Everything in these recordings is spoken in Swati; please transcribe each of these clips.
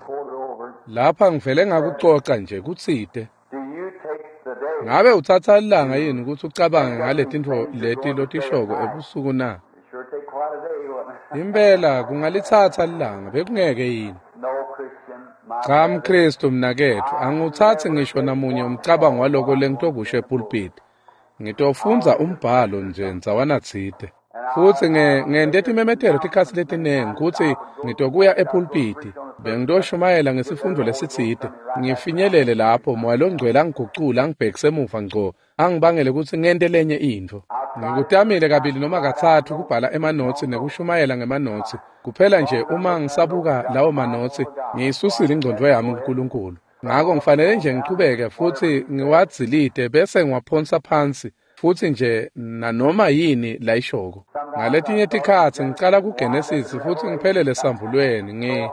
Quoted over. Lapha ngivele ngakucoca nje kutsite. Do you take the day? Ngabe utsatsa lilanga yini kutsi ucabange ngaletintfo leti lotishoko ebusuku na? It sure take quite a day, wouldn't it? Impela kungalitsatsa lilanga bekungeke yini? No Christian, my Cha brother. mKristu mnaketfu, angiwutsatsi ngisho namunye umcabango waloko lengitokusho epulpiti. Ngitofundza umbhalo nje ndzawana tsite. Futsi ngente timemetelo tikhatsi letinengi kutsi ngitokuya epulpiti, bengitoshumayela ngesifundvo lesitsite, ngifinyelele lapho Moya loNgcwele angigucule angibhekise emuva ngco, angibangele kutsi ngente lenye intfo. Ngikutamile kabili noma katsatfu kubhala emanotsi nekushumayela ngemanotsi, kuphela nje uma ngisabuka lawo manotsi, ngiyisusile ingcondvo yami kuNkulunkulu. Ngako ngifanele nje ngichubeke futsi ngiwadzilite bese ngiwaphonsa phansi futsi nje nanoma yini layishoko. Ngaletinye tikhatsi ngicala kuGenesis futsi ngiphelele esambulweni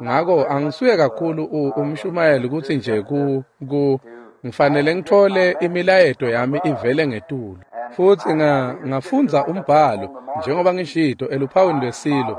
ngako angisuye kakhulu umshumayeli kutsi nje ku ngifanele ngitfole imilayeto yami ivele ngetulu. Futsi ngafundza umbhalo njengoba ngishito eluphawini lwesilo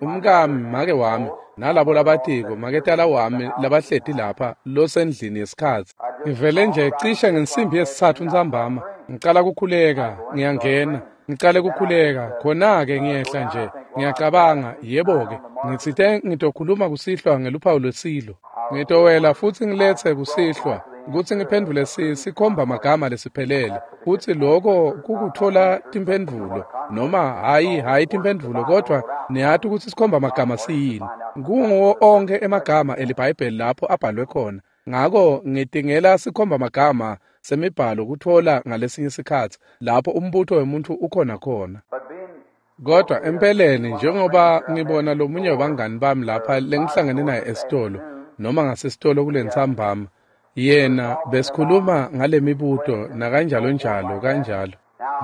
umkami make wami nalabo labatiko maketala wami labahleti lapha losendlini yesikhatsi. Ngivele nje cishe ngensimbi yesitsatfu ntsambama ngicala kukhuleka ngiyangena ngicale kukhuleka khona-ke ngiyehla nje ngiyacabanga yebo-ke ngitsite ngitokhuluma kusihlwa ngeluphawu lwesilo. Ngitowela futsi ngiletse kusihlwa kutsi ngiphendvule sikhomba magama lesiphelele futsi loko kukutfola timphendvulo noma hhayi timphendvulo kodvwa niyati kutsi sikhomba magama siyini. Kunguwo onkhe emagama eliBhayibheli lapho abhalwe khona. Ngako ngitingela sikhomba magama semibhalo kutfola ngalesinye sikhatsi lapho umbuto wemuntfu ukhona khona. Kodwa empeleni njengoba ngibona lomunye wabangani bami lapha lengihlangene naye esitolo noma ngasesitolo kulentsambama, yena besikhuluma ngalemibuto nakanjalo njalo kanjalo.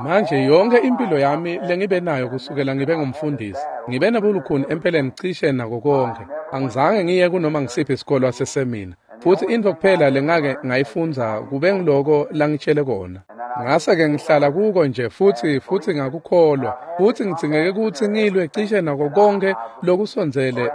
Manje yonke impilo yami lengibe nayo kusukela ngibe ngumfundisi, ngibe nabulukhuni empeleni cishe nako konke. Angizange ngiye kunoma ngisiphi isikolo sasemina. Futsi intfo kuphela lengake ngayifundza kube ngiloko langitshele kona. Ngase-ke ngihlala kuko nje futsi ngakukholwa. Futsi ngidzingeke kutsi ngilwe cishe nako konke lokusondzele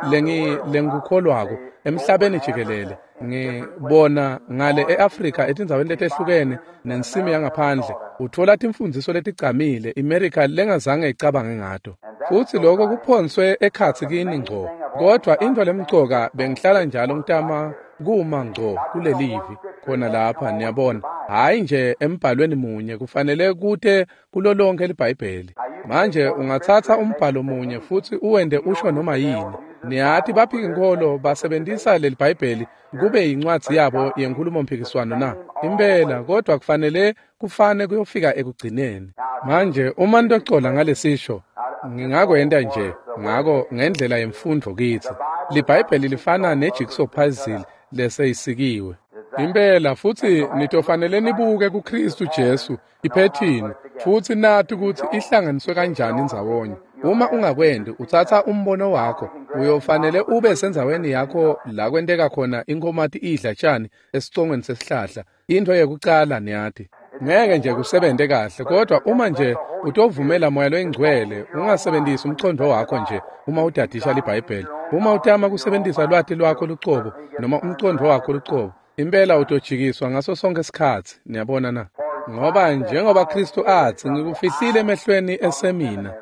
lengikukholwako emhlabeni jikelele. Ngibona ngale e-Afrika etindzaweni letehlukene nensimi yangaphandle utfola timfundziso letigcamile iMerica lengazange icabange ngato. Futsi lokho kuphonswe ekhatsi kini ngco. Kodvwa intfo lemcoka bengihlala njalo ngitama kuma ngco kulelivi khona lapha niyabona. Hhayi nje embhalweni munye kufanele kute kulo lonke liBhayibheli. Manje ungatsatsa umbhalo munye futsi uwente usho noma yini. Niyati baphikinkholo basebentisa leli Bhayibheli kube yincwadzi yabo yenkhulumomphikiswano na? Impela kodvwa kufanele kufane kuyofika ekugcineni. Manje uma nitocola ngalesisho ngingakwenta nje ngako ngendlela yemfundvo kitsi. LiBhayibheli lifana nejigsaw puzzle leseyisikiwe. Impela futsi nitofanele nibuke kuKristu Jesu iphethini futsi nati kutsi ihlanganiswe kanjani ndzawonye. Uma ungakwenti utsatsa umbono wakho uyofanele ube sendzaweni yakho la kwenteka khona inkhomati idla tjani esicongweni sesihlahla. Intfo yekucala niyati ngeke nje kusebente kahle kodwa uma nje utovumela Moya loyiNgcwele ungasebentisi umcondvo wakho nje uma udadisha liBhayibheli. Uma utama kusebentisa lwati lwakho lucobo noma umcondvo wakho lucobo impela utojikiswa ngaso sonke isikhatsi niyabona na? Ngoba njengoba Kristu atsi ngikufihlile emehlweni esemina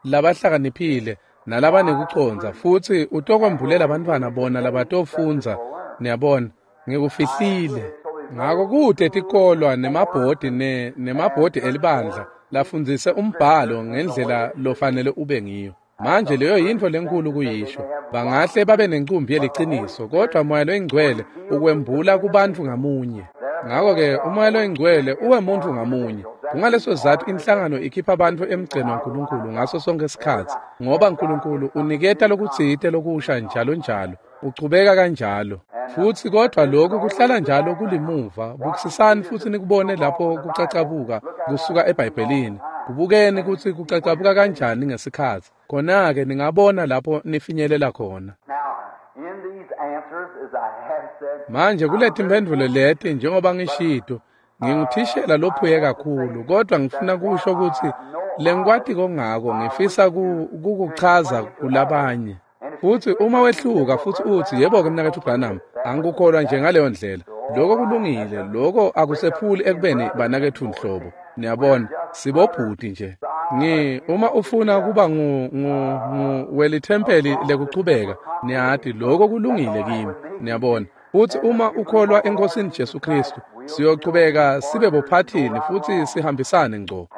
labahlakaniphile nalabanekucondza futsi utokwembulela abantwana bona labatofundza niyabona ngikufihlile. Ngako kute tikolwa nemabhodi nemabhodi elibandla lafundzise umbhalo ngendlela lofanele ube ngiyo. Manje leyo yintfo lenkulu kuyisho. Bangahle babe nencumbi yeliciniso kodvwa Moya loyiNgcwele ukwembula kubantfu ngamunye. Ngako-ke uMoya loyiNgcwele uwemuntfu ngamunye. Kungaleso sizatfu inhlangano ikhipha bantfu emgceni waNkulunkulu ngaso sonke isikhatsi ngoba Nkulunkulu uniketa lokutsite lokusha njalo njalo uchubeka kanjalo. Futsi kodvwa lokhu kuhlala njalo kulimuva. Bukisisani futsi nikubone lapho kucacabuka kusuka eBhayibhelini. Kubukeni kutsi kucacabuka kanjani ngesikhatsi. Khona-ke ningabona lapho nifinyelela khona. Manje kuletimphendvulo leti njengoba ngishito nginguthishela lophuye kakhulu kodwa ngifuna kusho kutsi lengikwatiko ngako ngifisa kukuchaza kulabanye. Futsi uma wehluka futsi utsi, yebo-ke mnaketfu Branham, angikukholwa nje ngaleyo ndlela. Lokho kulungile, lokho akusephuli ekubeni banaketfu nhlobo. Niyabona, sibobhuti nje. Uma ufuna kuba welithempeli lekuchubeka, niyati lokho kulungile kimi. Niyabona. Futsi uma ukholwa eNkosini Jesu Kristu, siyochubeka sibe bophathini futsi sihambisane ngco.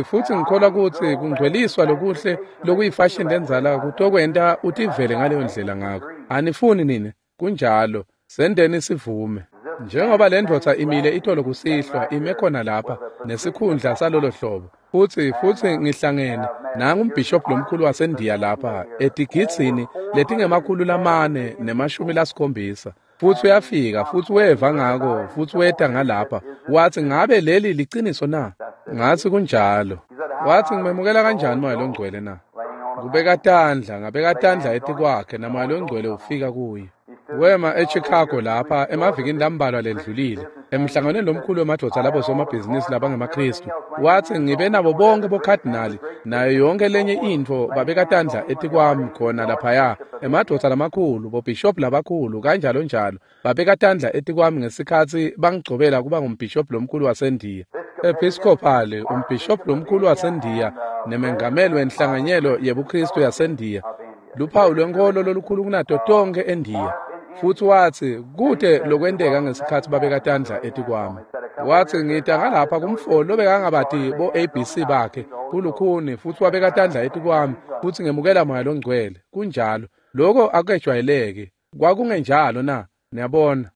Futsi ngikholwa kutsi kungcweliswa lokuhle lokuyifashini lendzala kutokwenta utivele ngaleyo ndlela ngako. Anifuni nine? Kunjalo. Sendeni sivume. Njengoba le ndvodza imile itolo kusihlwa ime khona lapha nesikhundla salolo hlobo. Futsi ngihlangene nangu umbhishobhi lomkhulu waseNdiya lapha etigitsini letingama-470. Futsi uyafika futsi weva ngako futsi weta ngalapha watsi, ngabe leli liciniso na? Ngatsi kunjalo. Watsi, ngimemukela kanjani Moya loNgcwele na? Kubeka tandla, ngabeka tandla etikwakhe naMoya loNgcwele ufika kuye. Wema eChicago lapha emavikini lambalwa lendlulile emhlanganweni lomkhulu wemadvodza labo somabhizinisi labangemaKristu. Watsi, ngibe nabo bonke bokhadinali nayo yonke lenye intfo babeka tandla etikwami khona laphaya, emadvodza lamakhulu, bobhishobhi labakhulu, kanjalo njalo, babeka tandla etikwami ngesikhatsi bangigcobela kuba ngumbhishobhi lomkhulu waseNdiya. Episcopal, umbhishobhi lomkhulu waseNdiya nemengameli wenhlanganyelo yebuKristu yaseNdiya, luphawu lwenkholo lolukhulu kunato tonke eNdiya. Futsi watsi, kute lokwenteka ngesikhatsi babeka tandla etikwami. Watsi, ngita ngalapha kumfo lobekangabati bo-ABC bakhe kulukhuni, futsi wabeka tandla etikwami futsi ngemukela Moya loNgcwele. Kunjalo. Lokho akujwayeleki. Kwakungenjalo na? Niyabona.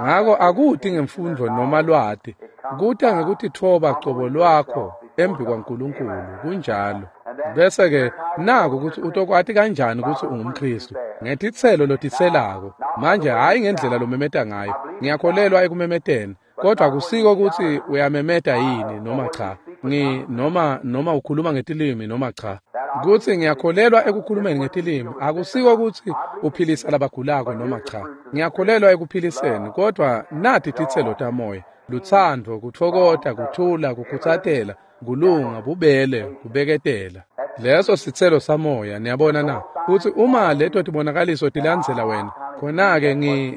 Ngako akuti ngemfundvo noma lwati, kuta ngekutitfoba cobo lwakho embi kwaNkulunkulu. Kunjalo. Bese-ke naku kutsi utokwati kanjani kutsi ungumKristu ngetitselo lotitselako. Manje hhayi ngendlela lomemeta ngayo. Ngiyakholelwa ekumemeteni, kodwa akusiko kutsi uyamemeta yini noma cha, noma ukhuluma ngetilimi noma cha. Kutsi ngiyakholelwa ekukhulumeni ngetilimi akusiko kutsi uphilisa labagulako noma cha. Ngiyakholelwa ekuphiliseni, kodwa nati titselo tamoya: lutsandvo, kutfokota, kuthula, kukhutsatela, kulunga, bubele, kubeketela. Leso sitselo samoya, niyabona na? Futsi uma leto tibonakaliso tilandzela wena, khona-ke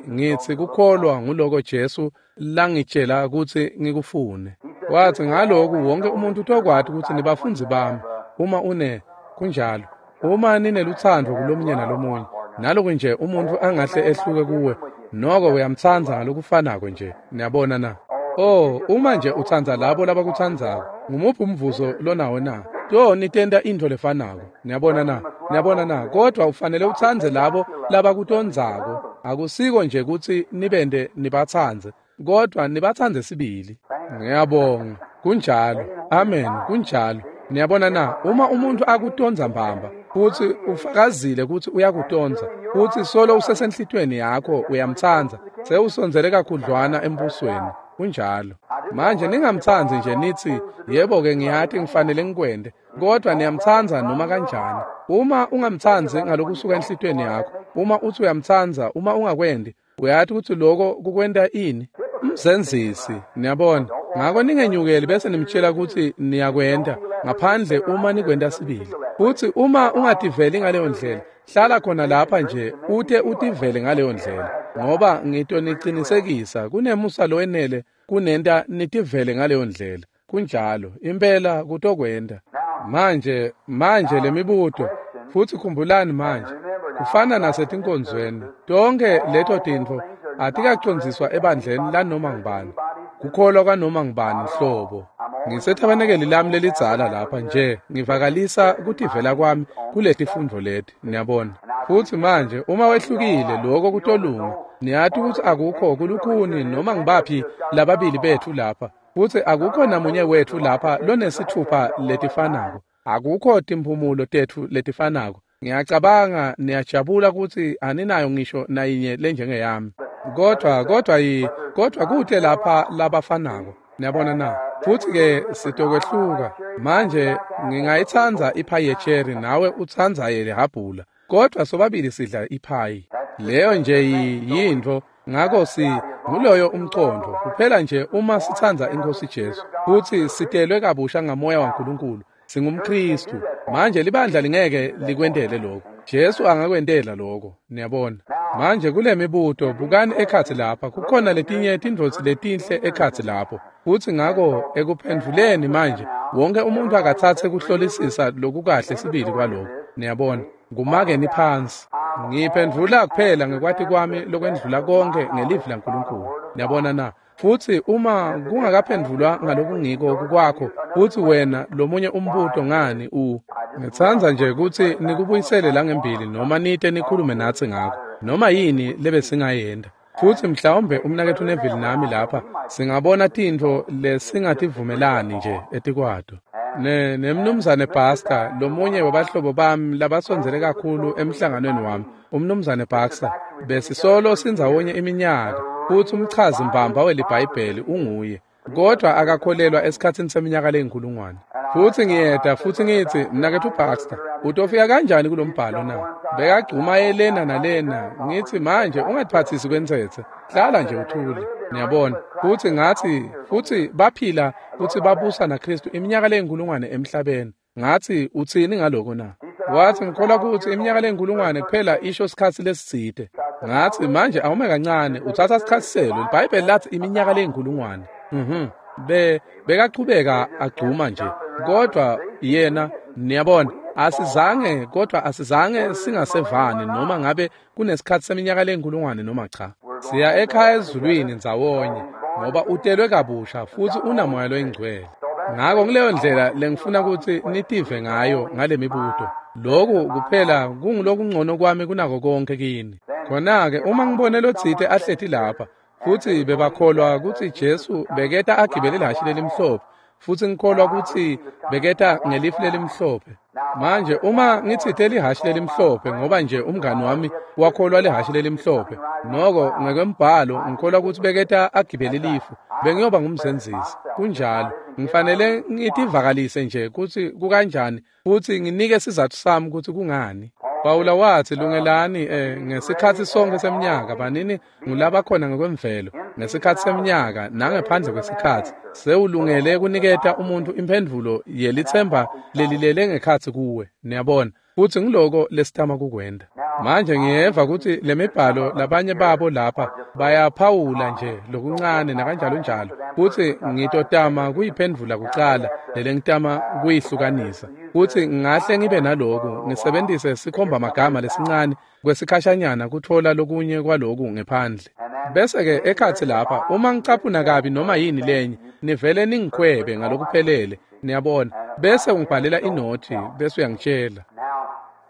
ngitsi kukholwa nguloko Jesu langitjela kutsi ngikufune. Watsi, ngaloku wonke umuntu utokwati kutsi nibafundzi bami uma une kunjalo, uma ninelutsandvo kulomunye nalomunye. Naloku nje umuntu angahle ehluke kuwe, noko uyamtsandza ngalokufanako nje. Niyabona na? Oh, uma nje utsandza labo labakutsandzako, ngumuphi umvuzo lonawo na? To nitenta intfo lefanako. Niyabona na? Niyabona na? Kodwa ufanele utsandze labo labakutondzako. Akusiko nje kutsi nibende nibatsandze, kodwa nibatsandze sibili. Ngiyabonga. Kunjalo. Amen. Kunjalo. Niyabona na? Uma umuntu akutondza mbamba, futsi ufakazile kutsi uyakutondza, futsi solo usesenhlitweni yakho uyamtsandza, sewusondzele kakhudlwana embusweni. Kunjalo. Manje ningamtsandzi nje nitsi, yebo-ke ngiyati ngifanele ngikwente, kodwa niyamtsandza noma kanjani. Uma ungamtsandzi ngalokusuka enhlitweni yakho, uma utsi uyamtsandza, uma ungakwendi, uyati kutsi loko kukwenta ini? Mzenzisi. Niyabona. Ngako ningenyukeli bese nimtshela kutsi niyakwenta ngaphandle uma nikwenta sibili. Futsi uma ungativeli ngaleyo ndlela, hlala khona lapha nje ute utivele ngaleyo ndlela, ngoba ngitonicinisekisa kunemusa lowenele kunenta nitivele ngaleyo ndlela. Kunjalo, impela kutokwenta. Manje lemibuto, futsi khumbulani manje, kufana nasetinkonzweni, tonke leto tintfo atikacondziswa ebandleni lanoma ngubani, kukholwa kwanoma ngubani hlobo. Ngisethabanekeli lami lelidzala lapha nje ngivakalisa kutivela kwami kuletifundvo leti, niyabona. Futsi manje uma wehlukile lokho kutolunga. Niyati kutsi akukho kulukhuni noma ngibaphi lababili bethu lapha, futsi akukho namunye wethu lapha lonesitfupha letifanako. Akukho timphumulo tetfu letifanako. Ngiyacabanga niyajabula kutsi aninayo ngisho nayinye lenjengeyami. Kodwa kute lapha labafanako. Niyabona na? Futsi-ke sitokwehluka. Manje ngingayitsandza iphayi yecherry nawe utsandza yelihabhula, kodwa sobabili sidla iphayi. Leyo nje yintfo. Ngako nguloyo umcondvo kuphela nje uma sitsandza iNkhosi Jesu futsi sitelwe kabusha ngamoya waNkulunkulu, singumKristu. Manje libandla lingeke likwentele lokho. Jesu angakwentela lokho, niyabona. Manje kule mibuto, bukani ekhatsi lapha, kukhona letinye tindvodzi letinhle ekhatsi lapho. Futsi ngako ekuphendvuleni manje, wonke umuntu akatsatse kuhlolisisa lokukahle sibili kwaloko. Niyabona, kumakeni phansi. Ngiphendvula kuphela ngekwati kwami lokwendlula konke ngelivi laNkulunkulu. Niyabona na? Futsi uma kungakaphendvulwa ngalokungiko kwakho, futsi wena lomunye umbuto ngani ngitsandza nje kutsi nikubuyisele langembili noma nite nikhulume natsi ngako, noma yini lebesingayenta. Futsi mhlawumbe umnaketfu Neville nami lapha singabona tintfo lesingativumelani nje etikwato. Nemnumzane Baxter, lomunye wabahlobo bami labasondzele kakhulu emhlanganweni wami, umnumzane Baxter, besisolo sindzawonye iminyaka, futsi umchazi mbamba weliBhayibheli unguye, kodwa akakholelwa esikhatsini seminyaka leyinkulungwane. Futsi ngiyeda futsi ngitsi, mnaketfu Baxter, utofika kanjani kulombhalo na? Bekagcuma yelena nalena, ngitsi manje ungatiphatsisi kwentsetse, hlala nje uthule. Niyabona? Futsi ngatsi, futsi baphila futsi babusa naKhristu iminyaka leyinkulungwane emhlabeni. Ngatsi, utsini ngaloko na? Watsi, ngikholwa kutsi iminyaka leyinkulungwane kuphela isho sikhatsi lesitsite. Ngatsi, manje awume kancane, utsatsa sikhatsiselo, liBhayibheli latsi iminyaka leyinkulungwane. Bekachubeka agcuma nje, kodwa yena, niyabona, asizange singasevani noma ngabe kunesikhatsi seminyaka leyinkulungwane noma cha. Siya ekhaya ezulwini ndzawonye, ngoba utelwe kabusha futsi unamoya loyingcwele. Ngako kuleyo ndlela lengifuna kutsi nitive ngayo ngale mibuto. Lokhu kuphela kungulokungcono kwami kunako konke kini. Khona-ke uma ngibone lotsite ahleti lapha, futsi bebakholwa kutsi Jesu beketa agibele ihhashi lelimhlophe, futsi ngikholwa kutsi beketa ngelifu lelimhlophe. Manje uma ngitsite lihhashi lelimhlophe ngoba nje umngani wami wakholwa lihhashi lelimhlophe, noko ngekwembhalo ngikholwa kutsi beketa agibele lifu, bengiyoba ngumzenzisi. Kunjalo, ngifanele ngitivakalise nje kutsi kukanjani futsi nginike sizatfu sami kutsi kungani. Pawula watsi, lungelani ngesikhatsi sonke seminyaka, banini ngulabakhona ngekwemvelo, ngesikhatsi seminyaka nangephandle kwesikhatsi, sewulungele kuniketa umuntu imphendvulo yelitsemba lelilele ngekhatsi kuwe. Niyabona, futsi ngiloko lesitama kukwenta. Manje ngiyeva kutsi lemibhalo labanye babo lapha bayaphawula nje lokuncane nakanjalo njalo, futsi ngitotama kuyiphendvula kucala lelengitama kuyihlukanisa. Futsi ngahle ngibe naloku ngisebentise sikhomba magama lesincane kwesikhashanyana kutfola lokunye kwaloku ngephandle. Bese-ke ekhatsi lapha uma ngicaphuna kabi noma yini lenye, nivele ningikhwebe ngalokuphelele, niyabona. Bese ungibhalela inothi bese uyangitshela.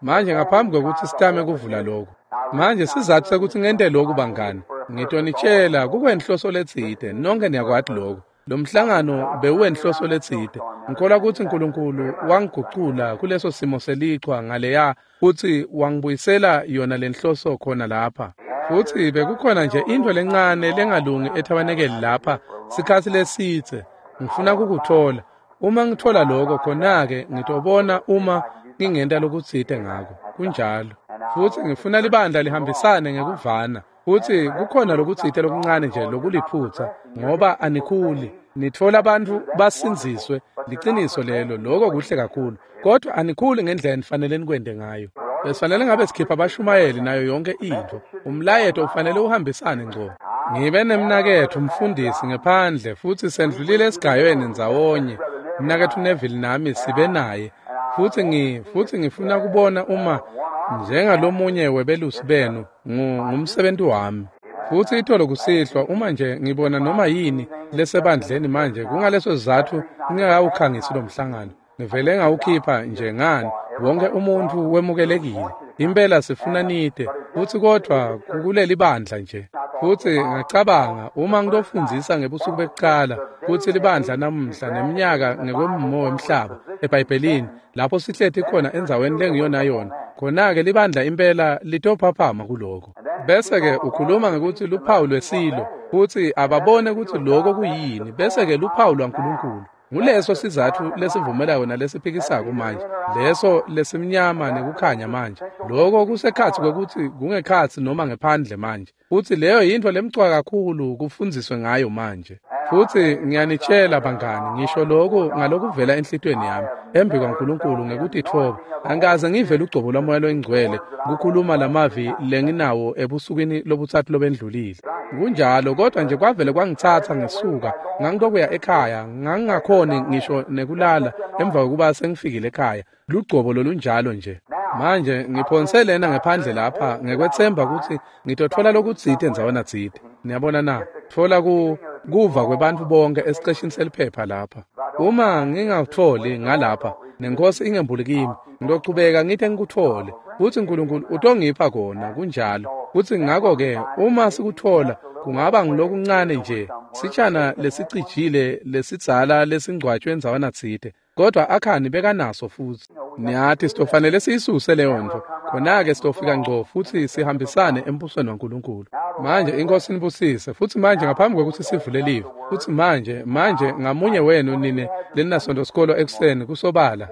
Manje ngaphambi kwekutsi sitame kuvula lokhu, manje sizatfu sekuthi ngente lokhu bangani, ngitonitshela kukwenhloso letsite, nonke niyakwati lokhu. Lo mhlangano bewuwenhloso letsite. Ngikholwa kutsi uNkulunkulu wangigucula kuleso simo selichwa ngaleya futsi wangibuyisela yona lenhloso khona lapha. Futsi bekukhona nje intfo lencane lengalungi ethabanekeli lapha sikhatsi lesitse. Ngifuna kukuthola. Uma ngithola lokho khona-ke ngitobona uma ngingenta lokutsite ngako. Kunjalo. Futsi ngifuna libandla lihambisane ngekuvana. Futsi kukhona lokutsite lokuncane nje lokuliphutsa ngoba anikhuli. Nitfola abantu basindziswe, liciniso lelo, lokho kuhle kakhulu. Kodwa anikhuli ngendlela nifanele nikwente ngayo. Besifanele ngabe sikhipha abashumayeli nayo yonke intfo. Umlayeto ufanele uhambisane ngco. Ngibe nemnaketfu umfundisi ngephandle futsi sendlulile esigayweni ndzawonye. Mnaketfu Neville nami sibe naye. Futsi ngifuna kubona uma njengalomunye webelusi benu ngumsebenti wami. Futsi itolo kusihlwa uma nje ngibona noma yini lesebandleni manje kungaleso sizatfu ngingakawukhangisi lo mhlangano. Ngivele ngawukhipha nje ngani, wonke umuntu wemukelekile. Impela sifuna nite, futsi kodvwa kukuleli bandla nje. Futsi ngacabanga uma ngitofundzisa ngebusuku bekucala kutsi libandla namuhla neminyaka ngekwemmo wemhlaba eBhayibhelini lapho sihleti khona endzaweni lengiyona yona, khona-ke libandla impela litophaphama kuloko. Bese-ke ukhuluma ngekutsi luphawu lwesilo, futsi ababone kutsi loko kuyini, bese-ke luphawu lwaNkulunkulu. Nguleso sizatfu lesivumelayo nalesiphikisako manje, leso lesimnyama nekukhanya manje. Loko kusekhatsi kwekutsi kungekhatsi noma ngephandle manje. Futsi leyo yintfo lemcoka kakhulu kufundziswe ngayo manje. Futsi ngiyanitshela bangani, ngisho lokhu ngalokuvela enhlitiyweni yami embi kwaNkulunkulu ngekutitfoba. Angikaze ngive lugcobo lwaMoya loyiNgcwele kukhuluma lamavi lenginawo ebusukwini lobutsatfu lobendlulile. Kunjalo, kodwa nje kwavele kwangitsatsa ngesuka, ngangitokuya ekhaya, ngangingakhoni ngisho nekulala emva kokuba sengifikile ekhaya. Lugcobo lolunjalo nje. Manje ngiphonse lena ngephandle lapha ngekwetsemba kutsi ngitotfola lokutsite ndzawana tsite. Niyabona na? Tfola kuva kwebantfu bonke esiceshini seliphepha lapha. Uma ngingakutfoli ngalapha, nenkosi ingembuli kimi, ngitochubeka ngite ngikutfole. Futsi Nkulunkulu utongipha kona, kunjalo. Futsi ngakho-ke uma sikutfola, kungaba ngulokuncane nje, sitshana lesicijile lesidzala lesingcwatshwe ndzawana tsite. Kodwa Akhani bekanaso futsi. Niyati sitofanele siyisuse leyo ntfo. Khona-ke sitofika ngco futsi sihambisane embusweni waNkulunkulu. Manje iNkosi inibusise. Futsi manje ngaphambi kwekutsi sivule live, futsi manje ngamunye wenu nine leninasonto sikolo ekuseni kusobala,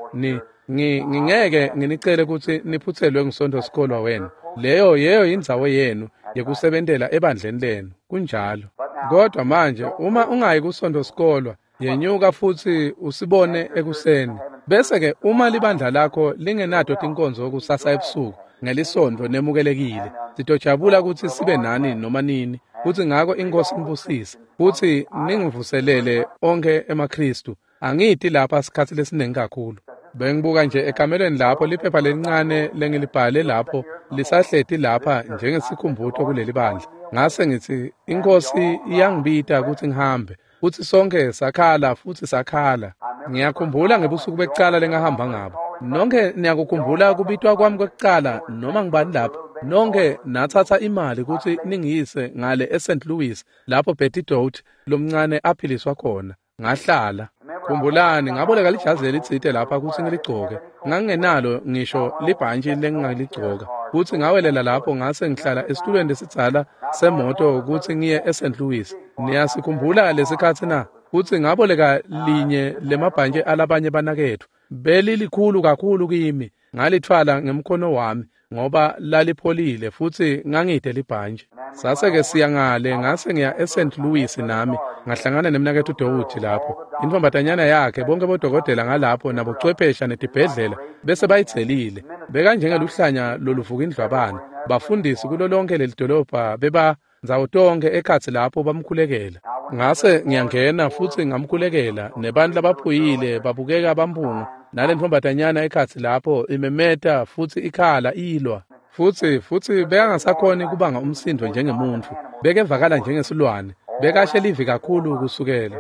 ngingeke nginicele kutsi niphutselwe ngusonto sikolwa wenu. Leyo yeyo indzawo yenu yekusebentela ebandleni lenu. Kunjalo. Kodwa manje uma ungayi kusonto sikolwa, yenyuka futsi usibone ekuseni. Bese-ke uma libandla lakho lingenato tinkonzo kusasa ebusuku ngelisonto nemukelekile, sitojabula kutsi sibe nani noma nini. Futsi ngako iNkosi inibusise futsi ningivuselele onkhe emaKhristu. Angiti lapha sikhatsi lesiningi kakhulu. Bengibuka nje ekamelweni lapho liphepha lelincane lengilibhale lapho lisahleti lapha njengesikhumbuto kuleli bandla. Ngase ngitsi iNkosi iyangibita kutsi ngihambe. Futsi sonke sakhala futsi sakhala. Ngiyakhumbula ngebusuku bekucala lengahamba ngabo. Nonke niyakukhumbula kubitwa kwami kwekucala noma ngibani lapho. Nonke natsatsa imali kutsi ningiyise ngale eSt. Louis lapho Betty Dote lomncane aphiliswa khona. Ngahlala. Khumbulani ngaboleka lijazi lelitsite lapha kutsi ngiligcoke. Ngangingenalo ngisho libhantshi lengingaligcoka. Futsi ngawelela lapho ngase ngihlala esitulweni lesidzala semoto kutsi ngiye eSt. Louis. Niyasikhumbula lesikhatsi na? Futsi ngaboleka linye lemabhantshi alabanye banaketfu. Belilikhulu kakhulu kimi. Ngalithwala ngemkhono wami ngoba lalipholile futsi ngangide libhantshi. Sase-ke siya ngale ngase ngiya eSt. Louis nami ngahlangana nemnaketfu Dowudi lapho. Intfombatanyana yakhe bonke bodokotela ngalapho nabochwephesha netibhedlela bese bayitselile. Bekanjengeluhlanya loluvuka indlwabana. Bafundisi kulo lonke leli dolobha beba ndzawo tonke ekhatsi lapho bamkhulekela. Ngase ngiyangena futsi ngamkhulekela nebantu labaphuyile babukeka bamphunga nale ntfombatanyana ekhatsi lapho imemeta futsi ikhala ilwa. Futsi bekangasakhoni kubanga umsindo njengemuntfu. Bekevakala njengesilwane. Bekashe livi kakhulu kusukela.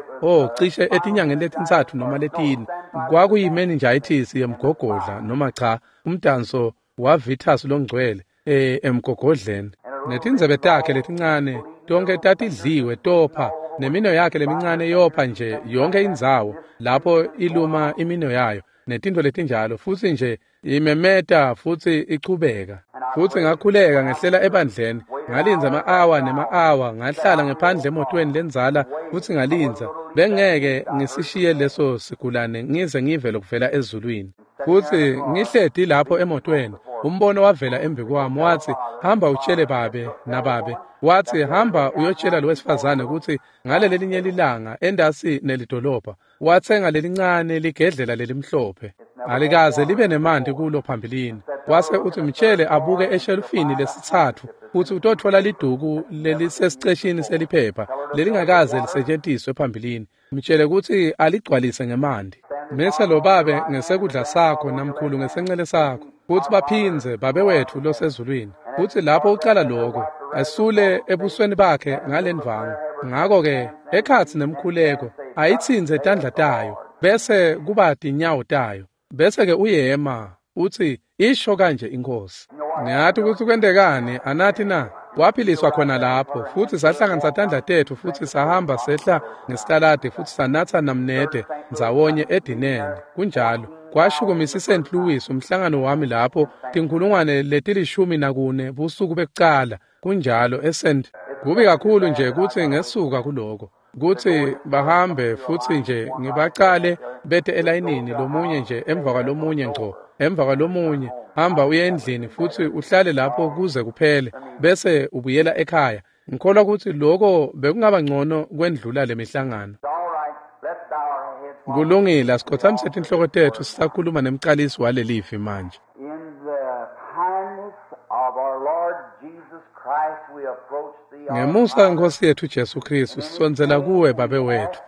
Cishe etinyangeni letintsatfu noma letine. Kwakuyi-meningitis yemgogodla noma cha, umdanso waVitus longcwele emgogodleni. Netindzebe takhe letincane tonke tatidliwe topha, nemino yakhe lemincane yopha nje yonke indzawo lapho iluma imino yayo netintfo letinjalo, futsi nje imemeta futsi ichubeka. Futsi ngakhuleka ngehlela ebandleni, ngalindza ama-awa nema-awa, ngahlala ngephandle emotweni lendzala futsi ngalindza. Bengeke ngisishiye leso sigulane ngize ngive lokuvela ezulwini. Futsi ngihleti lapho emotweni, umbono wavela embi kwami watsi, hamba utshele babe nababe. Watsi, hamba uyotshela lo wesifazane kutsi ngaleli linye lilanga endasi nelidolobha watsenga lelincane ligedlela lelimhlophe. Alikaze libe nemanti kulo phambilini. Wase utsi mtshele abuke eshelufini lesitsatfu futsi utotfola liduku lelisesiceshini seliphepha lelingakaze lisetjentiswe phambilini. Mtshele kutsi aligcwalise ngemanti. Mise lo babe ngesekudla sakho namkhulu ngesencele sakho. Futsi baphindze babe wetfu losezulwini. Futsi lapho ucala lokho, asule ebusweni bakhe ngalendvangu. Ngakho-ke ekhatsi nemkhuleko ayitsintse tandla tayo bese kuba tinyawo tayo. Bese-ke uyema utsi isho kanje iNkosi. Niyati kutsi kwentekani anathi na? Waphiliswa khona lapho futsi sahlanganisa tandla tetfu futsi sahamba sehla ngesitaladi futsi sanatsa namnede ndzawonye edineni. Kunjalo. Kwashukumisa iSt. Louis umhlangano wami lapho 14,000 busuku bekucala. Kunjalo eSt. Kubi kakhulu nje kutsi ngesuka kuloko kutsi bahambe futsi nje ngibacale bete elayinini lomunye nje emva kwalomunye ngco emva kwalomunye. Hamba uye endlini futsi uhlale lapho kuze kuphele bese ubuyela ekhaya. Ngikholwa kutsi loko bekungaba ngcono kwendlula lemihlangano. It's all right. Let's bow our heads while Kulungile, asikhothamise tinhloko tetfu sisakhuluma nemcalisi walelivi manje. In the kindness of our Lord Jesus Christ, we approach thee, our Ngemusa Father. weNkosi yethu Jesu Kristu sisondzela kuwe Babe wethu.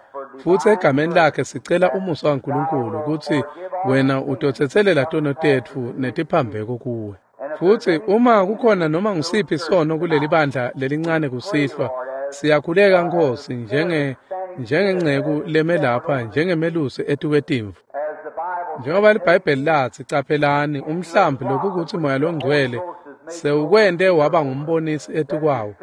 Futsi egameni lakhe sicela umusa waNkulunkulu kutsi wena utotsetselela tono tetfu netiphambeko kuwe. Futsi uma kukhona noma ngusiphi sono kuleli bandla lelincane kusihlwa, siyakhuleka Nkosi njengenceku leme lapha njengemelusi etukwetimvu. As the Bible Njengoba liBhayibheli latsi, caphelani umhlambi lokukutsi Moya loNgcwele sewukwente waba ngumbonisi etukwawo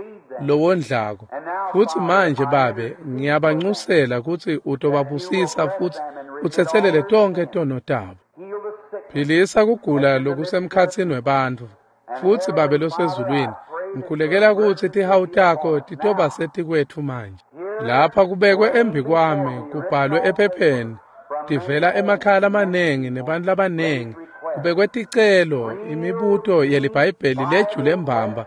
lowondlako. Futsi manje Babe, ngiyabancusela kutsi utobabusisa futsi utsetselele tonkhe tono tabo. heal the sick, Philisa kugula lokusemkhatsini webantfu. Futsi Babe losezulwini, ngikhulekela kutsi tihawu takho titoba setikwetfu manje. Lapha kubekwe embi kwami kubhalwe ephepheni tivela emakhaya lamanengi nebantu labanengi. Kubekwe ticelo, imibuto yeliBhayibheli lejule mbamba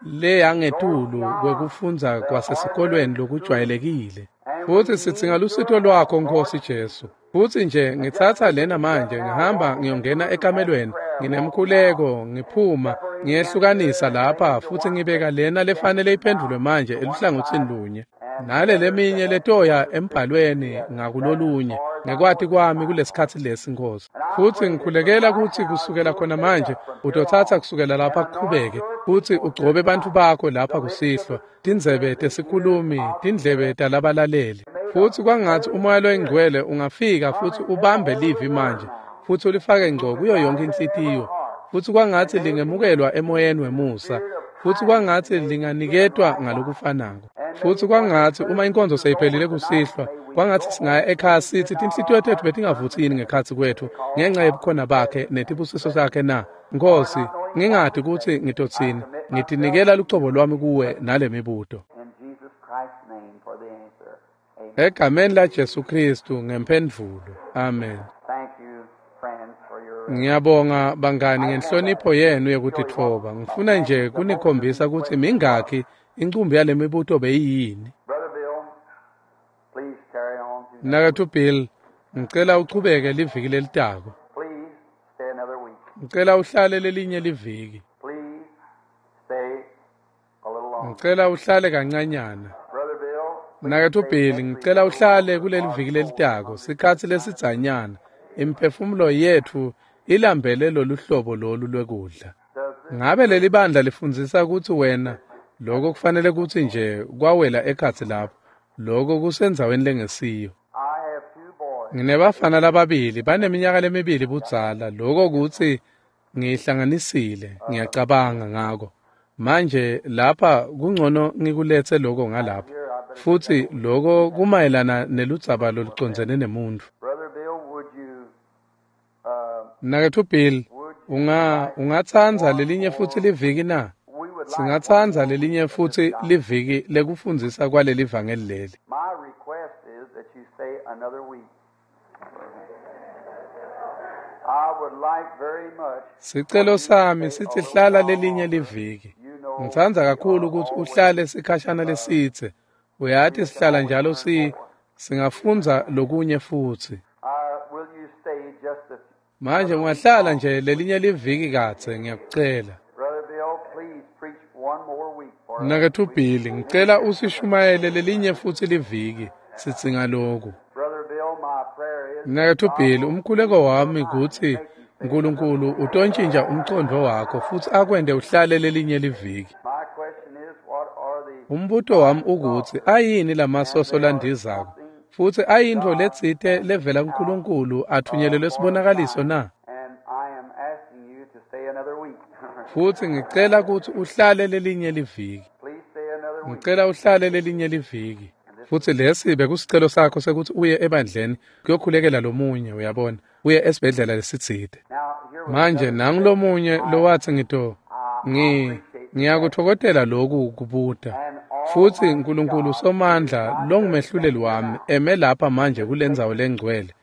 leyangetulu kwekufundza kwasesikolweni lokujwayelekile. Futsi sidzinga lusito lwakho Nkosi Jesu. Futsi nje ngitsatsa lena manje ngihamba ngiyongena ekamelweni nginemkhuleko ngiphuma ngiyehlukanisa lapha futsi ngibeka lena lefanele iphendvulwe manje eluhlangotsini lunye nale leminye letoya embhalweni ngakulolunye ngekwati kwami kulesikhatsi lesi Nkosi. Futsi ngikhulekela kutsi kusukela khona manje utotsatsa kusukela lapha kuqhubeke futsi ugcobe bantfu bakho lapha kusihlwa, tindzebe tesikhulumi, tindlebe talabalaleli. Futsi kwangatsi uMoya loyiNgcwele ungafika futsi ubambe livi manje futsi ulifake ngco kuyo yonke inhlitiyo. Futsi kwangatsi lingemukelwa emoyeni wemusa, futsi kwangatsi linganiketwa ngalokufanako. Futsi kwangatsi uma inkonzo seyiphelile kusihlwa, kwangatsi singaya ekhaya sithi tinhlitiyo tetfu betingavutsi yini ngekhatsi kwetfu ngenca yebukhona bakhe netibusiso sakhe na. Nkosi, ngingati kutsi ngitotsini, ngitinikela lucobo lwami kuwe nale mibuto. in Jesus Christ's name for the answer. Amen. Egameni la Jesu Kristu ngemphendvulo. Amen. Thank you, friends, for your Ngiyabonga bangani ngenhlonipho yenu yekutitfoba. Ngifuna nje kunikhombisa kutsi mingakhi incumbi yale mibuto beyiyini. Brother Bill. Please carry on. To Mnaketfu Bill, ngicela uchubeke liviki lelitako. Please stay another week. Ngicela uhlale lelinye liviki. Please stay a little longer. Ngicela uhlale kancanyana. Brother Bill, Mnaketfu Bill, ngicela uhlale kuleli viki lelitako sikhatsi lesidzanyana. Imiphefumulo yetfu ilambele lolu hlobo lolu lwekudla. does this Ngabe leli bandla lifundzisa kutsi wena lokho kufanele kutsi nje kwawela ekhatsi lapho, lokho kusendzaweni lengesiyo. I have two boys. Nginebafana lababili baneminyaka lemibili budzala, lokho kutsi ngiyihlanganisile, ngiyacabanga ngako. Manje lapha kungcono ngikuletse lokho ngalapha. Futsi lokho kumayelana neludzaba lolucondzene nemuntfu. Brother Bill, would you Mnaketfu Bill, ungatsandza lelinye futsi liviki na? we would like Singatsandza lelinye futsi liviki lekufundzisa kwaleli vangeli leli. my request is that you stay another week. I would like very much Sicelo sami sithi hlala lelinye liviki. you know Ngitsandza kakhulu kutsi uhlale sikhashana lesidze. Uyati sihlala njalo singafundza lokunye futsi. Will you stay just a Manje ungahlala nje lelinye liviki kadze ngiyakucela. Brother Bill, please preach one more week for us. Mnaketfu Bill, ngicela usishumayele lelinye futsi liviki. Sidzinga lokhu. Brother Bill, my prayer is Mnaketfu Bill, umkhuleko wami kutsi uNkulunkulu utontjintja umcondvo wakho futsi akwente uhlale lelinye liviki. my question is what are the Umbuto wami ukutsi ayini lamasoso landizako futsi ayintfo letsite levela kuNkulunkulu athunyelelwe sibonakaliso na? and I am asking you to stay another week. Futsi ngicela kutsi uhlale lelinye liviki. Please stay another week. Ngicela uhlale lelinye liviki. Futsi lesi bekusicelo sakho sekuthi uye ebandleni kuyokhulekela lomunye, uyabona, uye esibhedlela lesitsite. Now here was Manje nangulomunye lowathi ngiyakutfokotela lokhu kubuta. Futsi uNkulunkulu Somandla longumehluleli wami eme lapha manje kulendzawo lengcwele.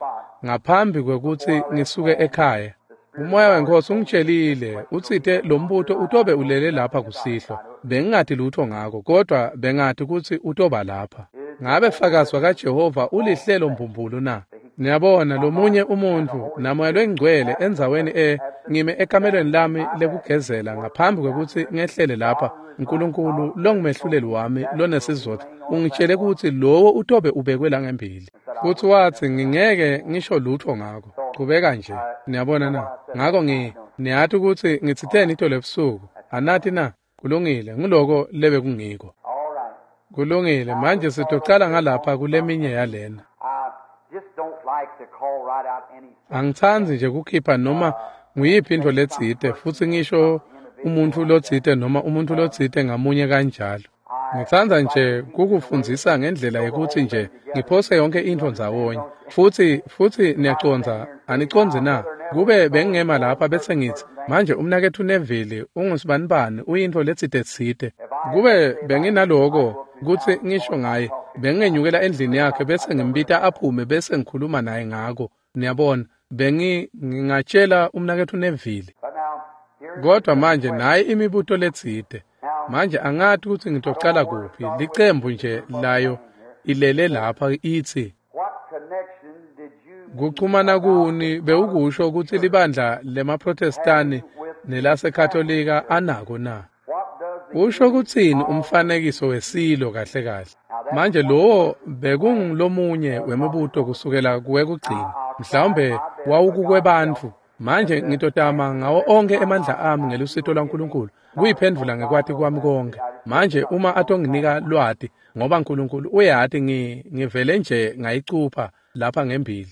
Ngaphambi kwekutsi ngisuke ekhaya, the Umoya weNkosi ungitshelile, utsite lo mbuto utobe ulele lapha kusihlwa. Bengingati lutho ngako, kodwa bengati kutsi utoba lapha. Ngabe fakazi kaJehova ulihlelo mbumbulu na? Niyabona lomunye umuntfu namoya lwengcwele endzaweni ngime ekamelweni lami lekugezela ngaphambi kwekutsi ngehlele lapha. uNkulunkulu longumehluleli wami lonesizotha ungitshele kutsi lowo utobe ubekwe la ngembili. Futhi wathi ngingeke ngisho lutho ngako. Qhubeka nje. Niyabona na? Ngako niyati kutsi ngitsiteni itolo ebusuku. Anati na? Kulungile, nguloko lebe kungiko. Kulungile, manje sitocala ngalapha kuleminye yalena. Angitsandzi nje kukhipha noma nguyiphi intfo letsite futsi ngisho umuntfu lotsite noma umuntfu lotsite ngamunye kanjalo. Ngitsandza nje kukufundzisa ngendlela yekuthi nje ngiphose yonke intfo ndzawonye. Futsi niyacondza, anicondzi na? Kube bengingema lapha bese ngitsi, manje umnaketfu Neville ungusibanibani uyintfo letsite. Kube benginaloko kutsi ngisho ngaye, bengingenyukela endlini yakhe bese ngimbita aphume bese ngikhuluma naye ngako. Niyabona, bengingatshela umnaketfu Neville. Kodwa manje nayi imibuto letsite. Manje angati kutsi ngitocala kuphi. Licembu nje layo ilele lapha itsi kuchumana kuni bewukusho kutsi libandla lemaProtestani nelaseKatolika anako na? Usho kutsini umfanekiso wesilo kahle kahle? Manje lowo bekungulomunye wemibuto kusukela kuwekugcina. Mhlawumbe wawukukwebantfu. Manje ngitotama ngawo onke emandla ami ngelusito lwaNkulunkulu kuyiphendvula ngekwati kwami konke. Manje uma atonginika lwati ngoba uNkulunkulu uyati ngivele nje ngayicupha lapha ngembili.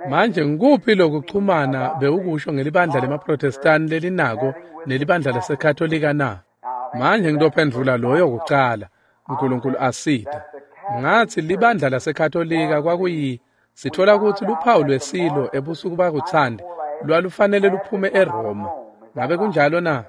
Manje ngikuphi lokuchumana bewukusho ngelibandla lemaProtestani lelinako nelibandla laseKatolika na? Manje ngitophendvula loyo kucala. uNkulunkulu asita. Ngathi libandla laseKatolika kwakuyi sithola kutsi luphawu lwesilo ebusuku bakuthandi lwalufanele luphume eRoma. Ngabe kunjalo na?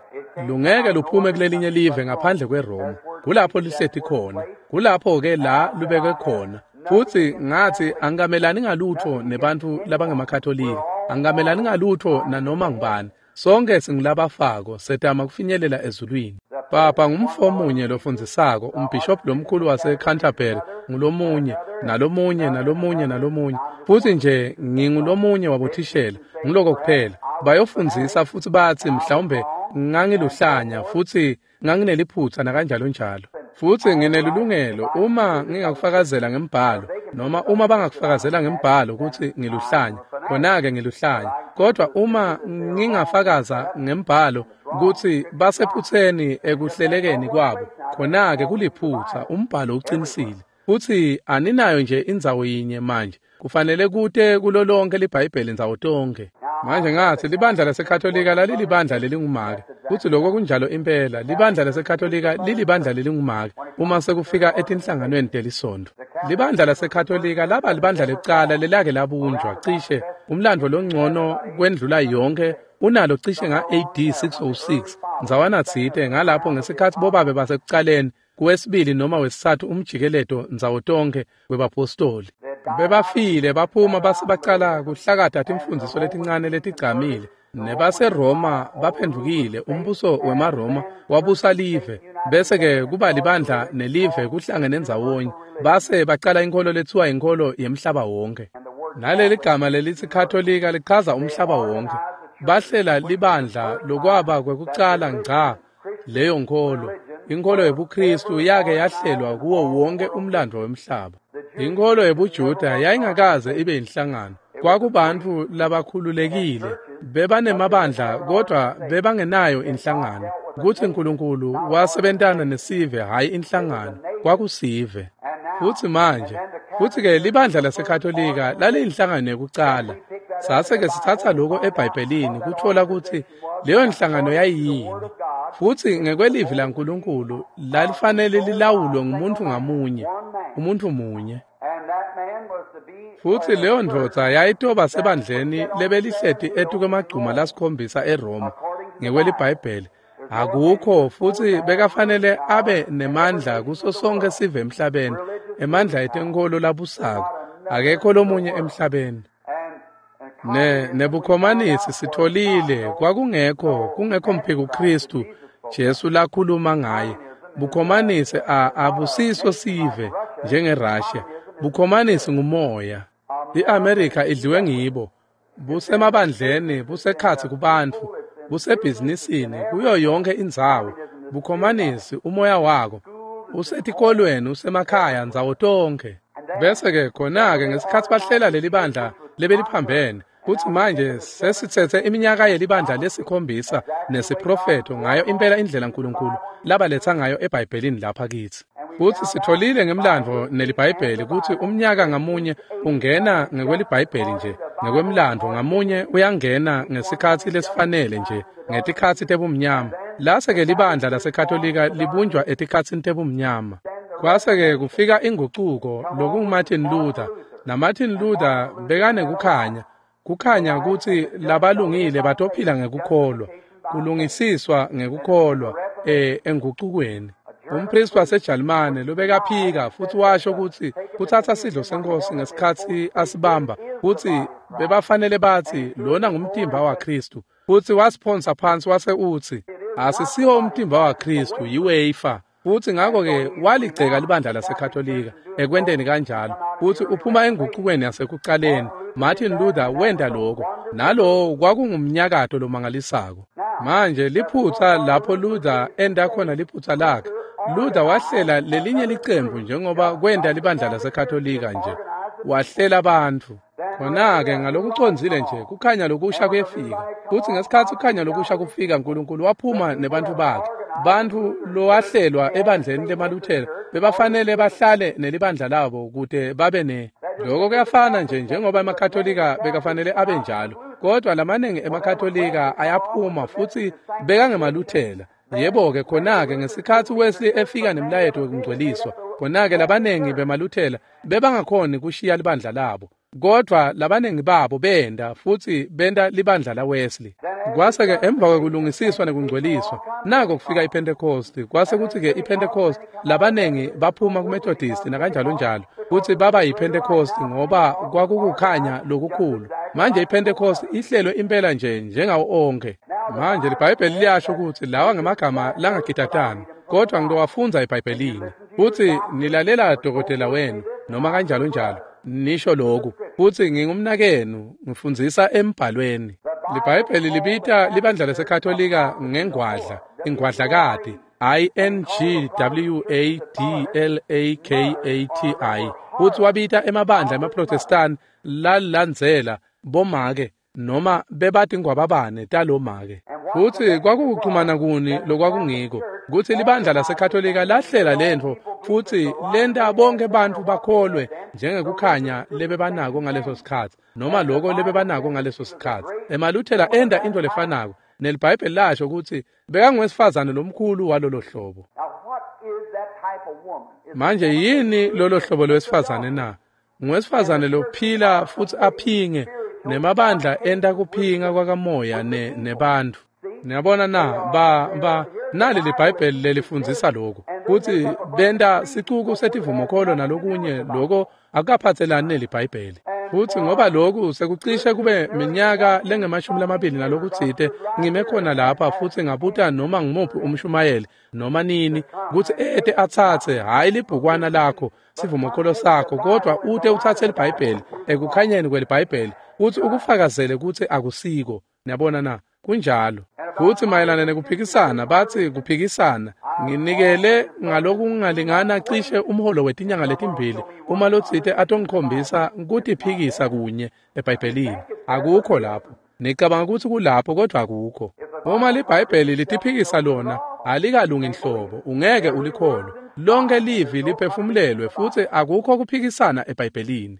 Lungeke luphume kulelinye live ngaphandle kweRoma. Kulapho lihleti khona. Kulapho ke la lubekwe khona. Futsi ngathi angikamelani ngalutho nebantfu labangemakatolika. Angikamelani ngalutho nanoma ngubani. Sonke singulabafako setama kufinyelela ezulwini. Papa ngumfo munye lofundzisako, umbhishobhi lomkhulu waseCanterbury ngulomunye, nalomunye, nalomunye, nalomunye. Futsi nje ngingulomunye wabothishela, nguloko kuphela. Bayofundzisa futsi batsi mhlawumbe ngangiluhlanya futsi ngangineliphutsa nakanjalo njalo. Futsi nginelilungelo uma ngingakufakazela ngembhalo noma uma bangakufakazela ngembhalo kutsi ngiluhlanya, khona-ke ngiluhlanya. Kodwa uma ngingafakaza ngembhalo kutsi basephutseni ekuhlelekeni kwabo, khona-ke kuliphutsa, umbhalo uqinisile. Futsi aninayo nje indzawo yinye manje, kufanele kute kulo lonke liBhayibheli ndzawo tonke. Manje ngathi libandla laseKatolika lalilibandla lelingumake. Futsi lokho kunjalo impela, libandla laseKatolika lilibandla lelingumake uma sekufika etinhlanganweni telisonto. Libandla laseKatolika laba libandla lekucala lelake labunjwa cishe umlandvo longcono kwendlula yonke unalo cishe nga-AD 606 ndzawana tsite ngalapho ngesikhatsi bobabe basekucaleni kuwesibili noma wesitsatfu umjikeleto ndzawo tonke webapostoli. Bebafile baphuma base bacala kuhlakata timfundziso letincane letigcamile. NebaseRoma baphendvukile, umbuso wemaRoma wabusa live, bese-ke kuba libandla nelive kuhlangene ndzawonye, base bacala inkholo lethiwa inkholo yemhlaba wonke. Naleli gama lelitsi Katolika lichaza umhlaba wonke. Bahlela libandla lokwaba kwekucala ngca leyo nkholo. Inkholo yebuKristu yake yahlelwa kuwo wonke umlandvo wemhlaba. Inkholo yebuJuda yayingakaze ibe inhlangano. Kwakubantfu labakhululekile, bebanemabandla kodwa bebangenayo inhlangano. Kutsi uNkulunkulu wasebentana nesive hhayi inhlangano, kwakusive. Futsi manje, futsi-ke libandla laseKatolika laliyinhlangano yekucala. Sase-ke sitsatsa loko eBhayibhelini kutfola kutsi leyo nhlangano yayiyini. Futsi ngekwelivi laNkulunkulu lalifanele lilawulwe ngumuntu ngamunye, umuntu munye. Futsi leyo ndvodza yayitoba sebandleni lebelihleti etukwemagcuma lasikhombisa eRoma ngekweliBhayibheli. Akukho futsi bekafanele abe nemandla kuso sonke sive emhlabeni, emandla etenkholo labusako. Akekho lomunye emhlabeni. Nebukhomanisi sitholile kwakungekho kungekho mphiko Kristu Jesu lakhuluma ngaye. Bukhomanisi abusiso sive njengeRussia. Bukhomanisi ngumoya. IAmerica idliwe ngibo. Busemabandleni, busekhatsi kubantfu, busebhizinisini, kuyo yonke indzawo. Bukhomanisi umoya wako usetikolweni, usemakhaya, ndzawo tonke. Bese-ke khona-ke ngesikhatsi bahlela leli bandla lebeliphambene, kutsi manje sesitsetse iminyaka yelibandla lesikhombisa nesiprofetho ngayo impela indlela uNkulunkulu labaletsa ngayo eBhayibhelini lapha kitsi. Futsi sitholile ngemlandvo neliBhayibheli kutsi umnyaka ngamunye ungena ngekweliBhayibheli nje, ngekwemlandvo ngamunye uyangena ngesikhatsi lesifanele nje, ngetikhatsi tebumnyama. Lase-ke libandla laseKatolika libunjwa etikhatsini tebumnyama. Kwase-ke kufika ingucuko lokunguMartin Luther, naMartin Luther bekanekukhanya. Kukhanya kutsi labalungile batophila ngekukholwa, kulungisiswa ngekukholwa engucukweni. Umpristi waseJalimane lobekaphika futsi washo kutsi kutsatsa sidlo senkosi ngesikhatsi asibamba, kutsi bebafanele batsi lona ngumtimba waKristu, futsi wasiphonsa phansi wase utsi asisiwo umtimba waKristu, yiwafer. Futsi ngakho-ke waligceka libandla laseKatolika ekwenteni kanjalo, futsi uphuma engucukweni yasekucaleni. Martin Luther wenta lokho, nalowo kwakungumnyakato lomangalisako. Manje liphutsa lapho Luther enta khona liphutsa lakhe, Luther wahlela lelinye licembu njengoba kwenta libandla laseKatolika nje, wahlela bantfu. Khona-ke ngalokucondzile nje kukhanya lokusha kuyefika, futsi ngesikhatsi kukhanya lokusha kufika, uNkulunkulu waphuma nebantfu bakhe. Bantfu lowahlelwa ebandleni lemaLuthela bebafanele bahlale nelibandla labo kute babe ne. Lokho kuyafana nje njengoba emaKatolika bekafanele abe njalo, kodwa lamaningi emaKatolika ayaphuma futsi bekangemaLuthela. Yebo-ke khona-ke ngesikhatsi Wesley efika nemlayeto wekungcweliswa, khona-ke labaningi bemaLuthela bebangakhoni kushiya libandla labo, kodvwa labaningi babo benta futsi benta libandla la Wesley. Kwase-ke emva kwekulungisiswa nekungcweliswa, nako kufika iPentecost. Kwase kutsi-ke iPentecost labaningi baphuma kuMethodist nakanjalo njalo, futsi baba yiPentecost ngoba kwakukukhanya lokukhulu. Manje iPentecost ihlelwe impela nje njengawo onke. Manje liBhayibheli liyasho kutsi lawa ngemagama langagidatani, kodwa ngitowafundza eBhayibhelini. Futsi nilalela dokotela wenu noma kanjalo njalo, nisho lokhu, futsi ngingumnakenu, ngifundzisa embhalweni. LiBhayibheli libita libandla laseKatolika ngengwadla, ingwadlakati, I-N-G-W-A-D-L-A-K-A-T-I. Futsi wabita emabandla emaProtestani lalandzela bomake noma bebatingwababane talomake. Futsi kwakukuchumana kuni lokwakungiko kutsi libandla laseKatolika lahlela lentfo futsi lenta bonke bantfu bakholwe njengekukhanya lebebanako ngaleso sikhatsi, noma loko lebebanako ngaleso sikhatsi. EmaLuthela enta into lefanako, neliBhayibheli lasho kutsi bekanguwesifazane lomkhulu walolo hlobo. Manje yini lolo hlobo lwesifazane na? Nguwesifazane lophila futsi aphinge, nemabandla enta kuphinga kwakamoya nebantfu. Niyabona na, nali liBhayibheli lelifundzisa lokhu, kutsi benta sicuku setivumokholo nalokunye loko akukaphatselani neliBhayibheli. Futsi ngoba lokhu sekucishe kube minyaka lengemashumi nalokutsite ngime khona lapha futsi ngabuta noma ngumuphi umshumayeli noma nini kutsi ete atsatse hhayi libhukwana lakho sivumokholo sakho, kodwa ute utsatse liBhayibheli ekukhanyeni kweliBhayibheli kutsi ukufakazele kutsi akusiko. Niyabona na, kunjalo. Futsi mayelana nekuphikisana, batsi kuphikisana nginikele ngalokungalingana cishe umholo wetinyanga letimbili uma lotsite atongikhombisa kutiphikisa kunye eBhayibhelini. Akukho lapho. Nicabanga kutsi kulapho, kodwa akukho. Uma liBhayibheli litiphikisa lona, alikalungi nhlobo, ungeke ulikholwe. Lonke livi liphefumulelwe futsi akukho kuphikisana eBhayibhelini.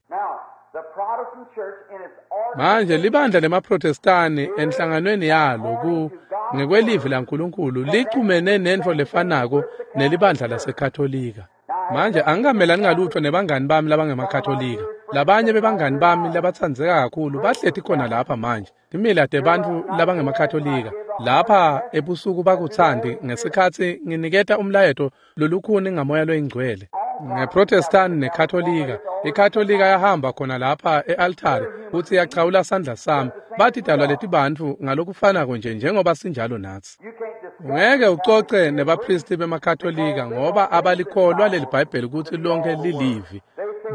Manje libandla lemaProtestani enhlanganweni yalo ngekwelivi laNkulunkulu lichumene nentfo lefanako nelibandla laseKatolika. Manje angikamelani ngalutho nebangani bami labangemakatolika. Labanye bebangani bami labatsandzeka kakhulu bahleti khona lapha manje. Timila tebantfu labangemakatolika lapha ebusuku bakutsandi ngesikhatsi nginiketa umlayeto lolukhuni ngamoya loyingcwele. ngeProtestant neKatolika. IKatolika yahamba khona lapha e-altari futsi yachawula sandla sami. Bathi dalwa letibantfu ngalokufanako nje njengoba sinjalo natsi. Ungeke ucoce nebaphristi bemaKatolika ngoba abalikholwa leli Bhayibheli kutsi lonke lilivi.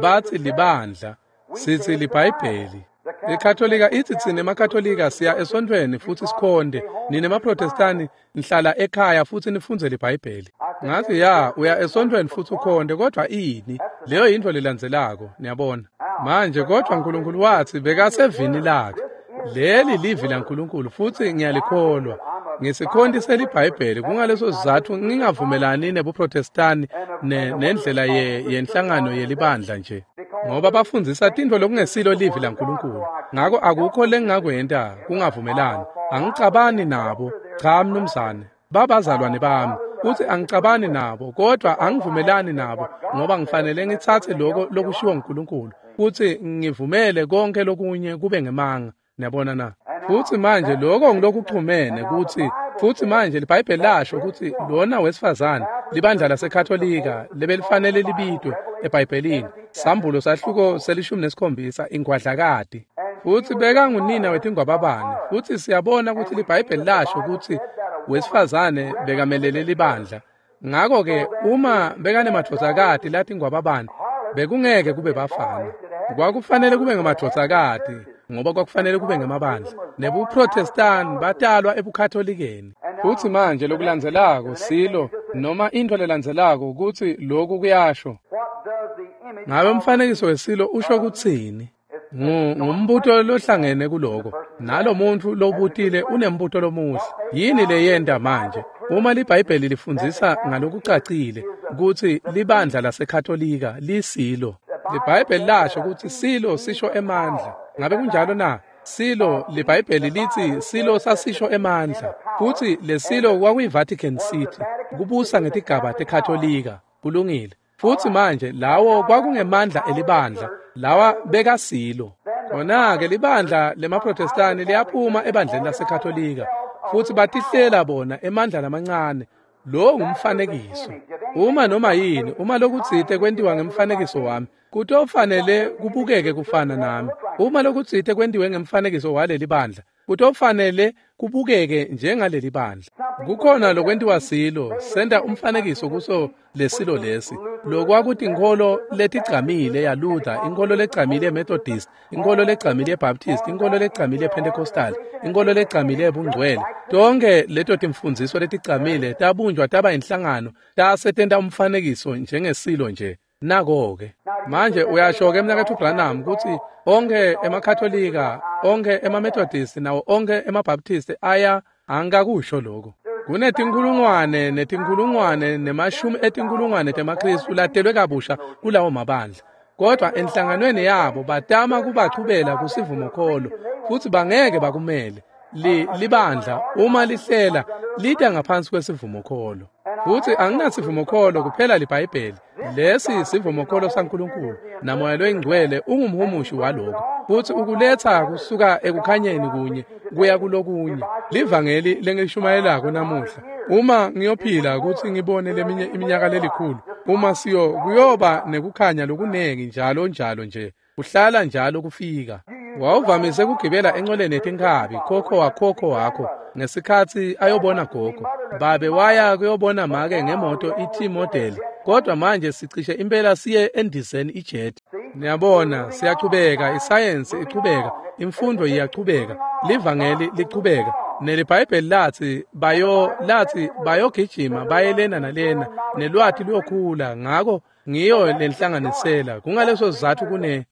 Batsi libandla, sitsi liBhayibheli. IKatolika itsi tsine emaKatolika siya esontfweni futsi sikhonde, nine emaProtestani nihlala ekhaya futsi nifundze liBhayibheli. Ngathi ya, uya esontfweni futsi ukhonde, kodvwa ini? Leyo yintfo lelandzelako, niyabona. Manje kodvwa Nkulunkulu watsi bekasevini lakhe. Leli livi laNkulunkulu futsi ngiyalikholwa. Ngisikhonti seliBhayibheli, kungaleso sizatfu ngingavumelani nebuProtestani nendlela yenhlangano yelibandla nje. Ngoba bafundzisa tintfo lokungesilo livi laNkulunkulu. Ngako akukho lengingakwenta kungavumelani. Angicabani nabo, cha mnumzane. Babazalwane bami, kutsi angicabani nabo, kodvwa angivumelani nabo ngoba ngifanele ngitsatse lokho lokushiwo nguNkulunkulu futsi ngivumele konke lokunye kube ngemanga. Niyabona na? Futsi manje lokho ngilokuchumene kutsi futsi manje liBhayibheli lasho kutsi lona wesifazane libandla laseKatolika lebelifanele libitwe eBhayibhelini, Sambulo sahluko se-17, ingwadlakati. Futsi bekangunina wetingwababane. Futsi siyabona kutsi liBhayibheli lasho kutsi wesifazane bekamelele libandla. Ngako-ke uma bekanemadvodzakati latingwababane, bekungeke kube bafana. Kwakufanele kube ngemadvodzakati ngoba kwakufanele kube ngemabandla. NebuProtestani batalwa ebuKatholikeni. Futsi manje lokulandzelako silo noma intfo lelandzelako kutsi lokhu kuyasho. Ngabe umfanekiso wesilo usho kutsini? Ngumbuto lohlangene kuloko. Nalo muntfu lobutile unembuto lomuhle. Yini leyenta manje? Uma liBhayibheli lifundzisa ngalokucacile kutsi libandla laseKatolika lisilo. LiBhayibheli lasho kutsi silo sisho emandla. Ngabe kunjalo na? Silo, liBhayibheli litsi silo sasisho emandla. Futsi lesilo kwakuyi-Vatican City, kubusa ngetigaba teKatolika. Kulungile. Futsi manje lawo kwakungemandla elibandla, lawa bekasilo. Khona-ke libandla lemaProtestani liyaphuma ebandleni laseKatolika futsi batihlela bona emandla lamancane. Lo ngumfanekiso. Uma noma yini, uma lokutsite kwentiwa ngemfanekiso wami, kutofanele kubukeke kufana nami. Uma lokutsite kwentiwe ngemfanekiso waleli bandla, kutofanele kubukeke njengaleli bandla. Kukhona lokwentiwa silo, senta umfanekiso kuso lesilo lesi. Lokwakutinkholo letigcamile yaLuther, inkholo legcamile yeMethodist, inkholo legcamile yeBaptist, inkholo legcamile yePentecostal, inkholo legcamile yebungcwele. Tonke leto timfundziso letigcamile tabunjwa taba inhlangano, tasetenta umfanekiso njengesilo nje. Nako-ke. Manje uyasho-ke mnaketfu Branham kutsi onke emaKatolika, onke emaMethodist nawo onke emaBaptist aya angikakusho lokho. Kunetinkhulungwane netinkhulungwane nemashumi etinkhulungwane temaKhristu latelwe kabusha kulawo mabandla. Kodwa enhlanganweni yabo batama kubachubela kusivumokholo futsi bangeke bakumele. Libandla uma lihlela lita ngaphansi kwesivumokholo. Futsi anginasivumokholo kuphela liBhayibheli. Lesi sivumokholo saNkulunkulu naMoya loyiNgcwele ungumhumushi waloko. Futsi ukuletsa kusuka ekukhanyeni kunye kuya kulokunye. Livangeli lengilishumayelako namuhla. Uma ngiyophila kutsi ngibone leminye iminyaka lelikhulu, uma siyo kuyoba nekukhanya lokunengi njalo njalo nje. Kuhlala njalo kufika. Wawuvamise kugibela encoleni yetinkhabi khokho wakhokho wakho ngesikhatsi ayobona gogo. Babe waya kuyobona make ngemoto i-T-model, kodwa manje sicishe impela siye endizeni ijet. Niyabona, siyachubeka, isayensi ichubeka, imfundo iyachubeka, livangeli lichubeka. NeliBhayibheli latsi bayogijima bayelena nalena, nelwati luyokhula. Ngako ngiyo lenhlanganisela. Kungaleso sizatfu kune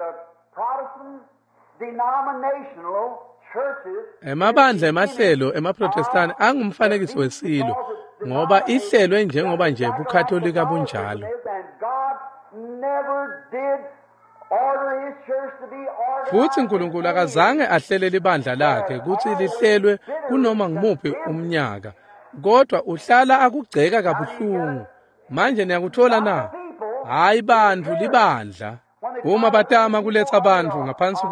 emabandla emahlelo emaProtestani angumfanekiso wesilo ngoba ihlelwe njengoba nje buKatolika bunjalo. Futsi Nkulunkulu akazange ahlele libandla lakhe kutsi lihlelwe kunoma ngumuphi umnyaka, kodwa uhlala akugceka kabuhlungu. Manje niyakuthola na? Hayi bantfu, libandla. Uma batama kuletsa bantfu ngaphansi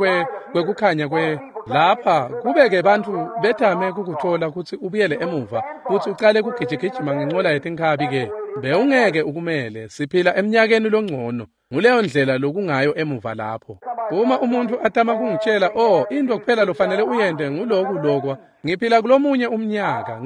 kwekukhanya kwe lapha, kube-ke bantfu betame kukuthola kutsi ubuyele emuva futsi ucale kugijigijima ngencola yetinkhabi-ke. Bewungeke ukumele. Siphila eminyakeni longcono. Nguleyo ndlela lokungayo emuva lapho. Uma umuntu atama kungitshela, oh, into kuphela lofanele uyende nguloku lokwa, ngiphila kulomunye umnyaka,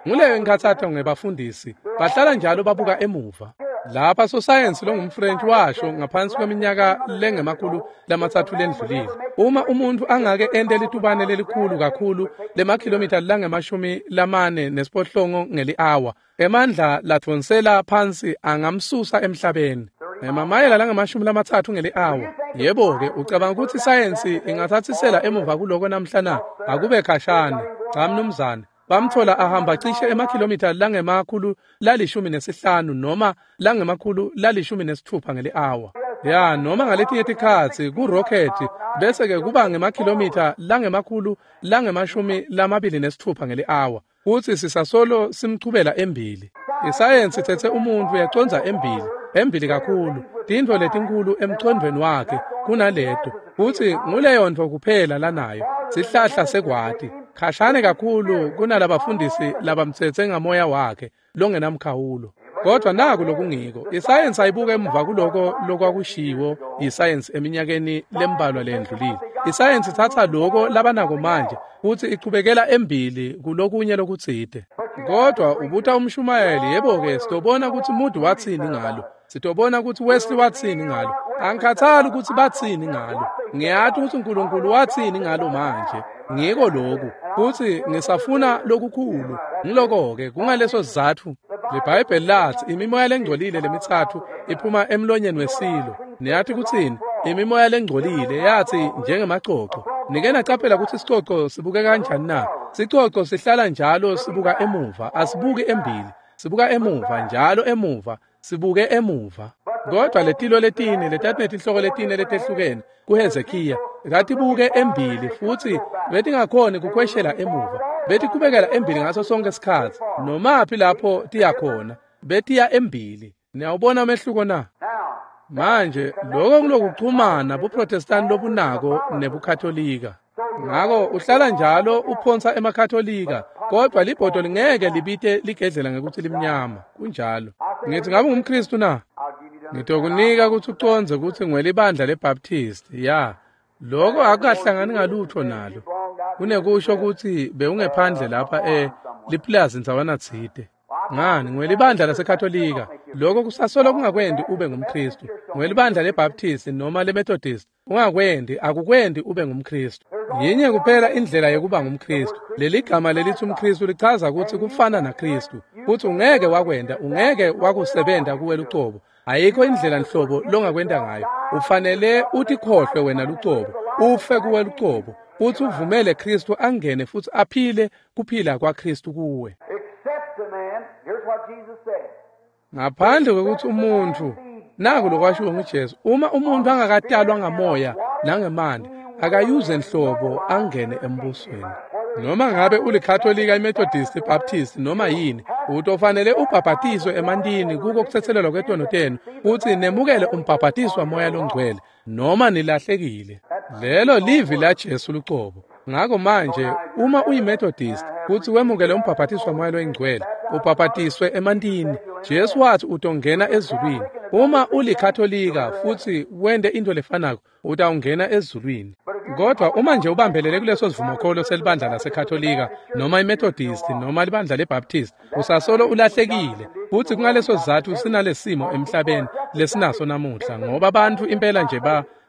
nguleyo inkhathato ngebafundisi. Bahlala njalo babuka emuva. Lapha sosayensi longumFrench washo ngaphansi kweminyaka lengama-300 lendlulile. Uma umuntu angake ente litubane lelikhulu kakhulu lemakhilomitha langama-48 ngeli-awa, emandla ladvonsela phansi angamsusa emhlabeni. Emamayela langama-30 ngeli-awa. Yebo-ke, ucabanga ukuthi isayensi ingathathisela emuva kuloko namhla na? Akube khashane. Cha mnumzane. Bamthola ahamba cishe emakhilomitha langama-115 noma langama-116 ngeli-awa. Ya, noma ngaletinye tikhatsi ku-rocket bese-ke kuba ngemakhilomitha langama-226 ngeli-awa. Futsi sisasolo simchubela embili. Isayensi itsetse umuntfu yacondza embili, embili kakhulu, tintfo letinkulu emcondvweni wakhe kunaleto. Futsi nguleyo ntfo kuphela lanayo, sihlahla sekwati. Khashane kakhulu kunalabafundisi labamtsetse ngamoya wakhe longenamkhawulo. Kodwa naku lokungiko, isayensi ayibuka emuva kuloko lokwakushiwo yisayensi eminyakeni lembalwa lendlulile. Isayensi ithatha loko labanako manje futsi ichubekela embili kulokunye lokutsite. Kodwa ubuta umshumayeli, yebo-ke, sitobona kutsi Moody watsini ngalo. Sitobona kutsi Wesley watsini ngalo. Angikhathali ukuthi batsini ngalo. Ngiyati ukuthi uNkulunkulu watsini ngalo manje. Ngiko lokhu, futsi ngisafuna lokukhulu. Ngiloko-ke, kungaleso sizatfu liBhayibheli lathi imimoya lengcolile lemithathu iphuma emlonyeni wesilo. Niyathi kutsini? Imimoya lengcolile yathi njengemacoco. Nike nacaphela kutsi sicoco sibuke kanjani na? Sicoco sihlala njalo sibuka emuva, asibuki embili. Sibuka emuva njalo emuva, sibuke emuva. Kodwa letilo letine letatinetinhloko letine letehlukene kuHezekiya zatibuke embili futsi betingakhoni kukhweshela emuva. Betiqhubekela embili ngaso sonke isikhatsi. Nomaphi lapho tiya khona, betiya embili. Niyawubona umehluko na? Manje lokho kulokuxhumana buProtestant lobunako nebuKatolika. Ngako uhlala njalo uphonsa emaKatolika, kodwa libhodo lingeke libite ligedlela ngekuthi limnyama. Kunjalo. Ngithi ngabe ungumKristu na? Ngitokunika ukuthi ucondze kutsi ngwelibandla leBaptist. Ya, lokho akukahlangani ngalutho nalo. Kunekusho ukuthi bewungephandle lapha liplazi ndzawana tsite. Ngani, ngwelibandla laseKatolika. Lokho kusasolo kungakwendi ube ngumKristu. Ngwelibandla leBaptist noma leMethodist, ungakwendi, akukwendi ube ngumKristu. Yinye kuphela indlela yokuba ngumKristu. Leli gama lelithi umKristu lichaza ukuthi kufana naKristu. Futhi ungeke wakwenda, ungeke wakusebenta kuwe lucobo. Ayikho indlela nhlobo longakwenda ngayo. Ufanele utikhohlwe wena lucobo, ufe kuwe lucobo, futhi uvumele Kristu angene futhi aphile kuphila kwaKristu kuwe. Except a man, here's what Jesus said. Ngaphandle kwekuthi umuntu, naku lokwashiwo nguJesu, uma umuntu angakatalwa ngamoya nangemanti, akayuze nhlobo angene embusweni. Noma ngabe uliKatolika, iMethodist, iBaptist noma yini, utofanele ubhabhatiswe emantini kuko kuthethelelwa kwetono tenu, futhi nemukele umbhabhatiso wamoya longcwele, noma nilahlekile. Lelo livi laJesu lucobo. Ngako manje, uma uyiMethodist futhi wemukele umbhabhatiso wamoya longcwele, ubhabhatiswe emantini, Jesu wathi utongena ezulwini. Uma uliKatolika futhi wente into lefanako, utawungena ezulwini. Kodwa uma nje ubambelele kuleso sivumokholo selibandla laseKatolika noma iMethodist noma libandla leBaptist, usasolo ulahlekile. Futhi kungaleso sizatfu sinalesimo emhlabeni lesinaso namuhla, ngoba abantu impela nje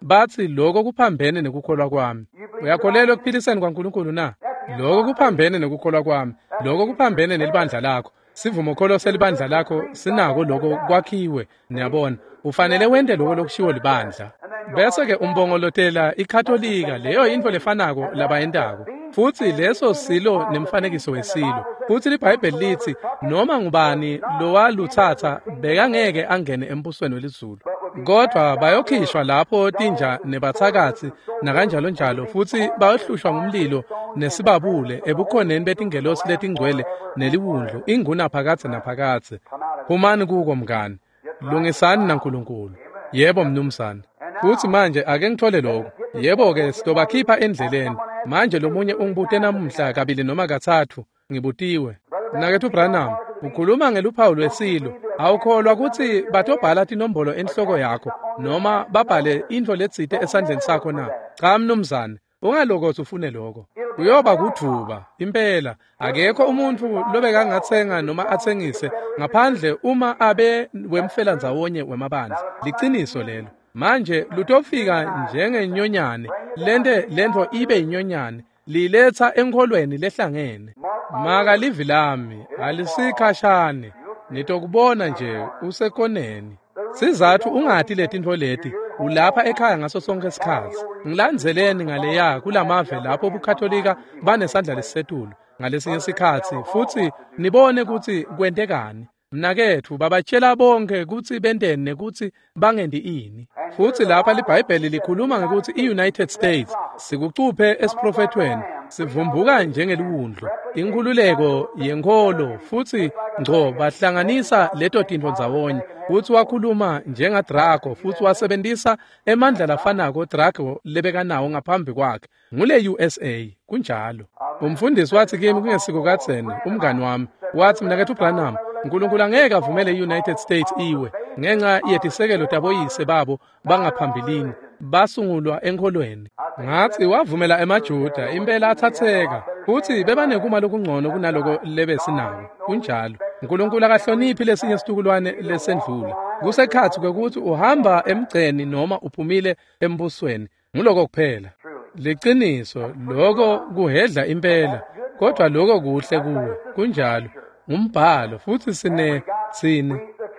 bathi lokho kuphambene nekukholwa kwami. Uyakholelwa ekuphiliseni kwaNkulunkulu na? Lokho kuphambene nekukholwa kwami. Lokho kuphambene nelibandla lakho. Sivumokholo selibandla lakho sinako lokho kwakhiwe. Niyabona, ufanele wente lokho lokushiwo libandla. Bese ke umbongolotela iKatolika, leyo into lefanako labayentako. Futhi leso silo nemfanekiso wesilo. Futhi liBhayibheli lithi noma ngubani lowaluthatha bekangeke angene embusweni welizulu. Kodwa bayokhishwa lapho tinja nebathakathi nakanjalo njalo, futhi bayohlushwa ngumlilo nesibabule ebukhoneni betingelosi letingcwele neliwundlu inguna phakadze naphakadze. Phumani kuko mngani. Lungisani naNkulunkulu. Yebo mnumzane. Futhi manje ake ngithole lokho. Yebo-ke, sitobakhipha endleleni. Manje lomunye ungibute namuhla kabili noma kathathu, ngibutiwe. Mnaketfu Branham, ukhuluma ngeluphawu lwesilo. Awukholwa kutsi batobhala tinombolo enhloko yakho noma babhale intfo letsite esandleni sakho na? Cha mnumzane, ungalokotsi ufune lokho. Kuyoba kudvuba impela. Akekho umuntfu lobekangatsenga noma atsengise ngaphandle uma abe wemfelandzawonye wemabandla. Liciniso lelo. Manje lutofika njengenyonyane, lente lentfo ibe yinyonyane, liletsa enkholweni lehlangene. Maka livi lami alisikhashane, nitokubona nje usekoneni. Sizatfu ungati letintfo leti, ulapha ekhaya ngaso sonke isikhatsi. Ngilandzeleni ngaleya kulamave lapho buKatolika banesandla lesisetulu ngalesinye sikhatsi futsi nibone kutsi kwentekani. Mnaketfu, babatshela bonke kutsi benteni nekutsi bangenti ini. Futsi lapha liBhayibheli likhuluma ngekutsi i-United States sikucuphe esiprofethweni, sivumbuka njengeliwundlu, inkhululeko yenkholo, futsi ngco bahlanganisa leto tintfo ndzawonye. Futsi wakhuluma njengaDrago futsi wasebentisa emandla lafanako Drago lebekanawo ngaphambi kwakhe. Ngule USA, kunjalo. Umfundisi wathi kimi kungesiko kadzeni, umngani wami, wathi, Mnaketfu Branham, uNkulunkulu angeke avumele i-United States iwe ngenxa yetisekelo taboyise babo bangaphambilini basungulwa enkholweni. Ngathi wavumela emaJuda impela athatheka futsi bebanekuma lokungcono kunaloko lebesinako. Kunjalo. uNkulunkulu akahloniphi lesinye situkulwane lesendlula. Kusekhatsi kwekutsi uhamba emgceni noma uphumile embusweni. Nguloko kuphela. Liciniso, loko kuhedla impela, kodwa loko kuhle kuwe. Kunjalo. Ngumbhalo futsi sine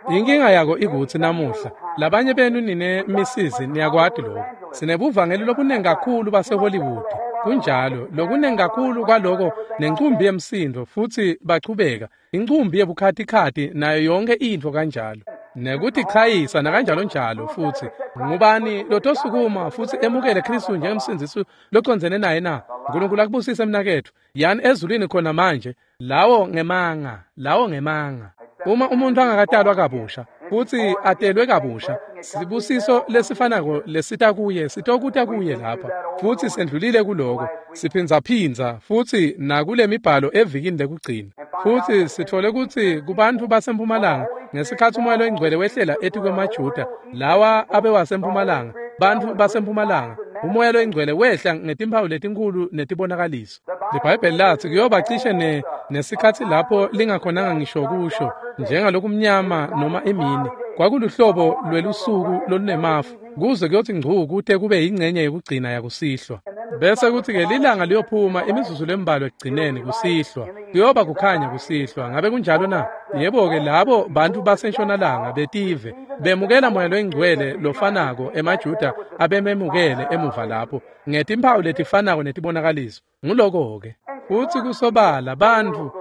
inkinga yako ikutsi namuhla labanye benu nine misizi niyakwati lokho. Sinebuvangeli lobunengi kakhulu baseHollywood. Kunjalo, lokunengi kakhulu kwaloko nencumbi yemsindo futsi bachubeka incumbi yebukhatikhathi nayo yonke intfo kanjalo nekutichayisa nakanjalo njalo. Futsi ngubani lotosukuma futsi emukele Khristu njengemsindzisi locondzene naye na? uNkulunkulu akubusise mnaketfu. Yani ezulwini khona manje. Lawo ngemanga, lawo ngemanga. Uma umuntu angakatalwa kabusha futsi atelwe kabusha, sibusiso lesifanako lesita kuye sitokuta kuye lapha. Futsi sendlulile kuloko, siphindzaphindza futsi nakule mibhalo evikini lekugcina. Futsi sithole kutsi kubantfu basempumalanga ngesikhatsi umoya loyingcwele wehlela etikwemaJuda lawa abewasempumalanga, bantfu basempumalanga, umoya loyingcwele wehla ngetimphawu letinkhulu netibonakaliso. LiBhayibheli lathi kuyoba cishe nesikhatsi lapho lingakhonanga ngisho kusho njengalokumnyama noma emini. Kwakuluhlobo lwelusuku lolunemafu kuze kuyothi ngcu kute kube yingcenye yekugcina yakusihlwa. Bese kuthi-ke lilanga liyophuma imizuzu lembalwa ekugcineni kusihlwa. Kuyoba kukhanya kusihlwa. Ngabe kunjalo na? Yebo-ke, labo bantu basentshonalanga betive bemukela moya loyingcwele lofanako emaJuda abememukele emuva lapho ngetimphawu letifanako netibonakaliso. Nguloko-ke. Futsi kusobala bantfu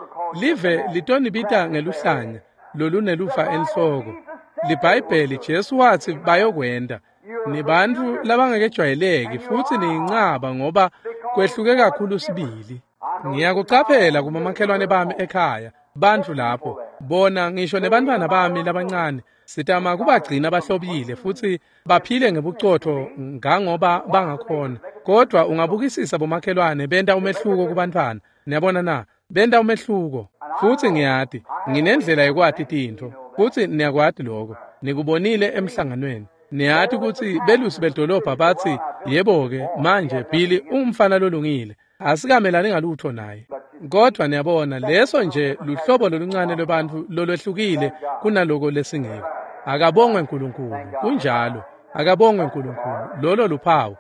live litonibita ngeluhlanya lolunelufa enhloko. LiBhayibheli Jesu watsi bayokwenta. Nibantfu labangakejwayeleki futsi niyincaba ngoba kwehluke kakhulu sibili. Ngiyakucaphela kumamakhelwane bami ekhaya, bantfu lapho, bona ngisho nebantfwana bami labancane, sitama kubagcina bahlobile futsi baphile ngebucotfo ngangoba bangakhona. Kodwa ungabukisisa bomakhelwane benta umehluko kubantfwana. Niyabona na? Benta umehluko. Futsi ngiyati, nginendlela yekwati tintfo. Futsi niyakwati lokho. Nikubonile emhlanganweni. Niyati kutsi belusi bedolobha batsi, yebo-ke, manje Billy ungumfana lolungile. Asikamelani ngalutho naye. Kodwa niyabona, leso nje luhlobo loluncane lwebantfu lolwehlukile kunaloko lesingiko. Akabongwe uNkulunkulu. Kunjalo. Akabongwe uNkulunkulu. Lolo luphawu.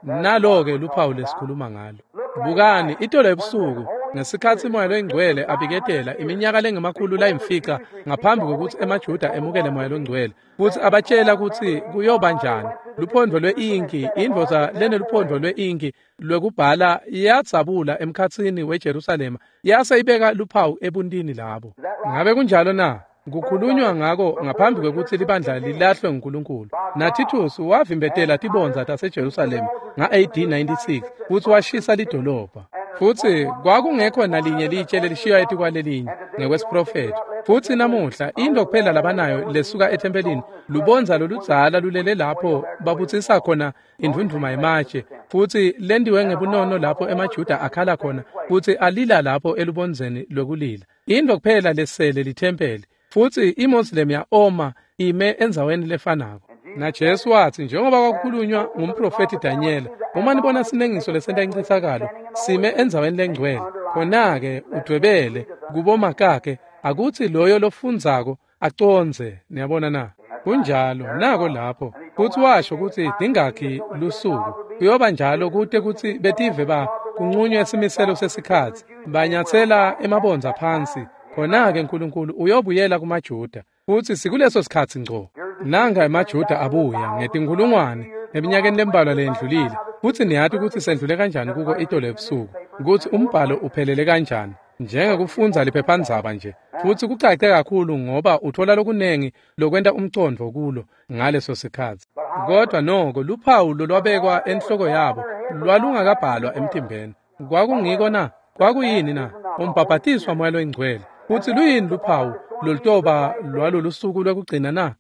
Nalo-ke luphawu lesikhuluma ngalo. Bukani, itolo ebusuku ngesikhatsi moya loyingcwele abiketela iminyaka lengemakhulu layimfica ngaphambi kokuthi emaJuda emukele moya longcwele futsi abatshela kutsi kuyoba njani. Luphondvo lwe-inki, indvodza leneluphondvo lwe-inki lwekubhala yadzabula emkhatsini weJerusalema yase ibeka luphawu ebuntini labo. Ngabe kunjalo na? Kukhulunywa ngako ngaphambi kwekutsi libandla lilahlwe nguNkulunkulu. NaTitus wavimbetela tibondza taseJerusalema nga-AD 96 futsi washisa lidolobha. Futsi kwakungekho nalinye litshe lelishiywa etikwalelinye ngekwesiprofetho. Futsi namuhla into kuphela labanayo lesuka ethempelini lubondza loludzala lulele lapho babutsisa khona indvundvuma yematshe, futsi lentiwe ngebunono lapho emaJuda akhala khona futsi alila lapho elubondzeni lwekulila. Into kuphela lesele lithempeli, futsi iMoslem ya-oma ime endzaweni lefanako. NaJesu watsi, njengoba kwakukhulunywa ngumprofethi Daniel, uma nibona sinengiso lesenta incitsakalo sime endzaweni lengcwele, khona-ke udvwebele kubomakakhe, akutsi loyo lofundzako acondze. Niyabona na? Kunjalo, nako lapho. Futsi washo kutsi dingakhi lusuku kuyoba njalo kute kutsi betive ba kunqunywe simiselo sesikhatsi, banyatsela emabondza phansi. Khona-ke Nkulunkulu uyobuyela kumaJuda, futsi sikuleso sikhatsi ngco. Nanga emaJuda abuya ngetinkhulungwane eminyakeni lembalwa leyendlulile, futsi niyati kutsi sendlule kanjani kuko itolo ebusuku, kutsi umbhalo uphelele kanjani, njengekufundza liphephandzaba nje, futsi kucace kakhulu ngoba uthola lokunengi lokwenta umcondvo kulo ngaleso sikhatsi. Kodwa noko luphawu lolwabekwa enhloko yabo lwalungakabhalwa emtimbeni. Kwakungiko na? Kwakuyini na? Umbhabhatiswa Moya loyiNgcwele. Futsi luyini luphawu lolutoba lwalolusuku lwekugcina na?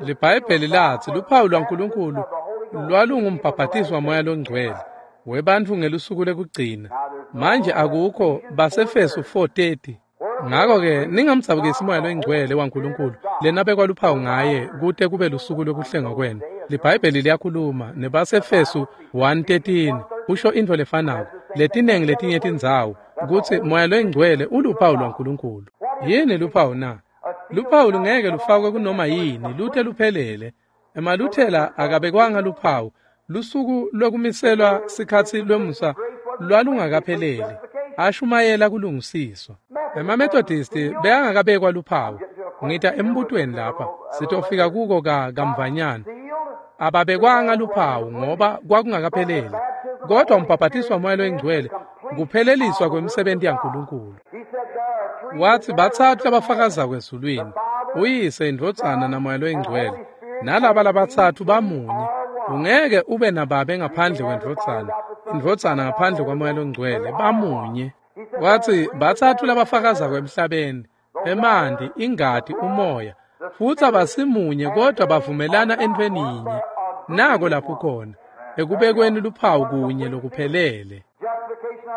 LiBhayibheli latsi luphawu lwaNkulunkulu lwalungumbhabhatiswa Moya loNgcwele webantfu ngelusuku lwekugcina. Manje akukho baseFesu 4:30. Ngako-ke ningamdzabukisi Moya loyiNgcwele waNkulunkulu lenabekwa luphawu ngaye kute kube lusuku lwekuhlengwa kwenu. LiBhayibheli liyakhuluma nebaseFesu 1:13 usho intfo lefanako letinengi letinye tindzawo kutsi Moya loyiNgcwele uluphawu lwaNkulunkulu. Yini luphawu na? Luphawu lungeke lufakwe kunoma yini lute luphelele. Emaluthela akabekwanga luphawu. Lusuku lwekumiselwa sikhatsi lwemusa lwalungakapheleli. Ashumayela kulungisiswa. EmaMethodisti bekangakabekwa luphawu. Ngita embutweni lapha sitofika kuko kamvanyana. Ababekwanga luphawu ngoba kwakungakapheleli. Kodwa umbhabhatiswa Moya loyiNgcwele kupheleliswa kwemisebenzi yaNkulunkulu. Watsi batsatfu labafakazako ezulwini, uYise, iNdvodzana naMoya loyiNgcwele. Nalaba labatsatfu bamunye. Ungeke ube nababe ngaphandle kweNdvodzana, iNdvodzana ngaphandle kwaMoya loNgcwele, bamunye. Watsi batsatfu labafakazako emhlabeni, emanti, ingati, umoya, futsi abasimunye kodwa bavumelana entfweni yinye. Nako lapho khona, ekubekweni luphawu kunye lokuphelele.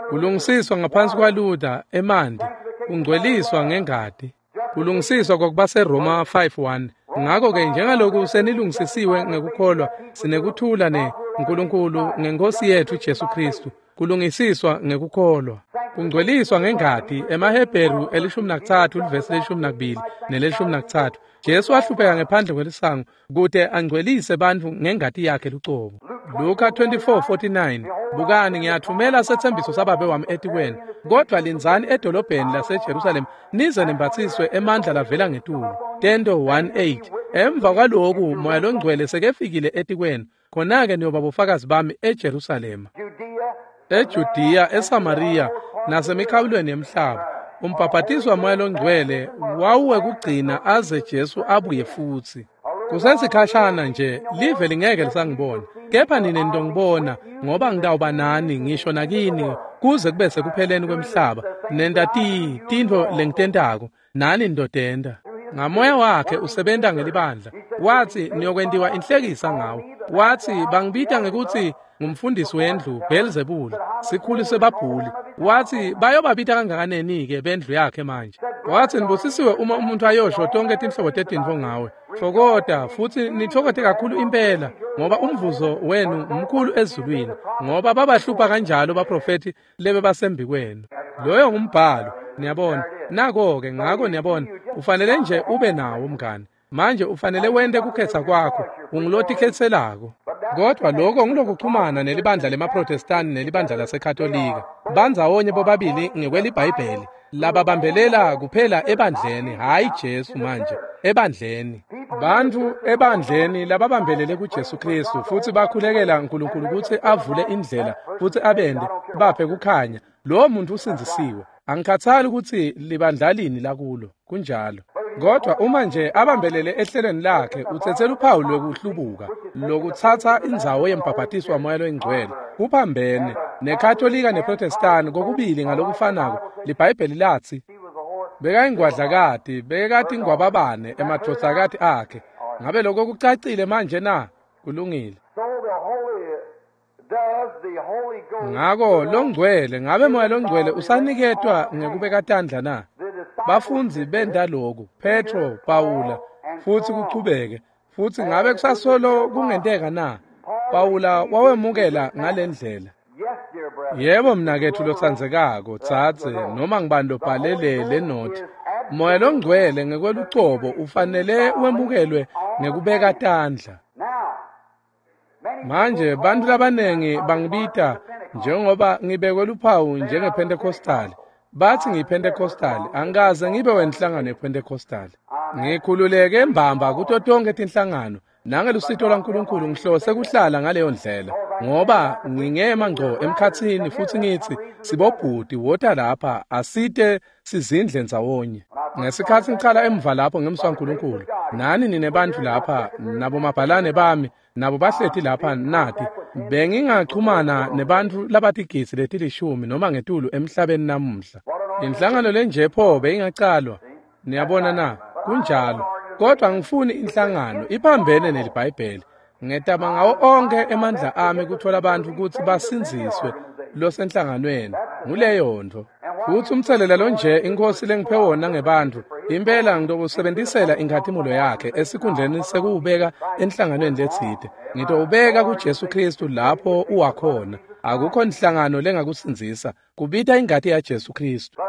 Kulungisiswa ngaphansi kwaLuther, emanti, kungcweliswa ngengati. Kulungisiswa kwakubaseRoma 5:1. Ngako-ke njengaloku senilungisisiwe ngekukholwa, sinekuthula neNkulunkulu ngeNkosi yethu Jesu Kristu. Kulungisiswa ngekukholwa. Kungcweliswa ngengati, emaHebheru 13 livesi 12 ne-13. Jesu wahlupheka ngephandle kwelisango kute angcwelise bantfu ngengati yakhe lucobo. Luka 24:49. Bukani, ngiyathumela setsembiso sababe wami etikweni, kodvwa lindzani edolobheni laseJerusalem nize nembatsiswe emandla lavela ngetulu. Tento 1:8. Emva kwaloku Moya loNgcwele sekefikile etikwenu, khona-ke niyoba bofakazi bami eJerusalema, eJudiya, eSamariya nasemikhawulweni yemhlaba. Umbhabhatiswa Moya loNgcwele wawuwekugcina aze Jesu abuye futsi. Kusesikhashana nje live lingeke lisangibona, kepha nine nitongibona, ngoba ngitawuba nani ngisho nakini kuze kube sekupheleni kwemhlaba. Nenta tintfo lengitentako, nani nitotenta. Ngamoya wakhe usebenta ngelibandla. Watsi niyokwentiwa inhlekisa ngawo. Watsi bangibita ngekutsi ngumfundisi wendlu Beelzebuli, sikhulu sebabhuli. Watsi bayobabita kangakanani-ke bendlu yakhe manje. Watsi nibusisiwe uma umuntu ayosho tonke tinhlobo tetintfo ngawe. Tfokota futsi nitfokote kakhulu impela, ngoba umvuzo wenu mkhulu ezulwini, ngoba babahlupha kanjalo baprofethi lebebasembikwenu. Loyo ngumbhalo, niyabona. Nako-ke, ngako niyabona, ufanele nje ube nawo mngani. Manje ufanele wente kukhetsa kwakho, ungulotikhetselako. Kodwa lokho ngulokuchumana nelibandla lemaProtestani nelibandla laseKatolika. Bandzawonye bobabili ngekweliBhayibheli, lababambelela kuphela ebandleni, hhayi Jesu manje, ebandleni. Bantfu ebandleni lababambelele kuJesu Kristu futsi bakhulekela Nkulunkulu kutsi avule indlela futsi abende baphe kukhanya. Lowo muntu usindzisiwe. Angikhathali kutsi libandla lini lakulo, kunjalo. Kodwa uma nje abambelele ehlelweni lakhe, utsetse luphawu lwekuhlubuka, lokutsatsa indzawo yembhabhatiswa waMoya loyiNgcwele. Kuphambene neKatolika neProtestani kokubili ngalokufanako. LiBhayibheli latsi Bekayingwadlakati, bekati ingwababane emadvodzakati akhe. Ngabe lokho kucacile manje na? Kulungile. Ngako longcwele, ngabe moya longcwele usaniketwa ngekubeka tandla na? Bafundzi benta lokhu, Petro, Pawula, futsi kuchubeke. Futsi ngabe kusasolo kungenteka na? Pawula wawemukela ngalendlela. Yebo mnaketfu lotsandzekako, dzadze, noma ngibani lobhalele le nothi. Moya longcwele ngekwelucobo ufanele wemukelwe ngekubeka tandla. Manje bantfu labanengi bangibita njengoba ngibekwe luphawu njengePentecostal. Bathi ngiyiPentecostal, angikaze ngibe wenhlangano yePentecostal. Ngikhululeke mbamba kuto tonkhe tinhlangano. Nangelusito lwaNkulunkulu ngihlose kuhlala ngaleyo ndlela, ngoba ngingema ngco emkhatsini futsi ngitsi sibobhuti wota lapha asite sizindle ndzawonye. Ngesikhatsi ngicala emva lapho ngemswa nkulunkulu, nani ninebantfu lapha nabo mabhalane bami nabo bahleti lapha nati, bengingachumana nebantfu labatigidzi letilishumi noma ngetulu emhlabeni namuhla. Inhlangano lenje pho beyingacalwa. Niyabona na? Kunjalo. Kodwa ngifuni inhlangano iphambene neliBhayibheli. Ngetama ngawo onke emandla ami kuthola abantu kutsi basindziswe losenhlanganweni. Nguleyo ntfo. Futsi umtselela lonje inkosi lengiphe wona ngebantfu, impela ngitokusebentisela inkhatimulo yakhe esikhundleni sekuwubeka enhlanganweni letsite. Ngitowubeka kuJesu Kristu lapho uwakhona. Akukho inhlangano lengakusindzisa, kubita ingati yaJesu Kristu.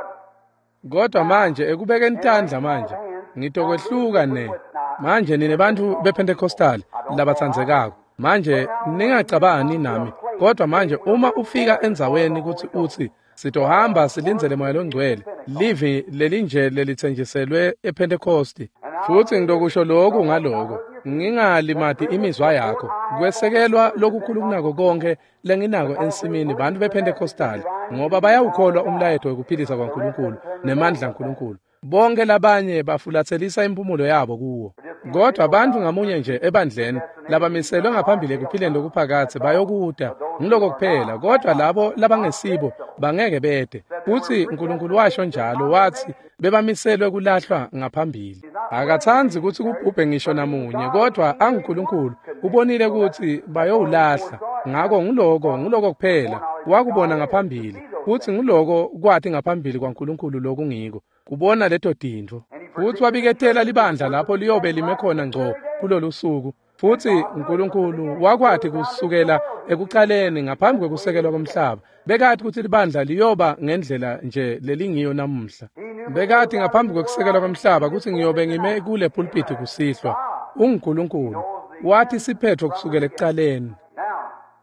Kodwa manje ekubekeni tandla manje ngitokwehluka ne. Manje nine bantfu bePentecostal labatsandzekako, manje ningacabani nami, kodwa manje uma ufika endzaweni kutsi utsi sitohamba silindzele moya longcwele, livi lelinje lelitsenjiselwe ePentecosti, futsi ngitokusho lokhu ngaloko, ngingalimati imizwa yakho, kwesekelwa lokukhulu kunako konke lenginako ensimini bantfu bePentecostal, ngoba bayawukholwa umlayeto wekuphilisa kwaNkulunkulu nemandla aNkulunkulu. Bonke labanye bafulatselisa impumulo yabo kuwo. Kodwa bantfu ngamunye nje ebandleni labamiselwe ngaphambili ekuphileni lokuphakadze bayokuta, ngiloko kuphela. Kodwa labo labangesibo bangeke bete. Futsi uNkulunkulu washo njalo, wathi bebamiselwe kulahlwa ngaphambili. Akatsandzi kutsi kubhubhe ngisho namunye, kodwa anguNkulunkulu ubonile kutsi bayowulahla. Ngako nguloko kuphela wakubona ngaphambili, futsi nguloko kwati ngaphambili kwaNkulunkulu lokungiko, kubona leto tintfo. Futsi wabiketela libandla lapho liyobe lime khona ngco kulolu suku. Futsi uNkulunkulu wakwati kusukela ekucaleni ngaphambi kwekusekelwa komhlaba, bekati kutsi libandla liyoba ngendlela nje lelingiyo namuhla. Bekati ngaphambi kwekusekelwa komhlaba kutsi ngiyobe ngime kule pulpiti kusihlwa. UnguNkulunkulu wathi siphetho kusukela ekucaleni.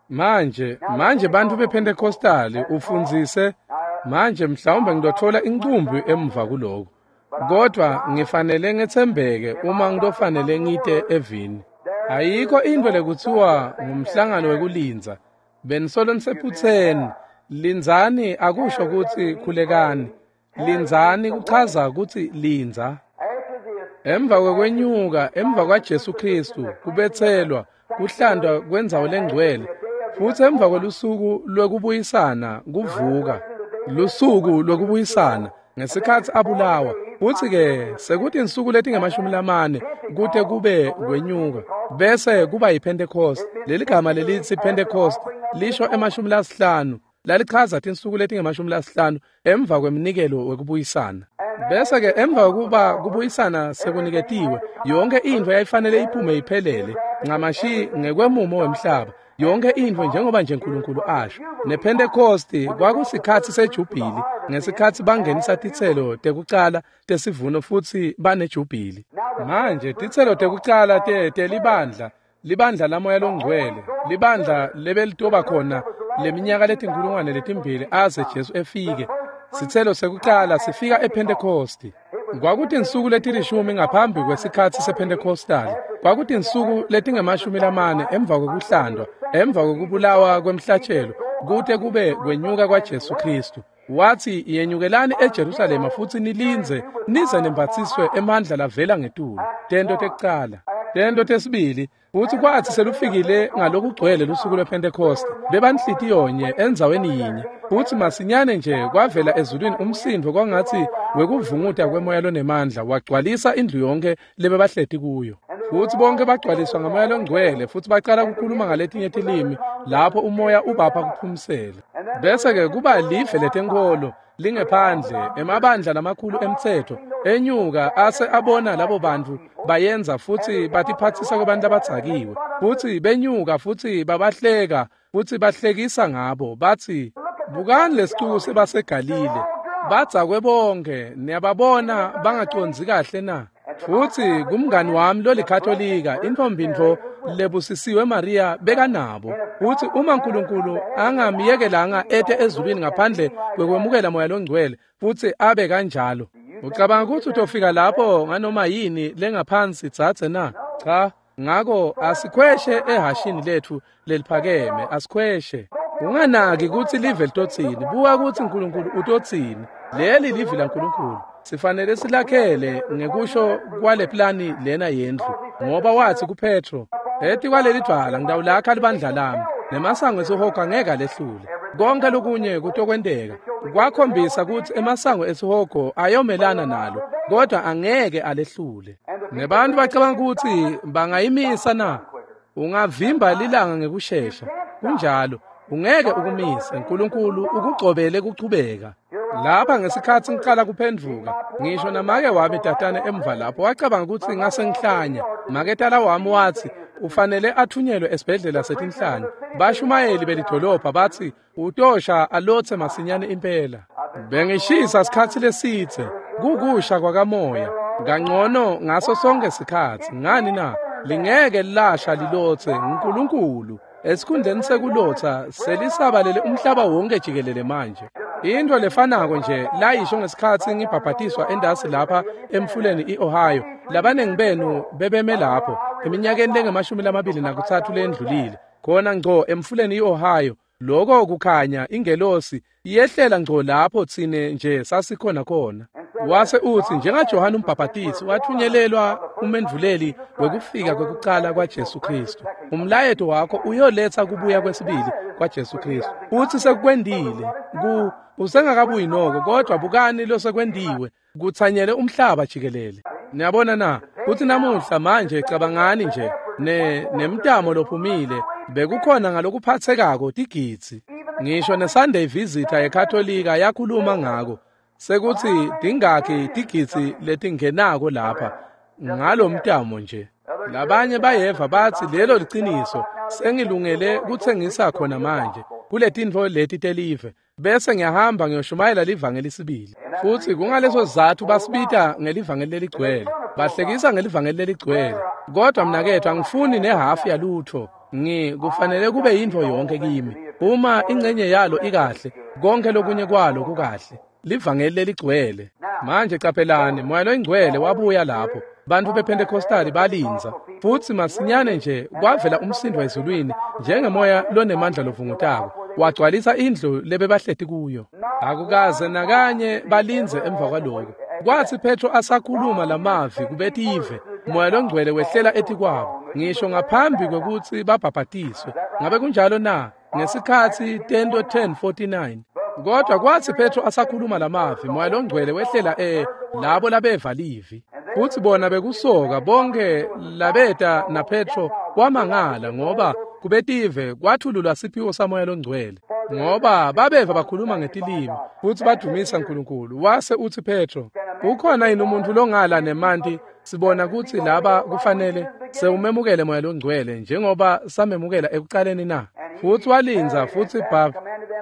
Manje bantfu bePentecostal ufundzise. Manje mhlawumbe ngitothola incumbi emva kuloko, kodwa ngifanele ngetsembeke uma ngitofanele ngite evini. Ayikho intfo lekutsiwa ngumhlangano wekulindza. Benisolo nisephutseni. Lindzani akusho kutsi khulekani. Lindzani kuchaza kutsi lindza. Emva kwekwenyuka, emva kwaJesu Kristu, kubetselwa, kuhlandwa kwendzawo lengcwele, futsi emva kwelusuku lwekubuyisana kuvuka. Lusuku lwekubuyisana ngesikhatsi abulawa, futsi ke sekutinsuku letingamashumi kute kube kwenyuka, bese kuba yiPentecost. Leligama lelitsi Pentecost lisho 50, lalichaza tinsuku letingamashumi emva kweminikelo wekubuyisana. Bese ke emva kokuba kubuyisana sekuniketiwe, yonke intfo yayifanele iphume iphelele ncamashi ngekwemumo wemhlaba. Yonke intfo njengoba nje uNkulunkulu asho. NePentecost kwakusikhatsi sejubhili, ngesikhatsi bangenisa titselo tekucala tesivuno futsi banejubhili. Manje titselo tekucala telibandla, libandla lamoya longcwele, libandla lebelitoba khona leminyaka letinkulungwane letimbili aze Jesu efike. Sitselo sekucala sifika ePentecost. Kwakutinsuku letilishumi ngaphambi kwesikhatsi sePentecostal. Kwakutinsuku letingamashumi emva kwekuhlandwa, emva kwekubulawa kwemhlatshelo, kute kube kwenyuka kwaJesu Kristu. Wathi yenyukelani eJerusalema futsi nilindze nize nembatsiswe emandla lavela ngetulu. Tento tekucala. Tento tesibili futsi kwatsi selufikile ngalokugcwele lusuku lwePhentekoste, bebanhlitiyonye endzaweni yinye, futsi masinyane nje kwavela ezulwini umsindvo kwangatsi wekuvunguta kwemoya lonemandla wagcwalisa indlu yonke lebebahleti kuyo. Futsi bonke bagcwaliswa ngamoya longcwele futsi bacala kukhuluma ngaletinye tilimi lapho umoya ubapha kuphumsela. Bese-ke kuba live letenkholo lingephandle emabandla lamakhulu emtsetfo enyuka ase abona labo bantfu bayenza futsi batiphatsisa kwabantu abadzakiwe, futsi benyuka futsi babahleka futsi bahlekisa ngabo batsi, "Bukani lesicuku sebaseGalile, badzakwe bonke, niyababona bangacondzi kahle na?" Futsi kumngani wami lolikatolika intombi ntfo lebusisiwe Maria bekanabo. Futsi uma Nkulunkulu angamyekelanga ete ezulwini ngaphandle kwekwemukela moya longcwele futsi abe kanjalo, ucabanga kutsi utofika lapho nganoma yini lengaphansi dzadze na? Cha. Ngako asikhweshe ehashini letfu leliphakeme, asikhweshe. Unganaki kutsi live litotsini, buka kutsi Nkulunkulu utotsini. Leli livi laNkulunkulu. Sifanele silakhele ngekusho kwale plani lena yendlu, ngoba watsi kuPetro, "Etikwaleli dvwala ngitawulakha libandla lami, nemasango esihogo angeke alehlule." Konke lokunye kutokwenteka. Kwakhombisa kutsi emasango esihogo ayomelana nalo, kodwa angeke alehlule. Nebantu bacabanga kutsi bangayimisa na? Ungavimba lilanga ngekushesha. Kunjalo, ungeke ukumise. Nkulunkulu ukugcobele kuchubeka. Lapha ngesikhatsi ngicala kuphendvuka, ngisho namake wami tatane emva lapho wacabanga kutsi ngase ngihlanya. Maketala wami watsi ufanele athunyelwe esibhedlela setinhlanya. Bashumayeli belidolobha batsi utosha alotse masinyane impela. Bengishisa sikhatsi lesidze, kukusha kwakamoya, kangcono ngaso sonke sikhatsi. Ngani na? Lingeke lasha lilotse nguNkulunkulu. Esikhundleni sekulotsa selisabalele umhlaba wonke jikelele manje. Into lefanako nje layisho ngesikhatsi ngibhabhatiswa endasi lapha emfuleni i-Ohio. Labanengi benu bebeme lapho eminyakeni lengamashumi lamabili nakutsatfu lendlulile, khona ngco emfuleni i-Ohio. Loko kukhanya ingelosi yehlela ngco lapho tsine nje sasikhona khona. Wase utsi njengaJohane umbhabhatisi wathunyelelwa umendvuleli wekufika kwekucala kwaJesu Kristu, umlayeto wakho uyoletsa kubuya kwesibili kwaJesu Kristu. Utsi sekukwendile ku usengakabuyi noko, kodwa bukani losekwentiwe kutsanyele umhlaba jikelele. Niyabona na kutsi namuhla manje cabangani nje nemtamo lophumile bekukhona ngalokuphatsekako tigidzi. Ngisho neSunday Visitor yeKatolika yakhuluma ngako sekutsi tingakhi tigidzi letingenako lapha ngalomtamo nje. Labanye bayeva batsi lelo liciniso, sengilungele kutsengisa khona manje kuletintfo leti telive, bese ngiyahamba ngiyoshumayela livangeli sibili. Futsi kungaleso sizatfu basibita ngelivangeli leligcwele, bahlekisa ngelivangeli leligcwele. Kodwa mnaketfu, angifuni nehafu yalutfo. Kufanele kube yintfo yonke kimi. Uma ingcenye yalo ikahle, konke lokunye kwalo kukahle. Livangeli leligcwele. Manje caphelani, moya loyingcwele wabuya lapho bantfu bePhentekostali balindza, futsi masinyane nje kwavela umsindvo ezulwini njengemoya lonemandla lovungutako wagcwalisa indlu lebebahleti kuyo. Akukaze nakanye balindze emva kwaloko. Kwatsi Petro asakhuluma lamavi kubetive, moya longcwele wehlela etikwabo ngisho ngaphambi kwekutsi babhabhatiswe. Ngabe kunjalo na? Ngesikhatsi Tento 10:49. Kodwa kwatsi Petro asakhuluma lamavi, moya longcwele wehlela labo labeva livi. Futsi bona bekusoka bonke labeta naPetro wamangala, ngoba kubetive kwathululwa siphiwo samoya longcwele, ngoba babeva bakhuluma ngetilimi futsi badumisa Nkulunkulu. Wase utsi Petro, "Ukhona yini umuntu longala nemanti sibona kutsi laba kufanele sewumemukele moya longcwele njengoba samemukela ekucaleni na?" Futsi walindza futsi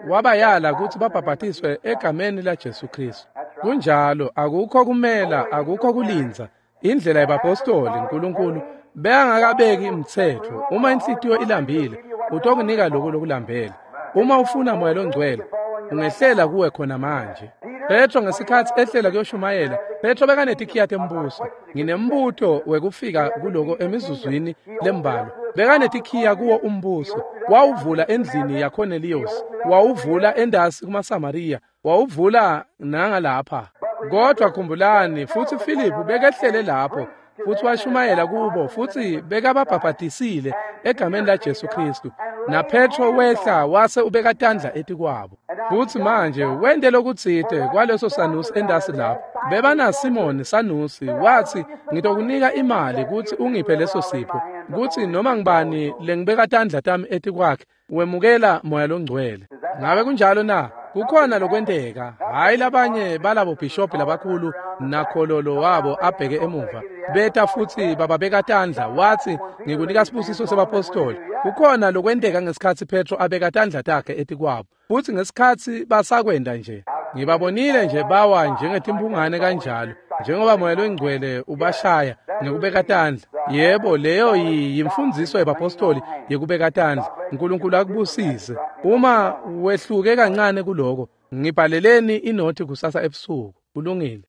wabayala kutsi babhabhatiswe egameni laJesu Kristu. Kunjalo, akukho kumela, akukho kulindza. Indlela yebapostoli, Nkulunkulu bekangakabeki umtsetfo. Uma inhlitiyo ilambile, utokunika lokhu lokulambele. Uma ufuna moya longcwele, ungehlela kuwe khona manje. Petro ngesikhatsi ehlela kuyoshumayela, Petro bekanetikhiya tembuso. Nginembuto wekufika kuloko emizuzwini lembalwa. Bekanetikhiya kuwo umbuso. Wawuvula endlini yaCornelius, wawuvula endasi kumaSamariya, wawuvula nangalapha. Kodwa khumbulani, futsi Philip bekehlele lapho. Futsi washumayela kubo futsi bekababhabhadisile egameni laJesu Kristu. NaPetro wehla wase ubeka tandla etikwabo. Futsi manje wente lokutsite kwaleso sanusi endasi lapho. Bebana Simoni sanusi watsi ngitokunika imali kutsi ungiphe leso sipho. Kutsi noma ngibani lengibeka tandla tami etikwakhe wemukela Moya loNgcwele. Ngabe kunjalo na? Kukhona lokwenteka. Hhayi labanye balabo bishop labakhulu nakhololo wabo abheke emuva. Beta futsi bababeka tandla watsi ngikunika sibusiso sebapostoli. Kukhona lokwenteka ngesikhatsi Petro abeka tandla takhe etikwabo. Futsi ngesikhatsi basakwenda nje. Ngibabonile nje bawa njengetimphungane kanjalo. Njengoba Moya loNgcwele ubashaya ngekubeka tandla. Yebo, leyo yimfundziso yebapostoli yekubeka tandla. uNkulunkulu akubusise. Uma wehluke kancane kuloko, ngibhaleleni inothi kusasa ebusuku. Kulungile.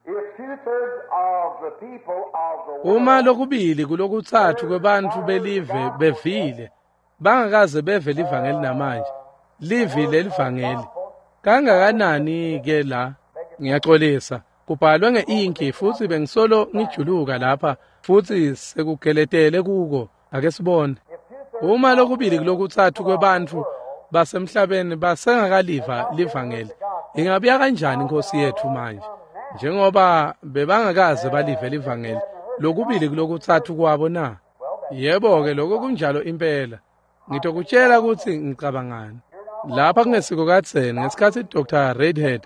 Uma lokubili kulokutsatfu kwebantfu belive bevile, bangakaze beve livangeli namanje. Livi lelivangeli. Kangakanani ke la? Ngiyaxolisa. Kubhalwe ngeinki futsi bengisolo ngijuluka lapha futsi sekugeletele kuko. Ake sibone. Uma lokubili kulokutsatfu kwebantfu basemhlabeni basengakaliva livangeli, ingabuya kanjani inkosi yetfu manje? Njengoba bebangakaze balive livangeli, lokubili kulokutsatfu kwabo na? Yebo-ke, lokho kunjalo impela. Ngitokutshela kutsi ngicabangani. Lapha kungesiko kadzeni ngesikhatsi Dr. Redhead,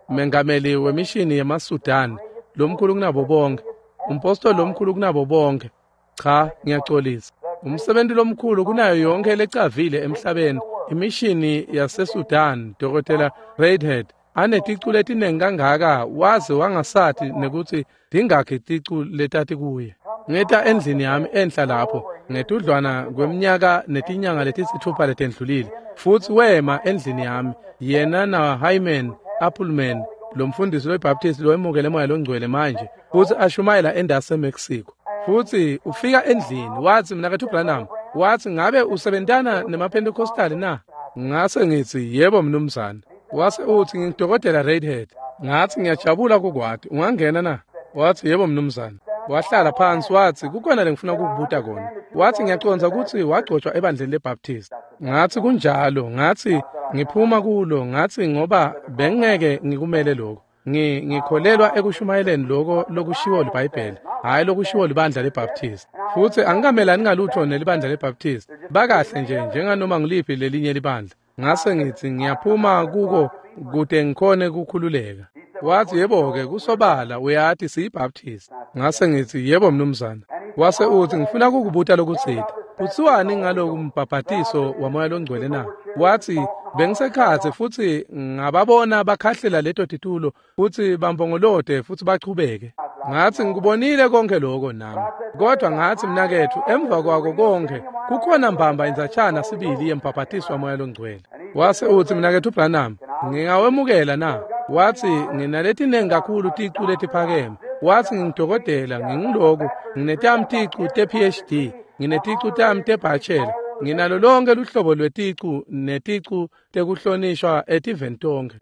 mengameli wemishini yemaSudan, lomkhulu kunabo bonke, umpostoli lomkhulu kunabo bonke. Cha, ngiyaxolisa. Umsebenzi lomkhulu kunayo yonke lecavile emhlabeni, imishini yaseSudan, Dr. Redhead, aneticu letinengi kangaka waze wangasati nekuthi tingakhi ticu letati kuye. Ngeta endlini yami enhla lapho ngetudlwana kweminyaka netinyanga letisithupha letendlulile. Futsi wema endlini yami yena na Hyman Appleman, lo mfundisi weBaptist lowemukele Moya loNgcwele manje, futsi ashumayela endase Mexico. Futsi ufika endlini watsi mnaketfu Branham, watsi ngabe usebentana nemaPentecostal na? Ngase ngitsi yebo mnumzane. Wase uthi ngingudokotela Redhead. Ngathi ngiyajabula kukwati, ungangena na? Wathi yebo mnumzane. Wahlala phansi wathi kukhona lengifuna ukukubuta kona. Wathi ngiyacondza kutsi wagcotshwa ebandleni leBaptist. Ngathi kunjalo, ngathi ngiphuma kulo, ngathi ngoba bengeke ngikumele lokho. Ngikholelwa ekushumayeleni lokho lokushiwo liBhayibheli, hhayi lokushiwo libandla leBaptist. Futsi angikamelani ngalutho nelibandla leBaptist. Bakahle nje njenganoma ngiliphi lelinye libandla. Ngase ngitsi ngiyaphuma kuko kute ngikhone kukhululeka. Wathi yebo-ke kusobala uyati siyiBaptist. Ngase ngitsi yebo mnumzane. Wase uthi ngifuna kukubuta lokutsite. Kutsiwani ngaloku mbhabhatiso waMoya loNgcwele na? Wathi bengisekhatsi futsi ngababona bakhahlela leto titulo futsi bambongolote futsi bachubeke. Ngathi ngikubonile konke lokho nami. Kodwa ngathi mnaketfu emva kwako konke kukhona mbamba indzatshana sibili yembhabhatiso waMoya loNgcwele. Wase uthi mnaketfu Branham, ngingawemukela na? Wathi nginaletinengi kakhulu ticu letiphakeme. Wathi ngingudokotela, nginguloku, nginetami ticu te-PhD, ngineticu tami te-bachelor, nginalo lonke luhlobo lweticu neticu tekuhlonishwa etiveni tonkhe.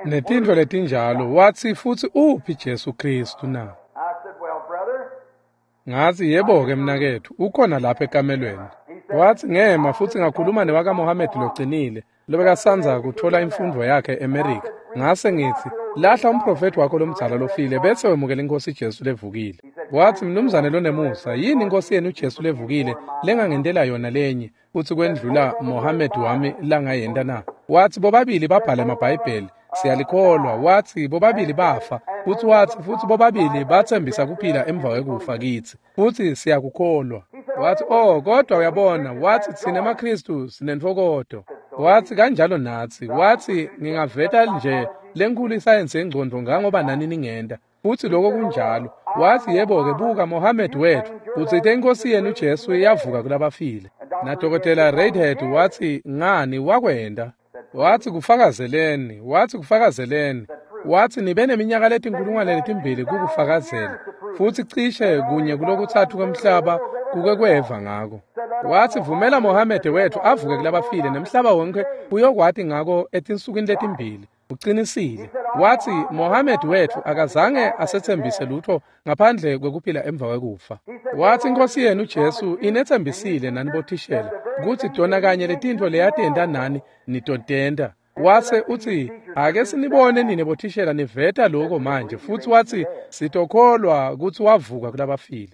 Netintfo letinjalo. Wathi futsi uphi Jesu Kristu na? Ngathi yebo-ke mnaketfu, ukhona lapha ekamelweni. Wathi ngema futsi ngakhuluma newakaMohamedi locinile, lobekasandza kuthola imfundvo yakhe eMerika. Ngase ngitsi lahla umprofethi wakho lomdzala lofile bese wemukela inkosi Jesu levukile. Wathi mnumzane lonemusa, yini inkosi yenu Jesu levukile lengangentela yona lenye futsi kwendlula Mohamedi wami langayenta na? Wathi bobabili babhala emabhayibheli, siyalikholwa. Wathi bobabili bafa, futsi wathi futsi bobabili bathembisa kuphila emva kwekufa kitsi, futsi siyakukholwa. Wathi oh kodwa uyabona, wathi tsine emaKristu sinentfokoto. Wathi kanjalo natsi. Wathi ngingaveta nje lenkulu isayensi yengcondvo ngangoba nani ningenta. Futsi lokho kunjalo. Wathi yebo-ke buka Mohamedi wethu utsite inkosi yenu Jesu iyavuka kulabafile. NaDokotela Redhead wathi ngani wakwenta. Wathi kufakazeleni, wathi kufakazeleni. Wathi nibe neminyaka letinkulungwane letimbili kukufakazela. Futsi cishe kunye kulokutsatfu kwemhlaba kuke kweva ngako. Wathi vumela Mohamedi wethu avuke kulabafile nemhlaba wonke uyokwati ngako etinsukwini letimbili. Ucinisile. Watsi Mohammed wetfu akazange asetsembise lutfo ngaphandle kwekuphila emva kwekufa. Watsi Inkosi yenu Jesu inetsembisile nani bothishela kutsi tona kanye letintfo leyatenta nani nitotenta. Wase utsi ake sinibone nine bothishela niveta lokho manje, futsi watsi sitokholwa kutsi wavuka kulabafile.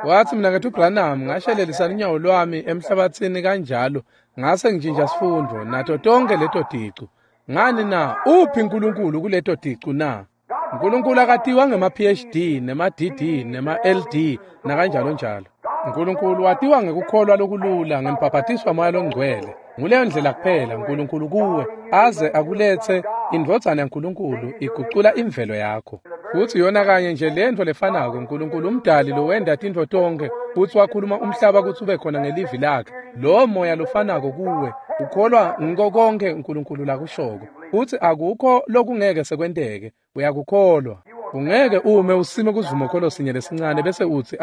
Watsi mina ngethu Branham ngashelelisa lunyawo lwami emhlabatsini kanjalo ngase ngishintsha sifundo nato tonke leto ticu. Ngani na? Uphi uNkulunkulu kuleto ticu na? uNkulunkulu akatiwa ngema-PhD nema-DD nema-LD nakanjalo njalo. uNkulunkulu watiwa ngekukholwa lokulula ngembhabhatiswa moya longcwele. Nguleyo ndlela kuphela uNkulunkulu kuwe aze akuletse indvodzana yaNkulunkulu igucula imvelo yakho. Futsi yona kanye nje lentfo lefanako uNkulunkulu umdali lowenda tintfo tonke futsi wakhuluma umhlaba kutsi ube khona ngelivi lakhe. Lo moya lofanako kuwe ukholwa ngiko konke uNkulunkulu lakushoko. Futsi akukho lokungeke sekwenteke, uyakukholwa. Ungeke ume usime kusivumokholo sinye lesincane bese utsi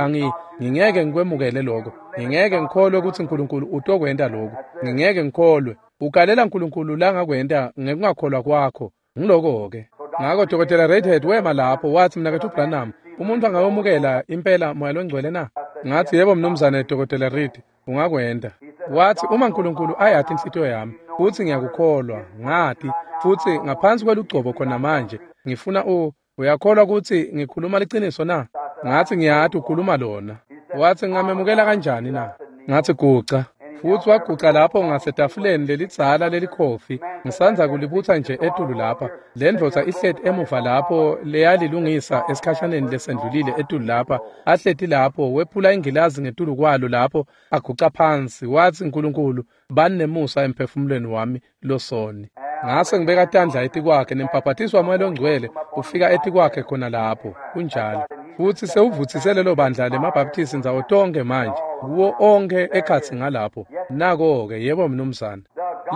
ngingeke ngikwemukele lokho, ngingeke ngikholwe kutsi uNkulunkulu utokwenta lokho, ngingeke ngikholwe. Ugalela uNkulunkulu langakwenta ngekungakholwa kwakho. Ngiloko-ke. Ngako Dr. Redhead wema lapho watsi mnaketfu Branham, umuntu angawemukela impela moya longcwele na? Ngathi yebo mnumzane Dr. Reed, ungakwenta. Watsi uma uNkulunkulu ayati inhlitiyo yami futsi ngiyakukholwa, ngati futsi ngaphansi kwelugcobo khona manje ngifuna uyakholwa kutsi ngikhuluma liciniso na? Ngathi ngiyati ukhuluma lona. Watsi ngingamemukela kanjani na? Ngathi guca. Futsi waguca lapho ngasetafuleni lelidzala lelikhofi, ngisandza kulibutsa nje etulu lapha. Le ndvodza ihleti emuva lapho leyalilungisa esikhashaneni lesendlulile etulu lapha, ahleti lapho wephula ingilazi ngetulu kwalo lapho aguca phansi. Watsi uNkulunkulu bani nemusa emphefumulweni wami losoni. Ngase ngibeka tandla etikwakhe nembhabhatiswa wamoya longcwele ufika etikwakhe khona lapho. Kunjalo. Futsi sewuvutsise lelo bandla lemabhaptisi ndzawo tonke manje, kuwo onke ekhatsi ngalapho. Nako-ke, yebo mnumzane.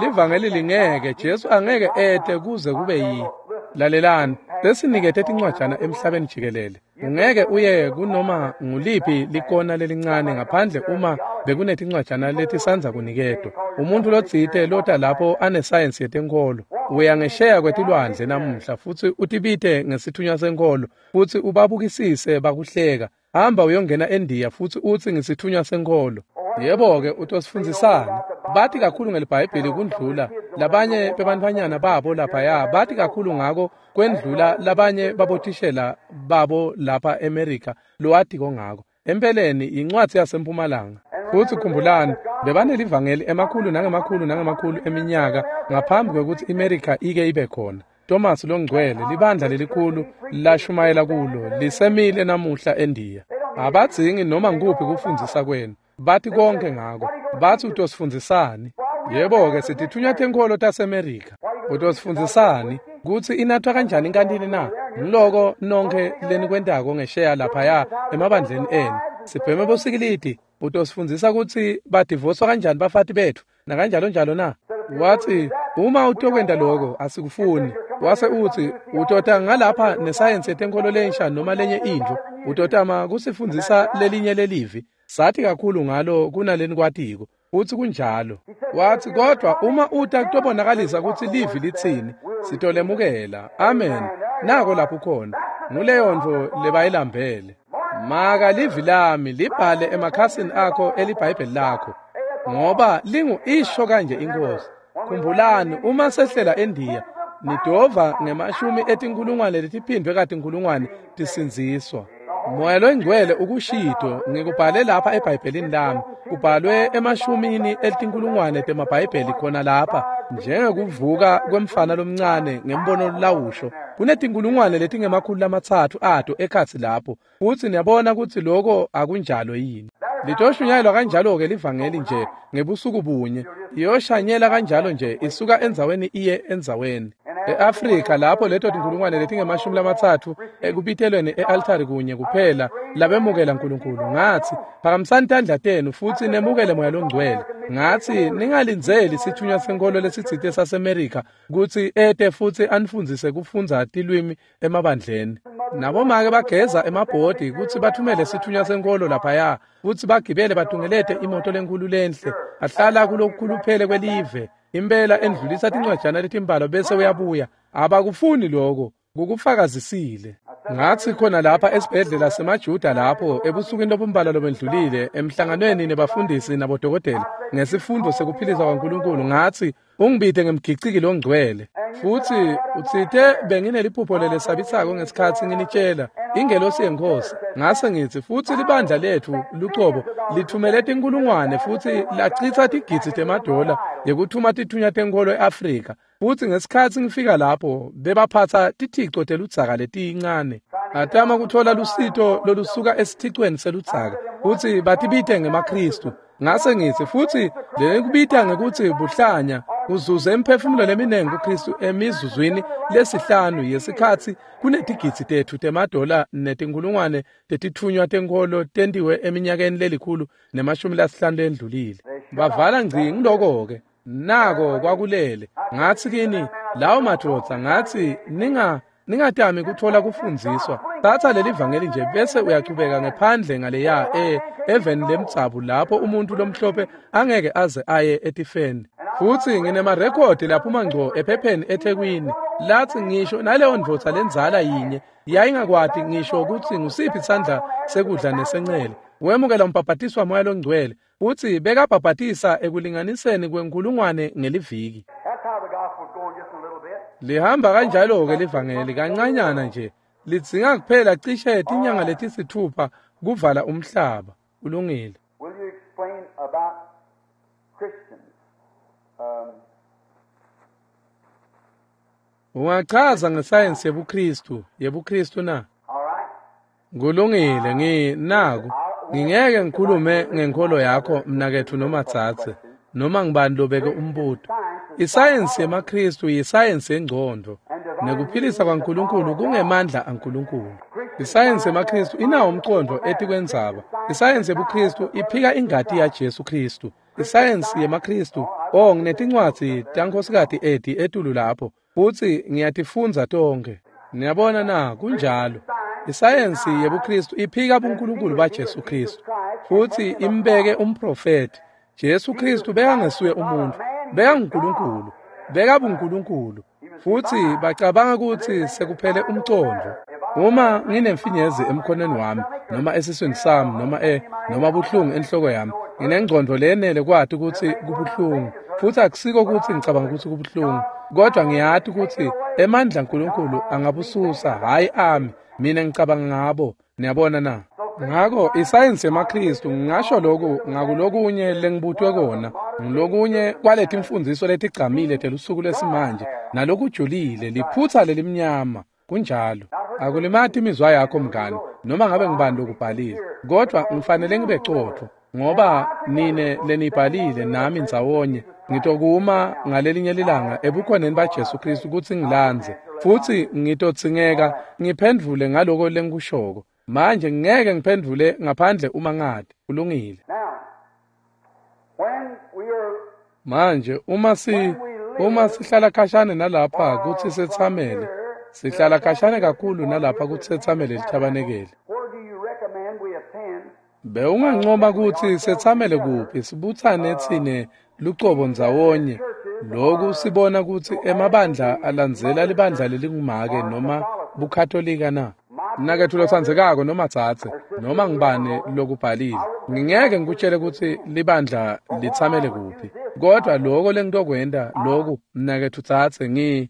Livangeli lingeke, Jesu angeke ete kuze kube yi. Lalelani, sesinikete tincwajana emhlabeni jikelele. Ungeke uye kunoma nguliphi likona lelincane ngaphandle uma bekunetincwajana letisandza kuniketwa. Umuntu lotsite lota lapho anesayensi yetenkholo uya ngesheya kwetilwandle namuhla futsi utibite ngesithunywa senkholo futsi ubabukisise bakuhleka. Hamba uyongena eNdiya futsi utsi ngisithunywa senkholo. Yebo-ke utosifundzisani? Bati kakhulu ngeliBhayibheli kundlula labanye bebantfwanyana babo laphaya, bati kakhulu ngako kwendlula labanye babothishela babo lapha eMerika lowatiko ngako. Empeleni yincwadzi yasempumalanga. Futsi khumbulani, bebanelivangeli emakhulu nangemakhulu nangemakhulu eminyaka ngaphambi kwekutsi iMerika ike ibe khona. Thomas longcwele, libandla lelikhulu lashumayela kulo, lisemile namuhla eNdiya. Abadzingi noma nguphi kufundzisa kwenu. Bathi konke ngako. Bathi utosifundzisani? Yebo-ke sitithunywa tenkholo taseMerika. Utosifundzisani kutsi inathwa kanjani inkantini na? Ngiloko nonkhe lenikwentako ngesheya laphaya emabandleni enu. Sibheme bosikilidi. Utosifundzisa kutsi badivoswa kanjani bafati betfu nakanjalo njalo na? Watsi uma utokwenta lokho asikufuni. Wase utsi utota ngalapha nesayensi yetenkholo lensha noma lenye intfo, utotama kusifundzisa lelinye lelivi. Sathi kakhulu ngalo kunaleni kwatiko. Futsi kunjalo. Watsi kodwa uma uta kutobonakalisa kutsi livi litsini, sitolemukela. Amen. Nako lapho khona. Nguleyo ntfo lebayilambele. Maka livi lami libhale emakhasini akho eliBhayibheli lakho, ngoba lingu isho kanje inkosi. Khumbulani uma sehlela eNdiya nidova ngemashumi etinkulungwane letiphindwe katinkulungwane tisindziswa. Moya longcwele ukushito, ngikubhale lapha eBhayibhelini lami, kubhalwe emashumini etinkulungwane temabhayibheli khona lapha, njengekuvuka kwemfana lomncane ngembono lawusho. Kunetinkulungwane letingama-300 ato ekhatsi lapho, futsi niyabona kutsi lokho akunjalo yini. Litoshunyayelwa kanjalo-ke livangeli nje ngebusuku bunye, iyoshanyela kanjalo nje isuka endzaweni iye endzaweni. E-Afrika lapho leto tinkulungwane letingama-30 ekubitelweni e-altari kunye kuphela labemukela uNkulunkulu. Ngathi phakamisani tandla tenu futsi nemukele moya longcwele. Ngathi ningalindzeli sithunywa senkholo lesitsite saseMerika kutsi ete futsi anifundzise kufundza tilwimi emabandleni. Nabomake bageza emabhodi kutsi bathumele sithunywa senkholo laphaya futsi bagibele batungelete imoto lenkulu lenhle ahlala kulokukhuluphele kwelive. Impela endlulisa tincwajana letimbalwa bese uyabuya. Abakufuni lokho, kukufakazisile. Ngathi khona lapha esibhedlela semaJuda lapho ebusukwini lobumbalwa lobendlulile emhlanganweni nebafundisi nabodokotela ngesifundo sekuphilisa kwaNkulunkulu, ngathi ungibide ngemgiciki longcwele. Futhi utsite bengineliphupho lelesabisako ngesikhatsi nginitshela ingelosi yeNkhosi. Ngase ngitsi futsi libandla letfu lucobo lithumele tinkulungwane futhi lachitsa tigidzi temadola yekuthuma tithunywa tenkholo e-Afrika. Futsi ngesikhatsi ngifika lapho bebaphatsa tithico teludzaka letincane, atama kuthola lusito lolusuka esithicweni seludzaka futsi batibite ngemaKhristu. Ngase ngitsi futsi lenikubita ngekutsi buhlanya kuzuze imiphefumulo leminengi kuKhristu emizuzwini lesihlanu yesikhatsi kunetigidzi tetfu temadola netinkulungwane tetitfunywa tenkholo tentiwe eminyakeni 150 lendlulile. Bavala ngci ngiloko-ke. Nako kwakulele. Ngathi kini lawo madvodza, ngathi ningatami kuthola kufundziswa. Thatha leli vangeli nje bese uyachubeka ngephandle ngaleya eveni lemtsabu lapho umuntu lomhlophe angeke aze aye etifeni. Futhi nginemarekhodi laphuma ngco ephepheni eThekwini lathi ngisho naleyo ndvodza lenzala yinye yayingakwati ngisho ukuthi ngusiphi isandla sekudla nesencele. Wemukela umbhabhatiso waMoya loNgcwele futhi bekabhabhatisa ekulinganiseni kwenkulungwane ngeliviki. Lihamba kanjalo-ke livangeli kancanyana nje, lidzinga kuphela cishe tinyanga letisithupha kuvala umhlaba. Kulungile. Ungachaza ngesayensi yebuKhristu na? Kulungile, nginaku. Ngingeke ngikhulume ngenkholo yakho mnaketfu noma tsatse noma ngibani lobeke umbuto. Isayensi yemaKhristu yisayensi yengcondvo, nekuphilisa kwaNkulunkulu kungemandla aNkulunkulu. Isayensi yemaKhristu inawo umcondvo etikwendzaba. Isayensi yebuKhristu iphika ingati yaJesu Khristu. Isayensi yemaKhristu, nginetincwadzi taNkhosikati Edi etulu lapho, futsi ngiyatifundza tonkhe. Niyabona na, kunjalo. Isayensi yebuKhristu iphika buNkulunkulu baJesu Khristu futhi imbeke umprofeti. Jesu Khristu bekangesuye umuntu, bekanguNkulunkulu, bekabuNkulunkulu. Futhi bacabanga ukuthi sekuphele umcondvo. Uma nginemfinyezi emkhonweni wami noma esiswini sami noma noma buhlungu enhloko yami, nginengcondvo leyenele kwati ukuthi kubuhlungu. Futhi akusiko ukuthi ngicabanga ukuthi kubuhlungu, kodwa ngiyati ukuthi emandla aNkulunkulu angabususa, hhayi ami. Mina ngicabanga ngabo. Niyabona na? Ngako isayensi yemaKhristu, ngingasho lokhu ngakulokunye lengibutwe kona, ngilokunye kwaletimfundziso letigcamile telusuku lwesimanje nalokujulile, liphutsa lelimnyama. Kunjalo. Akulimati imizwa yakho mngani, noma ngabe ngibani lokubhalile, kodwa ngifanele ngibe cotfo, ngoba nine lenibhalile nami ndzawonye ngitokuma ngalelinye lilanga ebukhoneni baJesu Khristu kutsi ngilandze, futhi ngitodzingeka ngiphendvule ngaloko lengikushoko. Manje ngeke ngiphendvule ngaphandle uma ngati. Kulungile. Manje uma sihlala khashane nalapha kutsi setsamele, sihlala khashane kakhulu nalapha kutsi setsamele lithabanekele. Bewungancoma kutsi setsamele kuphi, sibutsane tsine lucobo ndzawonye. Lokhu sibona kutsi emabandla alandzela libandla lelingumake noma buKatolika na? Mnaketfu lotsandzekako noma tsatse noma ngibani lokubhalile, ngingeke ngikutshele kutsi libandla litsamele kuphi, kodwa lokho lengitokwenta loku mnaketfu tsatse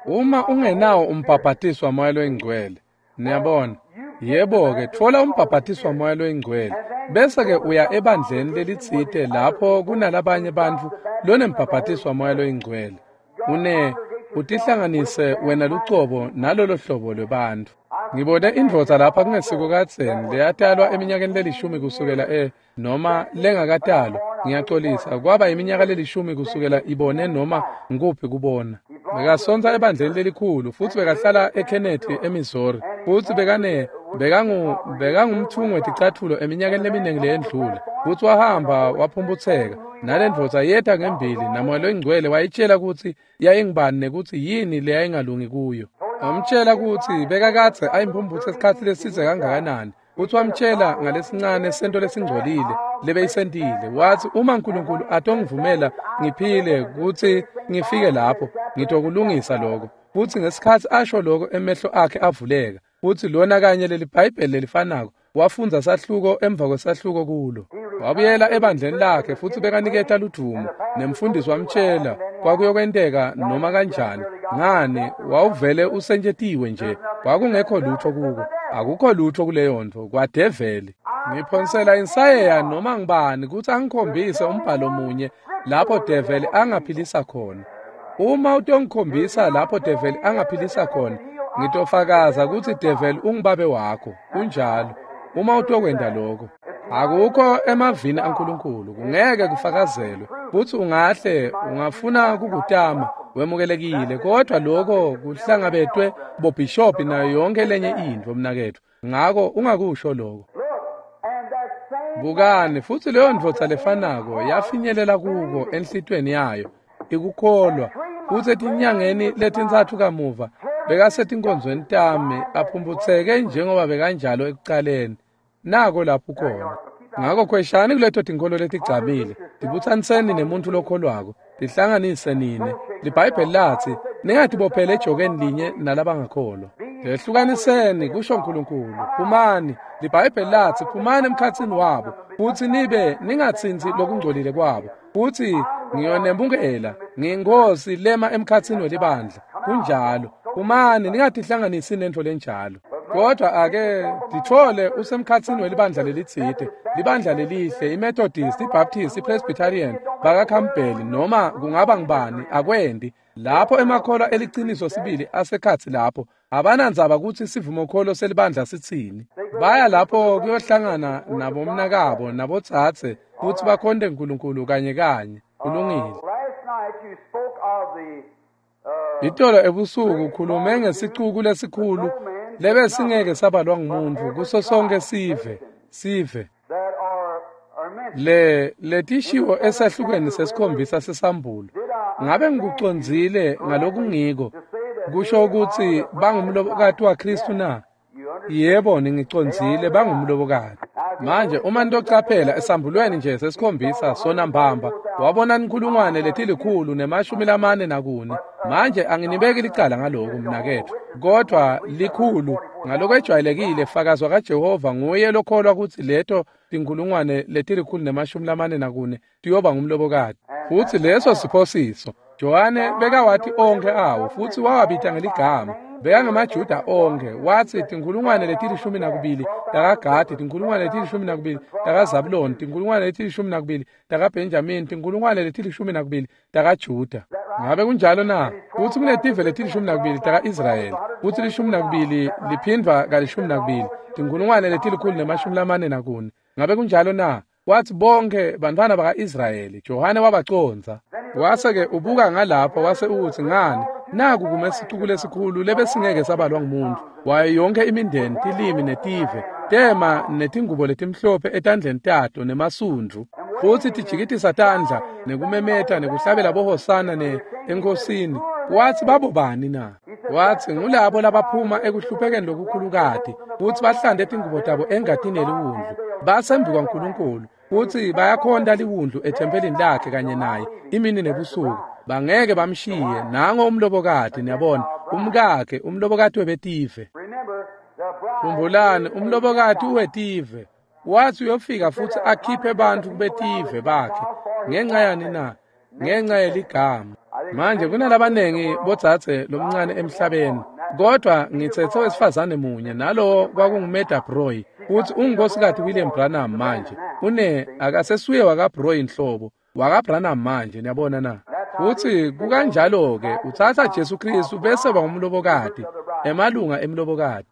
uma ungenawo umbhabhatiso waMoya loyiNgcwele, niyabona, yebo-ke, tfola umbhabhatiso waMoya loyiNgcwele, bese-ke uya ebandleni lelitsite lapho kunalabanye bantfu lonembhabhatiso waMoya loyiNgcwele. Utihlanganise wena lucobo nalolo hlobo lwebantfu. Ngibone indvodza lapha kungesiko kadzeni leyatalwa eminyakeni lelishumi kusukela noma lengakatalwa, ngiyaxolisa, kwaba iminyaka lelishumi kusukela ibone noma ngikuphi kubona. Bekasontsa ebandleni lelikhulu futhi bekahlala eKennedy eMissouri, futhi bekangumthungi weticatfulo eminyakeni leminingi leyendlule, futhi wahamba waphumputseka. Nalendvodza yeta ngembili naMoya loyiNgcwele wayitshela kutsi yayingubani nekutsi yini leyayingalungi kuyo. Wamtshela kutsi bekakadze ayimphumputse isikhatsi lesidze kangakanani. Futsi wamtshela ngalesincane sento lesingcolile lebeyisentile. Watsi uma uNkulunkulu atongivumela ngiphile kutsi ngifike lapho, ngitokulungisa lokho. Futsi ngesikhatsi asho lokho emehlo akhe avuleka. Futsi lona kanye leli Bhayibheli lelifanako wafundza sahluko emva kwesahluko kulo. Wabuyela ebandleni lakhe futsi bekaniketa ludumo, nemfundisi wamtshela kwakuyokwenteka noma kanjani. Ngani, wawuvele usentshetiwe nje, kwakungekho lutho kuko, akukho lutho kuleyo nto kwadeveli. Ngiphonsela insayeya noma ngibani kutsi angikhombise umbhalo munye lapho develi angaphilisa khona. Uma utongikhombisa lapho develi angaphilisa khona, ngitofakaza kutsi develi ungubabe wakho. Kunjalo. Uma utokwenta lokho, akukho emavini aNkulunkulu, kungeke kufakazelwe. Futsi ungahle ungafuna kukutama, wemukelekile, kodwa lokho kuhlangabetwe bobhishobhi nayo yonke lenye intfo, mnaketfu. Ngako ungakusho lokho. Bukani, futsi leyo ndvodza lefanako yafinyelela kuko enhlitiyweni yayo, ikukholwa. Futsi etinyangeni letintsatfu kamuva bekasetinkonzweni tami, aphumputseke njengoba bekanjalo ekucaleni. Nako lapho khona. Ngako khweshani kuleto tinkholo letigcamile, tibutsaniseni nemuntfu lokholwako, tihlanganise nine. LiBhayibheli latsi ningatibophele ejokeni linye nalabangakholwa. Tehlukaniseni, kusho uNkulunkulu. Phumani. LiBhayibheli latsi phumani emkhatsini wabo, futsi nibe ningatsintsi lokungcolile kwabo. Futsi ngiyonemukela, ngiyinkosi lema emkhatsini welibandla. Kunjalo. Phumani, ningatihlanganisi nentfo lenjalo. Kodwa ake titfole usemkhatsini welibandla lelitsite, libandla lelihle, iMethodist, iBaptist, iPresbyterian, bakaCampbell, noma kungaba ngubani, akwendi. Lapho emakholwa eliciniso sibili asekhatsi lapho, abanandzaba kutsi sivumokholo selibandla sitsini. Baya lapho kuyohlangana nabomnakabo nabodzadze futsi bakhonte uNkulunkulu kanye kanye. Kulungile. Itolo ebusuku ukhulume ngesicuku lesikhulu lebesingeke sabalwa ngumuntu kuso sonke sive. Le letishiwo esahlukweni sesikhombisa sesambulo. Ngabe ngikucondzile ngalokungiko kusho ukuthi bangumlobokati waKristu na? Yebo, ningicondzile, bangumlobokati. Manje uma nitocaphela esambulweni nje sesikhombisa sona mbamba, wabona inkhulungwane letilikhulu ne-44. Manje anginibeki licala ngaloko mnaketfu, kodwa likhulu ngalokwejwayelekile fakazwa kaJehova nguye lokholwa kutsi leto tinkhulungwane letilikhulu ne-44 tiyoba ngumlobokati. Futsi leso siphosiso. Johane bekawati onkhe awo futsi wawabita ngeligama. Bekangemajuda onkhe. Watsi tinkhulungwane leti-12 takaGadi, tinkhulungwane leti-12 takaZabuloni, tinkhulungwane leti-12 takaBenjamini, tinkhulungwane leti-12 takaJuda. Ngabe kunjalo na? Futsi kunetive leti-12 taka-Israyeli, futsi 12 liphindvwa ka-12, tinkhulungwane leti-144. Ngabe kunjalo na? Watsi bonke bantfwana baka-Israyeli. Johane wabacondza. Wase-ke ubuka ngalapho wase utsi ngani, naku kume sicuku lesikhulu lebesingeke sabalwa ngumuntu. Wayo yonke imindeni, tilimi netive, tema netingubo letimhlophe etandleni tato nemasundvu, futsi tijikitisa tandla nekumemeta nekuhlabela bohosana enkosini. Watsi babobani na? Watsi ngulabo labaphuma ekuhluphekeni lokukhulukati, futsi bahlante tingubo tabo engatini yeliwundlu, basembi kwaNkulunkulu, futsi bayakhonta liwundlu ethempelini lakhe kanye naye imini nebusuku. Bangeke bamshiye. Nango umlobokati, niyabona, umkakhe, umlobokati webetive. Khumbulani, umlobokati wetive. Watsi uyofika futsi akhiphe bantfu kubetive bakhe. Ngenxa yani na? Ngenxa yeligama. Manje kunalabanengi bodzadze lomncane emhlabeni, kodwa ngitsetse wesifazane munye, nalowo kwakunguMeda Broy, futsi ungunkosikazi William Branham manje. Une akasesuye wakaBroy nhlobo, wakaBranham manje, niyabona na? Futsi kukanjalo-ke utsatsa Jesu Kristu bese bangumlobokati, emalunga emlobokati.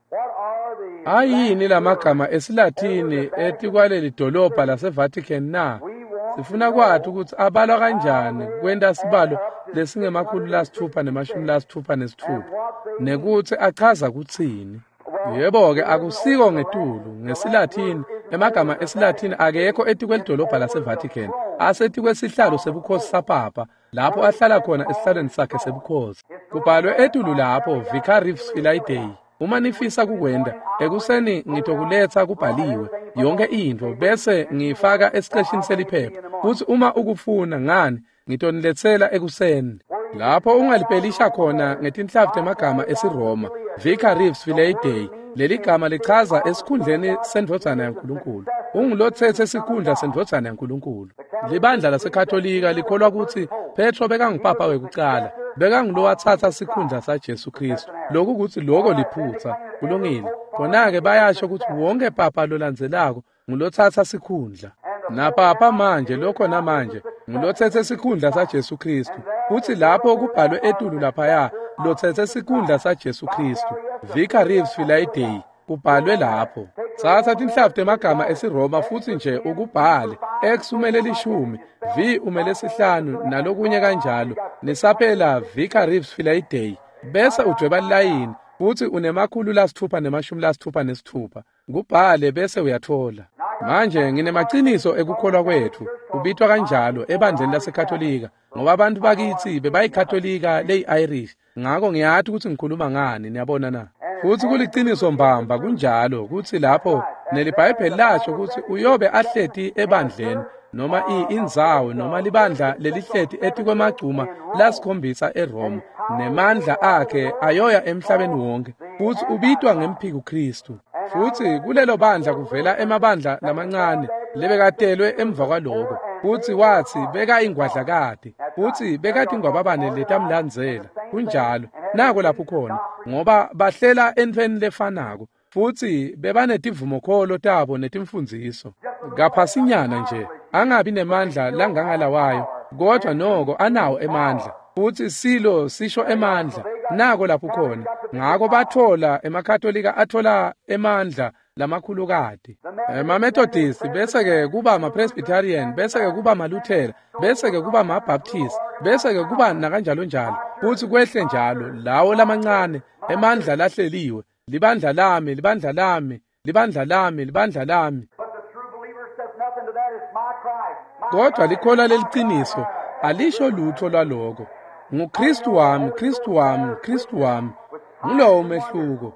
Ayini lamagama esiLathini etikwaleli dolobha laseVatican na? Sifuna kwati ukuthi abalwa kanjani kwenta sibalo lesingema-666 nekuthi achaza kutsini. Yebo-ke akusiko ngetulu ngesiLathini, emagama esiLathini akekho etikwelidolobha laseVatican, asetikwesihlalo sebukhosi saPapa, lapho ahlala khona esihlalweni sakhe sebukhosi. Kubhalwe etulu lapho Vicarius Filii Dei. Uma nifisa kukwenta, ekuseni ngitokuletsa kubhaliwe yonke intfo bese ngiyifaka esiceshini seliphepha. Futsi uma ukufuna ngani, ngitoniletsela ekuseni. Lapho ungalipelisha khona ngetinhlavu temagama esiRoma, Vicarius Filii Dei. Leli gama lichaza esikhundleni sendvodzana yaNkulunkulu. Ungulotsetse sikhundla sendvodzana yaNkulunkulu. Libandla laseKatolika likholwa kutsi Petro bekangupapa wekucala, bekangulowatsatsa sikhundla saJesu Kristu. Lokhu kutsi loko liphutsa, kulungile. Khona-ke bayasho kutsi wonke papa lolandzelako ngulotsatsa sikhundla. Napapa manje lokho namanje ngulotsetse sikhundla saJesu Kristu. Futsi lapho kubhalwe etulu laphaya lotsetse sikhundla saJesu Kristu. Vicarius Filii Dei kubhalwe lapho. Tsatsa tinhlavu temagama esiRoma futsi nje ukubhale. X umele 10, V umele 5 nalokunye kanjalo. Nisaphela Vicarius Filii Dei. Bese udweba layini futsi une-666. Kubhale bese uyathola. Manje nginemaciniso ekukholwa kwetfu, kubitwa kanjalo ebandleni laseKatolika, ngoba abantu bakitsi bebayikatolika leyi-Irish. Ngako ngiyati kutsi ngikhuluma ngani, niyabona na? Futsi kuliciniso mbamba kunjalo kutsi lapho neliBhayibheli lasho kutsi uyobe ahleti ebandleni noma indzawo noma libandla lelihleti etikwemagcuma lasikhombisa eRoma, nemandla akhe ayoya emhlabeni wonke, futsi ubitwa ngemphiku Kristu. Futsi kulelo bandla kuvela emabandla lamancane lebekatelwe emva kwaloko. Futsi watsi beka ingwadlakati, futsi bekatingwababane letamlandzela. Kunjalo, nako lapho khona, ngoba bahlela entfweni lefanako, futsi bebanetivumokholo tabo netimfundziso. Kaphasinyana nje, angabi nemandla langangalawayo, kodwa noko anawo emandla. Futsi silo sisho emandla, nako lapho khona. Ngako bathola emaKatolika athola emandla lamakhulukati. EmaMethodist bese-ke kuba amaPresbyterian, bese-ke kuba amaLuthela, bese-ke kuba amaBaptist, bese-ke kuba nakanjalo njalo. Futsi kwehle njalo lawo lamancane emandla lahleliwe. Libandla lami, libandla lami, libandla lami, libandla lami. Kodwa likholwa leliciniso alisho lutho lwaloko. NguKristu wami, Kristu wami, Kristu wami. Ngulowo umehluko.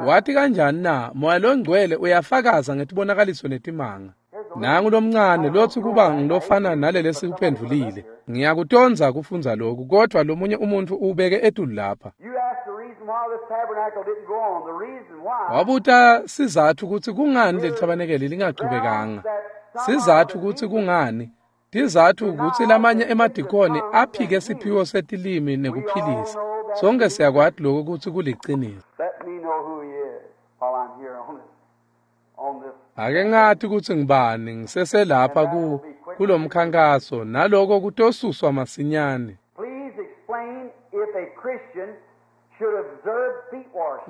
Wathi kanjani na? Moya longcwele uyafakaza ngetibonakaliso netimanga. Nangu lomncane lotsi kuba ngilofana nalele sikuphendvulile. Ngiyakutondza kufundza lokhu, kodwa lomunye umuntu ubeke etulu lapha. Wabuta sizathu kutsi kungani leli thabanekeli lingachubekanga. Sizathu kutsi kungani. Tizathu kutsi lamanye emadikoni aphike siphiwo setilimi nekuphilisa. Sonke siyakwati lokho kutsi kuliciniso. Ake ngathi kutsi ngibani ngiseselapha kulomkhankaso naloko kutosuswa masinyane.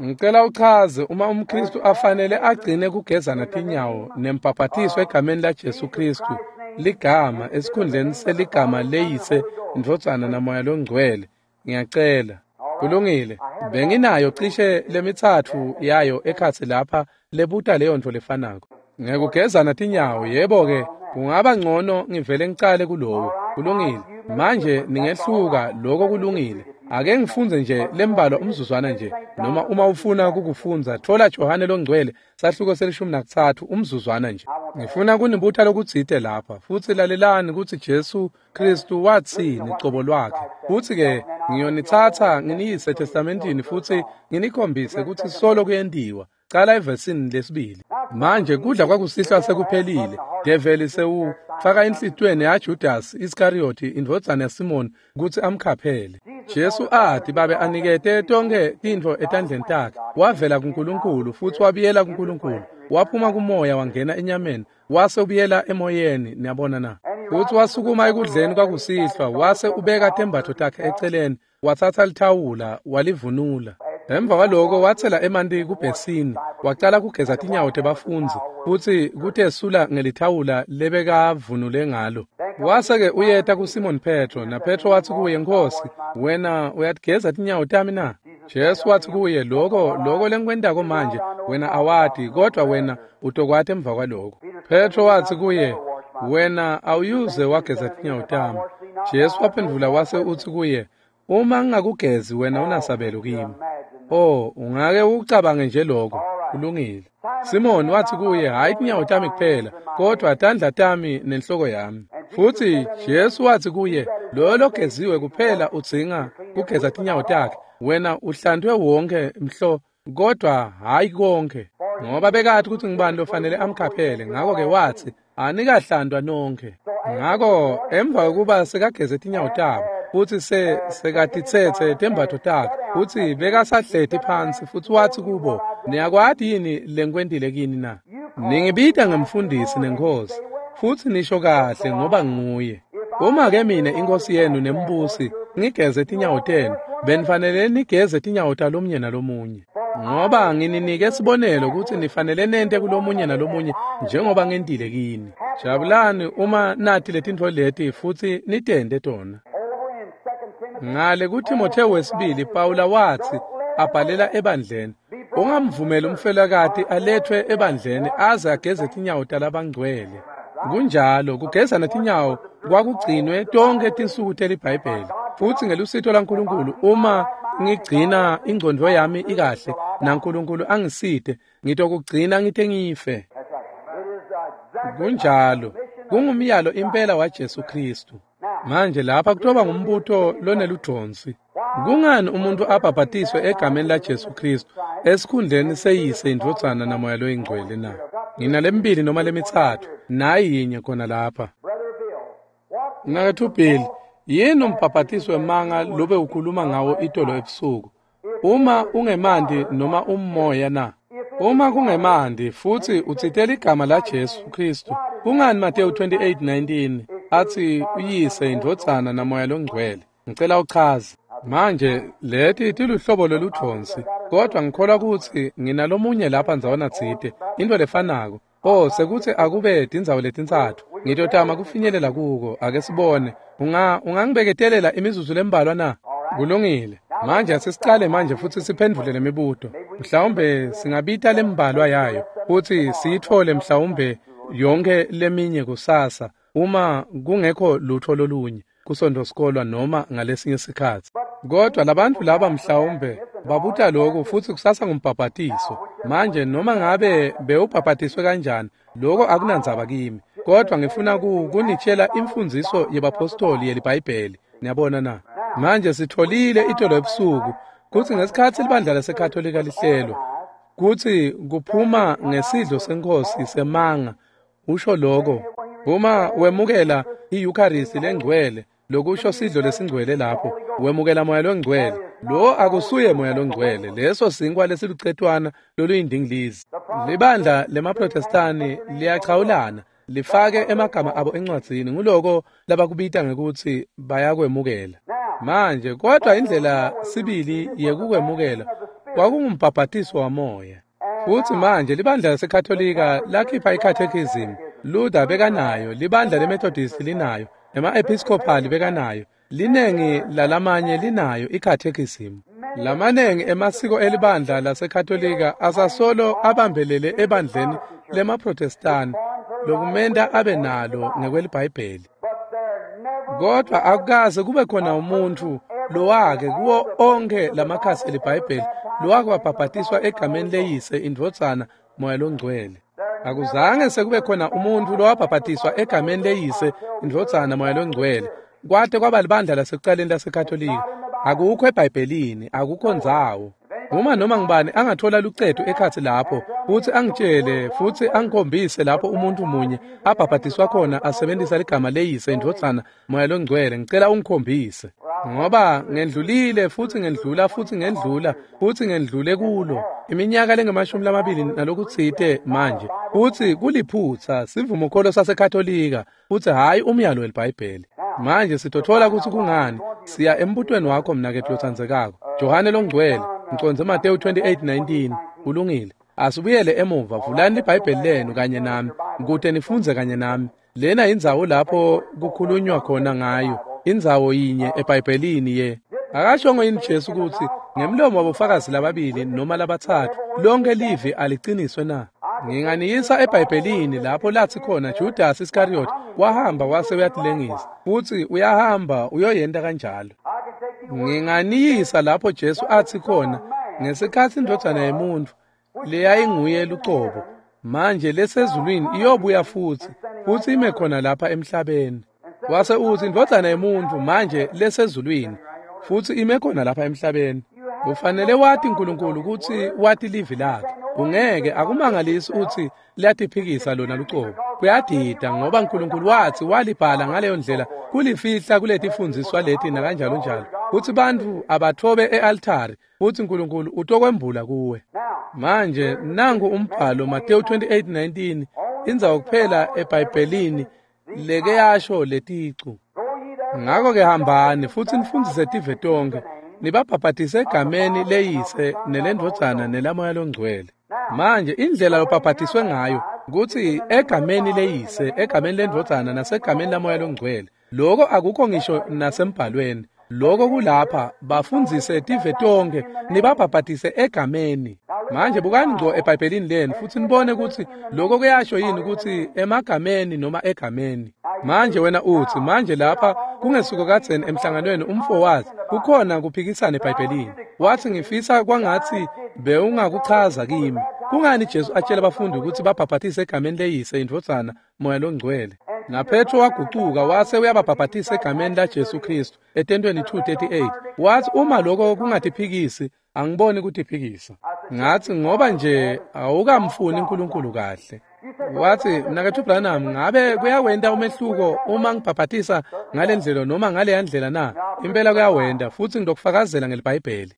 Ngicela uchaze uma umKristu afanele agcine kugezana tinyawo nembhaphathiso egameni laJesu Kristu, ligama esikhundleni seligama leyise, indvodzana namoya longcwele. Ngiyacela. Kulungile. Benginayo cishe lemithathu yayo ekhatsi lapha lebuta leyo nto lefanako. Ngekugezana tinyawo, yebo-ke, kungaba ngcono ngivele ngicale kulowo. Kulungile. Manje ningehluka, lokho kulungile. Ake ngifunze nje lembalwa umzuzwana nje, noma uma ufuna kukufundza, thola Johane longcwele, sahluko se-13, umzuzwana nje. Ngifuna kunibuta lokutsite lapha, futsi lalelani kutsi Jesu Kristu watsini cobo lwakhe. Futsi-ke ngiyonitsatsa nginiyise eTestamentini futsi nginikhombise kutsi solo kuyentiwa. Cala evesini lesibili. Manje kudla kwakusihlwa sekuphelile. Develi sewufaka enhlitiyweni yaJudas Iskariyoti indvodzana yaSimoni kutsi amkhaphele. Jesu athi babe anikete tonkhe tintfo etandleni takhe. Wavela kuNkulunkulu futsi wabuyela kuNkulunkulu. Waphuma kumoya wangena enyameni, wase ubuyela emoyeni, niyabona na. Futsi wasukuma ekudleni kwakusihlwa, wase ubeka tembatfo takhe eceleni, watsatsa lithawula walivunula. Emva kwaloko watsela emanti kubhesini, wacala kugeza tinyawo tebafundzi, futsi kutesula ngelithawula lebekavunule ngalo. Wase-ke uyeta kuSimon Petro, naPetro watsi kuye, Nkhosi, wena uyatigeza tinyawo tami na? Jesu watsi kuye, lokho lengikwentako manje, wena awati, kodwa wena utokwati emva kwaloko. Petro watsi kuye, wena awuyuze wageza tinyawo tami. Jesu waphendvula wase utsi kuye, uma ngingakugezi wena unasabelo kimi. Oh, ungake ucabange nje lokho. Kulungile. Simoni wathi kuye, hhayi tinyawo tami kuphela, kodwa tandla tami nenhloko yami. Futhi Jesu wathi kuye, loyo logeziwe kuphela udzinga kugeza tinyawo takhe. Wena uhlantwe wonke mhlo, kodwa hhayi konke. Ngoba bekathi ukuthi ngubani lofanele amkhaphele, ngakho-ke wathi, anikahlantwa nonke. Ngakho emva kokuba sekageze tinyawo tabo, futhi sekatithethe tembatfo takhe, futhi bekasahleti phansi, futhi wathi kubo, niyakwati yini lengikwentile kini na? Ningibita ngemfundisi nenkosi, futhi nisho kahle ngoba nguye. Uma-ke mina inkosi yenu nembusi ngigeze tinyawo tenu, benifanele nigeze tinyawo talomunye nalomunye. Ngoba ngininike sibonelo ukuthi nifanele nente kulomunye nalomunye njengoba ngentile kini. Jabulani uma nathi letintfo leti futhi nitente tona. Ngale kuTimotheo wesibili Pawula wathi abhalela ebandleni, ungamvumeli umfelokati alethwe ebandleni aze ageze tinyawo talabangcwele. Kunjalo, kugezana tinyawo kwakugcinwe tonke tinsuku teliBhayibheli. Futhi ngelusito laNkulunkulu uma ngigcina ingcondvo yami ikahle naNkulunkulu angiside, ngitokugcina ngite ngife. Kunjalo, kungumyalo impela waJesu Kristu. Manje lapha kutoba ngumbuto loneludonsi. Kungani umuntu abhabhatiswe egameni laJesu Kristu esikhundleni seyise indvodzana namoya loyingcwele na? Nginalembili noma lemithathu, nayi yinye khona lapha. Mnaketfu Bill, yini umbhabhatiso wemanga lobe ukhuluma ngawo itolo ebusuku? Uma ungemanti noma umoya na? Uma kungemanti futhi utsitela igama laJesu Kristu, kungani Mateyu 28:19 athi uyise indvodzana namoya longcwele? Ngicela uchaze. Manje leti tiluhlobo loludonsi, kodwa ngikholwa ukuthi nginalomunye lapha ndzawana tsite, into lefanako. Oh, sekuthi akube tindzawo letintsatfu. Ngitotama kufinyelela kuko, ake sibone. Ungangibeketelela imizuzu lembalwa na? Kulungile. Manje asisicale manje futhi siphendvule lemibuto. Mhlawumbe singabita lembalwa yayo futhi siyithole mhlawumbe yonke leminye kusasa uma kungekho lutho lolunye kusonto sikolwa noma ngalesinye sikhatsi. Kodwa labantu laba mhlawumbe babuta lokhu futhi kusasa ngumbhabhatiso. Manje noma ngabe bewubhabhatiswe kanjani, lokho akunandzaba kimi. Kodwa ngifuna kunitshela imfundziso yebapostoli yeliBhayibheli. Niyabona na? Manje sitholile itolo ebusuku kutsi ngesikhatsi libandla laseKatolika lihlelwa, kutsi kuphuma ngesidlo senkosi semanga, usho lokho. Uma wemukela i-Eucharist lengcwele, lokusho sidlo lesingcwele lapho, wemukela moya longcwele. Lo akusuye moya longcwele, leso sinkwa lesilucetwana loluyindingilizi. Libandla lemaProtestani liyachawulana, lifake emagama abo encwadzini, nguloko labakubita ngekuthi bayakwemukela. Manje kodwa indlela sibili yekukwemukela kwakungumbhabhatiso wamoya. Futhi manje libandla laseKatolika lakhipha i-catechism, Luther bekanayo, libandla leMethodist linayo, ema-Episcopal bekanayo, linengi lalamanye linayo i-catechism. Lamanengi emasiko elibandla laseKatolika asasolo abambelele ebandleni lemaProtestani lokumenta abe nalo ngekweliBhayibheli. Kodwa akukaze kube khona umuntu lowake kuwo onke lamakhasi eliBhayibheli lowake wabhabhatiswa egameni leyise indvodzana moya longcwele. Akuzange sekube khona umuntu lowabhabhatiswa egameni leyise indvodzana moya longcwele. Kwate kwaba libandla lasekucaleni laseKatolika. Akukho eBhayibhelini, akukho ndzawo. Uma noma ngubani angathola lucetu ekhatsi lapho futhi angitshele futhi angikhombise lapho umuntu munye abhabhatiswa khona asebenzisa ligama leyise indvodzana moya longcwele, ngicela ungikhombise. Ngoba ngendlulile futhi ngendlula futhi ngendlula futhi ngendlule kulo iminyaka lengamashumi lamabili nalokutsite manje, futhi kuliphutsa sivumokholo saseKatolika futhi hhayi umyalo weliBhayibheli. Manje sitothola ukuthi kungani. Siya embutweni wakho mnaketfu lotsandzekako Johane longcwele, ngicondze Mateyu 28:19. Kulungile. Asibuyele emuva, vulani liBhayibheli lenu kanye nami kute nifundze kanye nami. Lena indzawo lapho kukhulunywa khona ngayo, indzawo yinye eBhayibhelini ye. Akashongo yini Jesu kutsi ngemlomo wabofakazi lababili noma labatsatfu lonke livi aliciniswe na? Nginganiyisa eBhayibhelini lapho lathi khona Judas Iscariot wahamba wase uyatilengisa, futhi uyahamba uyoyenta kanjalo. Nginganiyisa lapho Jesu athi khona Ngesikhatsi indvodzana yemuntfu leyayinguye lucobo manje lesezulwini iyobuya futsi ime khona lapha emhlabeni. Wase utsi indvodzana yemuntfu manje lesezulwini futsi ime khona lapha emhlabeni. Ufanele wati uNkulunkulu ukuthi wati livi lakhe. Ungeke akumangalisi uthi liyatiphikisa lona lucobo. Kuyadida ngoba uNkulunkulu wathi walibhala ngaleyo ndlela kulifihla kuletifundiswa leti nakanjalo njalo. Kuthi bantfu abathobe e-altari futhi uNkulunkulu utokwembula kuwe. Manje nangu umbhalo Mateyu 28:19 indzawo kuphela eBhayibhelini leke yasho leticu. Ngakho-ke hambani futhi nifundzise tive tonkhe, nibabhabhatise egameni leyise nelendvodzana nelamoya longcwele. Manje indlela lobhabhatiswe ngayo kutsi egameni leyise, egameni lendvodzana nasegameni lamoya longcwele. Lokho akukho ngisho nasembhalweni. Lokho kulapha bafundzise tive tonkhe nibabhabhatise egameni. Manje bukani ngco eBhayibhelini lenu futhi nibone ukuthi lokho kuyasho yini ukuthi emagameni noma egameni. Manje wena uthi manje lapha kungesuko kadzeni emhlanganweni umfo wathi kukhona kuphikisana eBhayibhelini. Wathi ngifisa kwangathi bewungakuchaza kimi. Kungani Jesu atshela abafundi ukuthi babhabhatise egameni leyise indvodzana moya longcwele? NaPetro wagucuka wase uyababhabhatisa egameni laJesu Kristu etentweni 2:38. Wathi uma lokho kungatiphikisi angiboni kutiphikisa. Ngathi ngoba nje awukamfuni uNkulunkulu kahle. Wathi mnaketfu Branham ngabe kuyawenta umehluko uma ngibhabhatisa ngale ndlela noma ngale ndlela na? Impela kuyawenta futhi ngidokufakazela ngeliBhayibheli.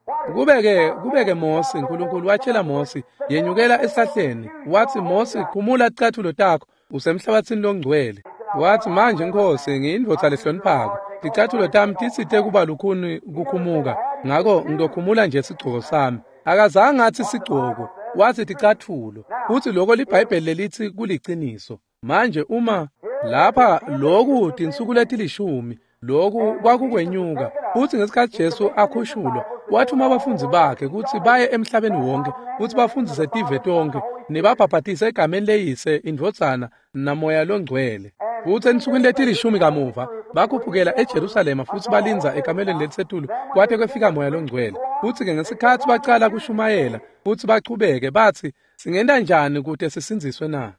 Kubeke Mosi, uNkulunkulu watshela Mosi yenyukela esihlahleni. Wathi Mosi khumula ticatfulo takho usemhlabathini longcwele. Wathi manje Nkosi ngiyindvodza lehloniphako, ticatfulo tami titsite kuba lukhuni kukhumuka, ngako ngizokhumula nje sigcoko sami. Akazange athi sigcoko, wathi ticatfulo. Futhi lokho liBhayibheli lelithi kuliciniso. Manje uma lapha lokhu tinsuku letilishumi lokhu kwakukwenyuka, futhi ngesikhathi Jesu akhushulwa wathuma abafundzi bakhe ukuthi baye emhlabeni wonke futhi bafundzise tive tonke nibabhabhatise egameni leyise indvodzana namoya longcwele. Futhi ensukwini letilishumi kamuva bakhuphukela eJerusalema futhi balindza ekamelweni lelisetulu kwate kwefika moya longcwele. Futhi-ke ngesikhathi bacala kushumayela futhi bachubeke bathi singenta njani kute sisindziswe na?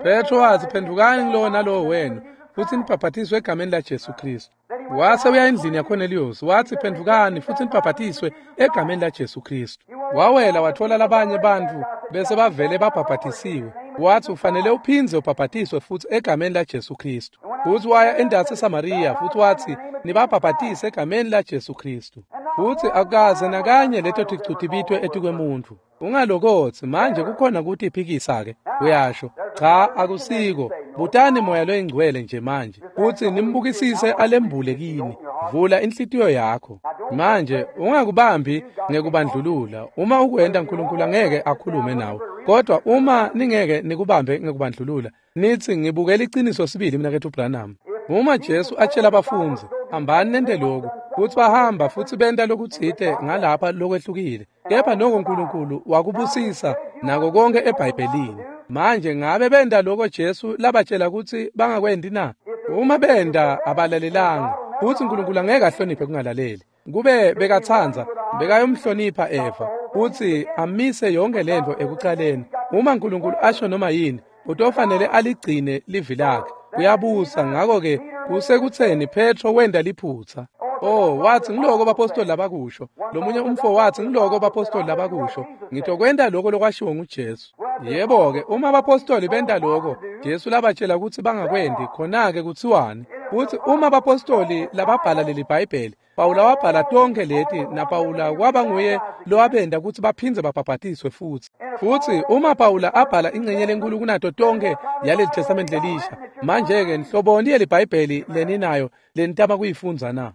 Petro wathi phendukani kulowo nalowo wenu futhi nibhabhatiswe egameni laJesu Kristu. Wase uya endlini yaKornelius wathi phendukani futhi nibhabhatiswe egameni laJesu Kristu. Wawela wathola labanye bantfu bese bavele babhabhatisiwe. Wathi ufanele uphindze ubhabhatiswe futhi egameni laJesu Kristu. Futhi waya endaweni eSamaria futhi wathi nibabhabhatise egameni laJesu Kristu. Futhi akukaze nakanye leto ticu tibitwe etikwemuntfu. Ungalokothi manje kukhona kutiphikisa-ke uyasho. Cha akusiko. Butani moya loyingcwele nje manje futhi nimbukisise alembule kini. Vula inhlitiyo yakho. Manje ungakubambi ngekubandlulula. Uma ukwenta uNkulunkulu angeke akhulume nawe. Kodwa uma ningeke nikubambe ngekubandlulula nithi ngibukela iqiniso sibili mnaketfu Branham. Uma Jesu atshela abafundzi hambani nente lokhu, futhi bahamba futhi benta lokutsite ngalapha lokwehlukile, kepha noko uNkulunkulu wakubusisa nako konke eBhayibhelini. Manje ngabe benta lokho Jesu labatshela ukuthi bangakwendi na? Uma benta abalalelanga, futhi uNkulunkulu angeke ahloniphe kungalaleli. Kube bekatsandza bekayomhlonipha Eva futhi amise yonke lento ekucaleni. Uma uNkulunkulu asho noma yini, utofanele aligcine livi lakhe. Uyabusa. Ngakho-ke kusekutheni Petro wenda liphutha. Oh, wathi ngiloko bapostoli labakusho. Lomunye umfo wathi ngiloko bapostoli labakusho. Ngitokwenta lokho lokwashiwo nguJesu. Yebo-ke, uma abapostoli benta lokho, Jesu labatshela ukuthi bangakwendi, khona-ke kuthiwani? Futhi uma abapostoli lababhala leli Bhayibheli, Pawula wabhala tonke leti, naPawula kwaba nguye lowabenda ukuthi baphindze babhabhatiswe futhi. Futhi uma Pawula abhala ingxenye lenkulu kunato tonke yaleli Testament lelisha, manje-ke nhloboni yeli Bhayibheli leninayo lenitama kuyifundza na?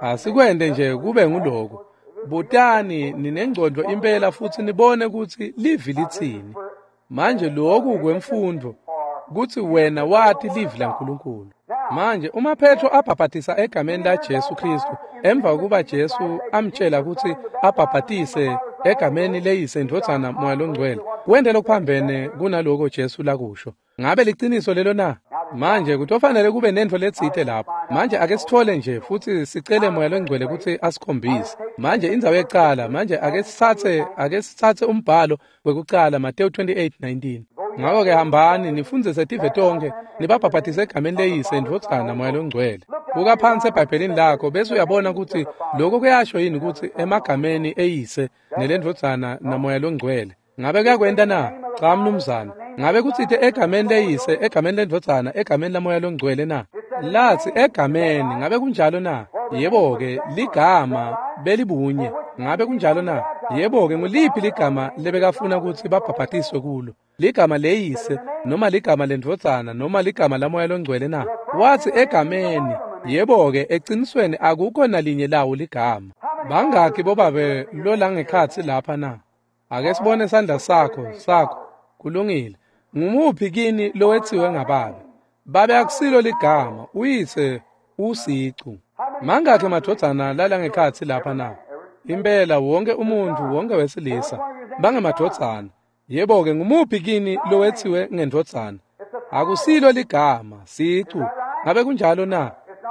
Asikwende nje kube nguloko. Butani ninengcondvo impela futhi nibone ukuthi livi litsini. Manje lokhu kwemfundo kuthi wena wati livi laNkulunkulu. Manje uma Petro abhabhatisa egameni laJesu Kristu emva kokuba Jesu amtshela ukuthi abhabhatise egameni leyise indvodzana moya longcwele, wente lokuphambene kunaloko Jesu lakusho. Ngabe liciniso lelo na? Manje kutofanele kube nentfo letsite lapho. Manje ake sithole nje futhi sicele Moya loNgcwele kutsi asikhombise. Manje indzawo yekucala, manje ake sitsatse umbhalo wekucala, Mateyu 28:19. Ngako-ke hambani nifundzise tive tonkhe, nibabhabhatise egameni leYise, iNdvodzana, Moya loNgcwele. Buka phansi eBhayibhelini lakho bese uyabona kutsi lokho kuyasho yini kutsi emagameni eYise neleNdvodzana naMoya loNgcwele. Ngabe kuyakwenta na? Cha mnumzane. Ngabe kutsite egameni leYise, egameni leNdvodzana, egameni laMoya loNgcwele na? Latsi egameni, ngabe kunjalo na? Yebo-ke, ligama belibunye. Ngabe kunjalo na? Yebo-ke, nguliphi ligama lebekafuna kutsi babhabhatiswe kulo? Ligama leYise, noma ligama leNdvodzana, noma ligama laMoya loNgcwele na? Watsi egameni. Yebo-ke, ecinisweni akukho nalinye lawo ligama. Bangakhi bobabe lolangekhatsi lapha na? Ake sibone sandla sakho. Kulungile. Ngumuphi kini lowetsiwe ngababe? Babe akusilo ligama, uyise usicu. Mangakhi emadvodzana lalangekhatsi lapha na? Impela wonke umuntfu, wonke wesilisa bangemadvodzana. Yebo-ke, ngumuphi kini lowetsiwe ngendvodzana? Akusilo ligama, sicu. Ngabe kunjalo na?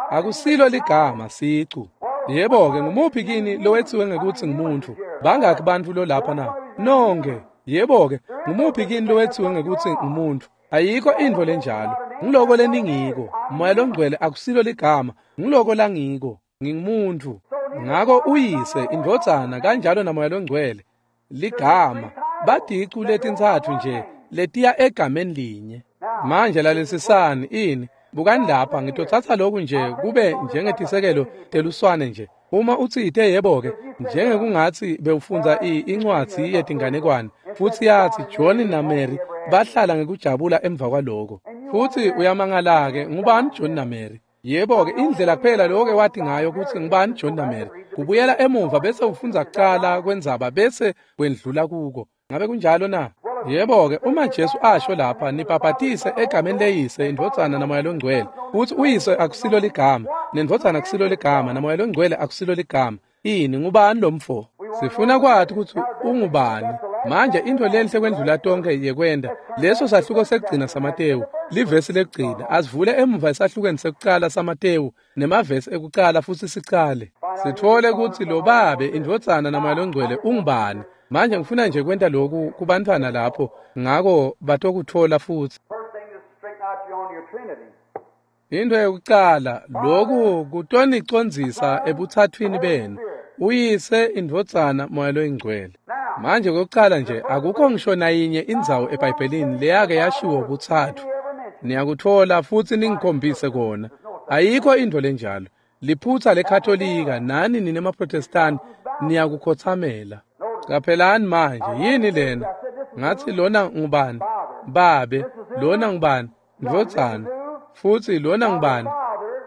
Akusilo ligama, sicu. Yebo-ke, ngumuphi kini lowetsiwe ngekutsi ngumuntfu? Bangakhi bantfu lolapha na? Nonke. Yebo-ke, ngumuphi kini lowetsiwe ngekutsi ngumuntfu? Ayikho intfo lenjalo. Ngiloko leningiko. Moya loNgcwele akusilo ligama, ngiloko langiko. Ngingumuntfu. Ngako uyise, iNdvodzana, kanjalo naMoya loNgcwele ligama, badicu letintsatfu nje letiya egameni linye. Manje lalelisisani ini. Bukani lapha, ngitotsatsa lokhu nje kube njengetisekelo teluswane nje. Uma utsite yebo-ke, njengekungatsi bewufundza incwadzi yetinganekwane, futsi yatsi John naMary bahlala ngekujabula emva kwaloko. Futsi uyamangala-ke, ngubani John naMary? Yebo-ke, indlela kuphela loke wathi ngayo kutsi ngubani John naMary, kubuyela emuva bese ufundza kucala kwendzaba bese wendlula kuko. Ngabe kunjalo na? Yebo-ke, uma Jesu asho lapha, nibhabhatise egameni leYise, iNdvodzana, naMoya loNgcwele, kutsi uyise akusilo ligama, nendvodzana akusilo ligama, naMoya loNgcwele akusilo ligama. Ini, ngubani lo mfo? Sifuna kwati kutsi ungubani. Manje intfo lenhle kwendlula tonkhe yekwenta leso sahluko sekugcina saMatewu, livesi lekugcina. Asivule emuva esahlukweni sekucala saMatewu nemavesi ekucala futsi sicale. Sitfole kutsi lo Babe, iNdvodzana, naMoya loNgcwele ungubani. Manje ngifuna nje kwenta lokhu kubantfwana lapho, ngako batokutfola futsi. Into yekucala, lokhu kutonicondzisa ebutsathwini benu, uyise, iNdvodzana, Moya loNgcwele. Manje kokucala nje, akukho ngisho nayinye indzawo eBhayibhelini leyake yashiwo butsatfu. Niyakutfola futsi ningikhombise kona. Ayikho intfo lenjalo. Liphutsa leKatolika nani nine maProtestani niyakukhotsamela. Caphelani manje, yini lena? Ngatsi lona ngubani? Babe. Lona ngubani? Ndvodzana. Futsi lona ngubani?